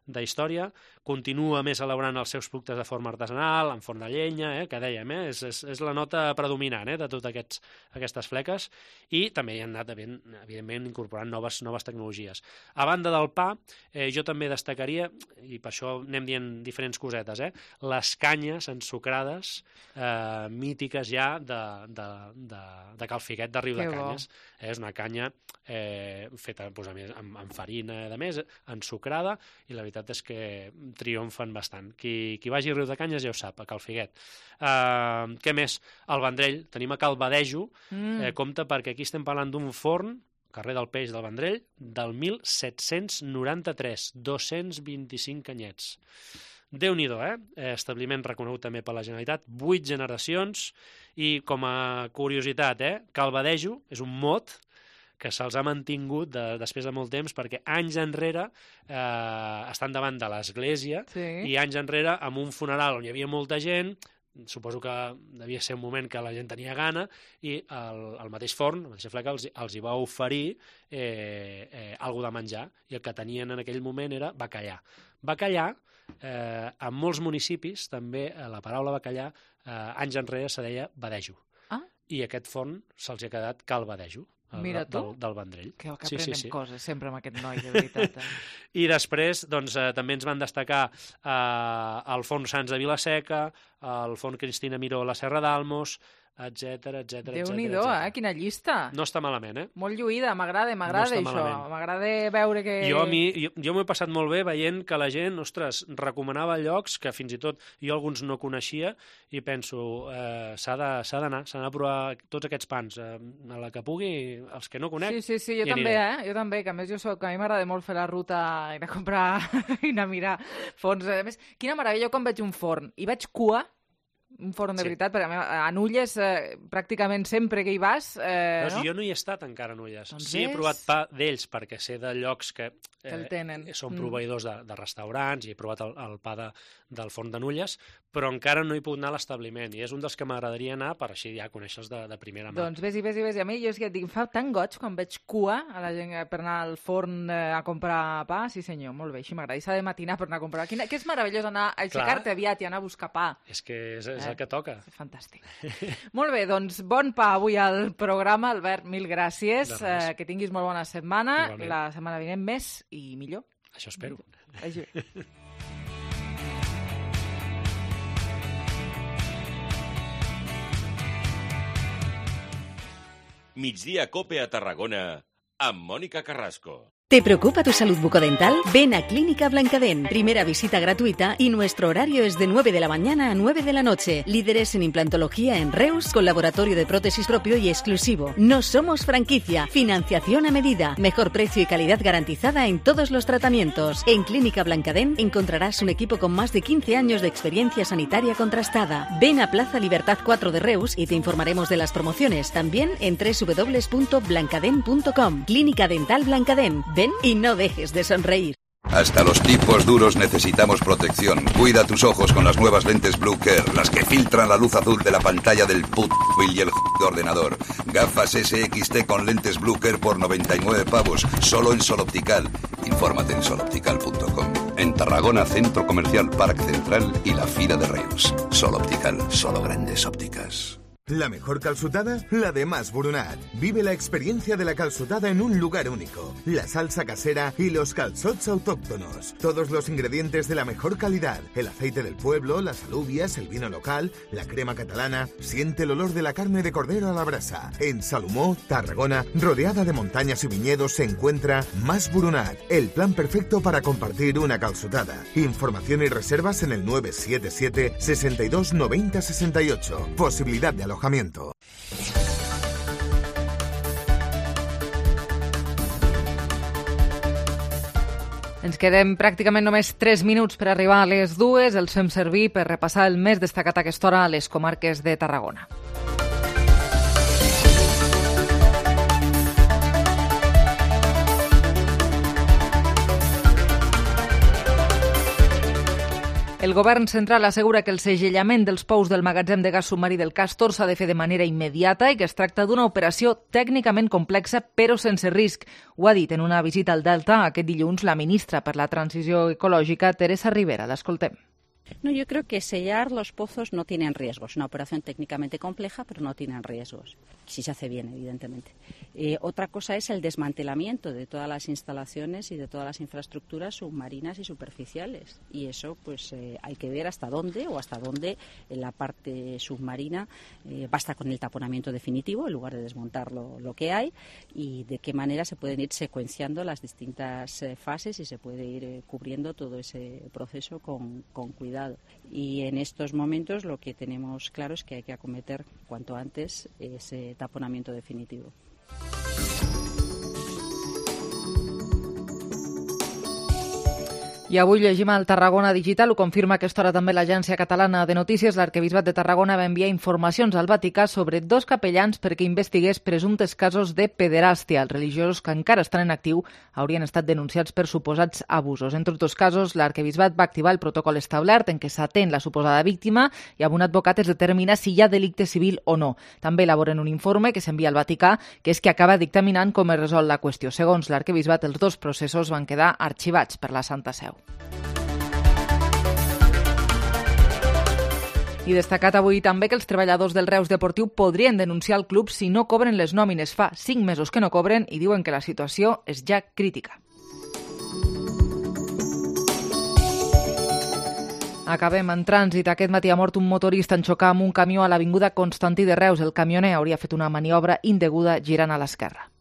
de història, continua més elaborant els seus productes de forma artesanal, en forn de llenya, eh, que dèiem, eh, és, és, és la nota predominant eh, de totes aquests, aquestes fleques, i també hi han anat, evidentment, incorporant noves, noves tecnologies. A banda del pa, eh, jo també destacaria, i per això anem dient diferents cosetes, eh, les canyes ensucrades eh, mítiques ja de, de, de, de Cal Figuet, de Riudecanyes. Eh, és una canya eh, feta pues, amb, amb farina, de més, ensucrada, i la veritat és que triomfen bastant. Qui, qui vagi a Riudecanyes ja ho sap, a Cal Figuet. Uh, què més? Al Vendrell, tenim a Cal Badejo, mm. eh, compte perquè aquí estem parlant d'un forn, carrer del Peix del Vendrell, del mil set-cents noranta-tres, dos-cents vint-i-cinc anyets. Déu-n'hi-do, eh? Establiment reconegut també per la Generalitat, vuit generacions, i com a curiositat, eh? Cal Badejo és un mot que se'ls ha mantingut de, després de molt temps, perquè anys enrere eh, estan davant de l'església sí. i anys enrere amb un funeral on hi havia molta gent, suposo que devia ser un moment que la gent tenia gana, i el, el mateix forn, la mateixa fleca, els, els hi va oferir eh, eh, alguna de menjar, i el que tenien en aquell moment era bacallà. Bacallà, eh, en molts municipis, també eh, la paraula bacallà, eh, anys enrere se deia badejo. Ah. I aquest forn se'ls ha quedat Cal Badejo. Mira tu, del, del Vendrell. Que, que sí, aprenem sí, sí. coses sempre amb aquest noi, de veritat. Eh? I després doncs, eh, també ens van destacar eh, el forn Sants de Vilaseca, el forn Cristina Miró a la Serra d'Almos, etcètera, etcètera. Déu-n'hi-do, eh? Quina llista. No està malament, eh? Molt lluïda, m'agrada, m'agrada no això. M'agrada veure que... Jo, a mi, jo, jo m'ho he passat molt bé veient que la gent, ostres, recomanava llocs que fins i tot jo alguns no coneixia, i penso, eh, s'ha d'anar, s'ha d'anar a provar tots aquests pans, eh, a la que pugui, els que no conec. Sí, sí, sí, jo també, aniré. eh? Jo també, que a més jo soc, a mi m'agrada molt fer la ruta, anar a comprar i anar a mirar forns. A més, quina meravella, jo quan veig un forn i veig cua, Un forn de Sí. veritat, perquè a Nulles eh, pràcticament sempre que hi vas... Eh, Doncs no? jo no hi he estat encara a Nulles. Doncs sí, he ves? provat pa d'ells perquè sé de llocs que, Que el tenen. són Mm. proveïdors de, de restaurants i he provat el, el pa de, del forn de Nulles, però encara no he pogut anar a l'establiment i és un dels que m'agradaria anar per així ja conèixer-los de, de primera mà. Doncs ves i ves i ves. I a mi jo és que et dic, em fa tan goig quan veig cua a la gent per anar al forn eh, a comprar pa. Sí senyor, molt bé, així m'agrada. I s'ha de matinar per anar a comprar. Quina, que és meravellós anar a aixecar-te aviat i anar a buscar pa. És que és, és Eh, el que toca. Fantàstic. Molt bé, doncs bon pa avui al programa. Albert, mil gràcies. De res. Eh, que tinguis molt bona setmana. Igualment. La setmana vinent més i millor. Això espero. Vagi bé. Migdia Cope a Tarragona amb Mònica Carrasco. ¿Te preocupa tu salud bucodental? Ven a Clínica Blancadén. Primera visita gratuita y nuestro horario es de nueve de la mañana a nueve de la noche. Líderes en implantología en Reus, con laboratorio de prótesis propio y exclusivo. No somos franquicia. Financiación a medida. Mejor precio y calidad garantizada en todos los tratamientos. En Clínica Blancadén encontrarás un equipo con más de quince años de experiencia sanitaria contrastada. Ven a Plaza Libertad cuatro de Reus y te informaremos de las promociones. También en doble u doble u doble u punto blancadén punto com. Clínica Dental Blancadén. Ven y no dejes de sonreír. Hasta los tipos duros necesitamos protección. Cuida tus ojos con las nuevas lentes Blue Care, las que filtran la luz azul de la pantalla del put y el ordenador. Gafas S X T con lentes Blue Care por noventa y nueve pavos, solo en Sol Optical. Infórmate en sol optical punto com. En Tarragona, Centro Comercial Parc Central y la Fira de Reus. Sol Optical, solo grandes ópticas. La mejor calçotada, la de Mas Brunat. Vive la experiencia de la calçotada en un lugar único. La salsa casera y los calçots autóctonos. Todos los ingredientes de la mejor calidad. El aceite del pueblo, las alubias, el vino local, la crema catalana. Siente el olor de la carne de cordero a la brasa. En Salomó, Tarragona, rodeada de montañas y viñedos, se encuentra Mas Brunat. El plan perfecto para compartir una calçotada. Información y reservas en el nueve siete siete, sesenta y dos, noventa, sesenta y ocho. Posibilidad de alojamiento. Ens quedem pràcticament només tres minuts per arribar a les dues. Els fem servir per repassar el més destacat a aquesta hora a les comarques de Tarragona. El govern central assegura que el segellament dels pous del magatzem de gas submarí del Castor s'ha de fer de manera immediata i que es tracta d'una operació tècnicament complexa però sense risc. Ho ha dit en una visita al Delta aquest dilluns la ministra per la Transició Ecològica, Teresa Rivera. L'escoltem. No, yo creo que sellar los pozos no tienen riesgos. Es una operación técnicamente compleja, pero no tienen riesgos. Si se hace bien, evidentemente. Eh, otra cosa es el desmantelamiento de todas las instalaciones y de todas las infraestructuras submarinas y superficiales. Y eso, pues, eh, hay que ver hasta dónde o hasta dónde en la parte submarina eh, basta con el taponamiento definitivo en lugar de desmontar lo, lo que hay y de qué manera se pueden ir secuenciando las distintas eh, fases y se puede ir eh, cubriendo todo ese proceso con, con cuidado. Y en estos momentos lo que tenemos claro es que hay que acometer cuanto antes ese taponamiento definitivo. I avui llegim al Tarragona Digital, ho confirma a aquesta hora també l'Agència Catalana de Notícies. L'Arquebisbat de Tarragona va enviar informacions al Vaticà sobre dos capellans perquè investigués presumptes casos de pederàstia. Els religiosos que encara estan en actiu haurien estat denunciats per suposats abusos. Entre tots casos, l'Arquebisbat va activar el protocol establert en què s'atén la suposada víctima i amb un advocat es determina si hi ha delicte civil o no. També elaboren un informe que s'envia al Vaticà, que és que acaba dictaminant com es resol la qüestió. Segons l'Arquebisbat, els dos processos van quedar arxivats per la Santa Seu. I destacat avui també que els treballadors del Reus Deportiu podrien denunciar el club si no cobren les nòmines. Fa cinc mesos que no cobren i diuen que la situació és ja crítica. Acabem en trànsit. Aquest matí ha mort un motorista en xocar amb un camió a l'avinguda Constantí de Reus. El camioner hauria fet una maniobra indeguda girant a l'esquerra.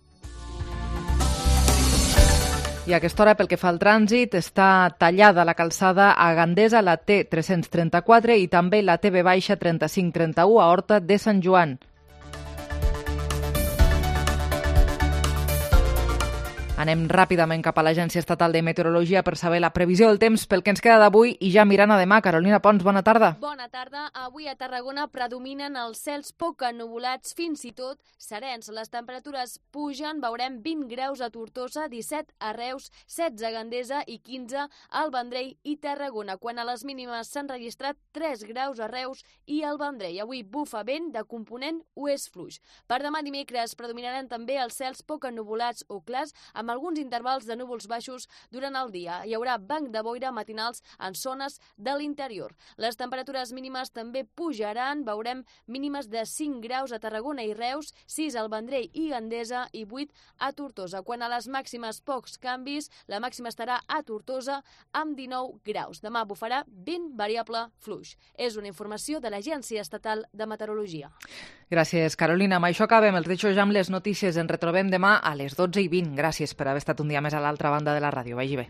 I a aquesta hora, pel que fa al trànsit, està tallada la calçada a Gandesa, la T tres-cents trenta-quatre i també la T B trenta-cinc trenta-u a Horta de Sant Joan. Anem ràpidament cap a l'Agència Estatal de Meteorologia per saber la previsió del temps pel que ens queda d'avui i ja mirant a demà. Carolina Pons, bona tarda. Bona tarda. Avui a Tarragona predominen els cels poc ennuvolats, fins i tot serens. Les temperatures pugen, veurem vint graus a Tortosa, disset a Reus, setze a Gandesa i quinze al Vendrell i Tarragona. Quan a les mínimes s'han registrat tres graus a Reus i al Vendrell. Avui bufa vent de component oest fluix. Per demà dimecres predominaran també els cels poc ennuvolats o clars, amb alguns intervals de núvols baixos durant el dia. Hi haurà banc de boira matinals en zones de l'interior. Les temperatures mínimes també pujaran, veurem mínimes de cinc graus a Tarragona i Reus, sis al Vendrell i Gandesa i vuit a Tortosa. Quan a les màximes pocs canvis, la màxima estarà a Tortosa amb dinou graus. Demà bufarà vent variable fluix. És una informació de l'Agència Estatal de Meteorologia. Gràcies, Carolina. Amb això acabem. Els deixo ja amb les notícies. Ens retrobem demà a les dotze i vint. Gràcies per haver estat un dia més a l'altra banda de la ràdio. Vagi bé.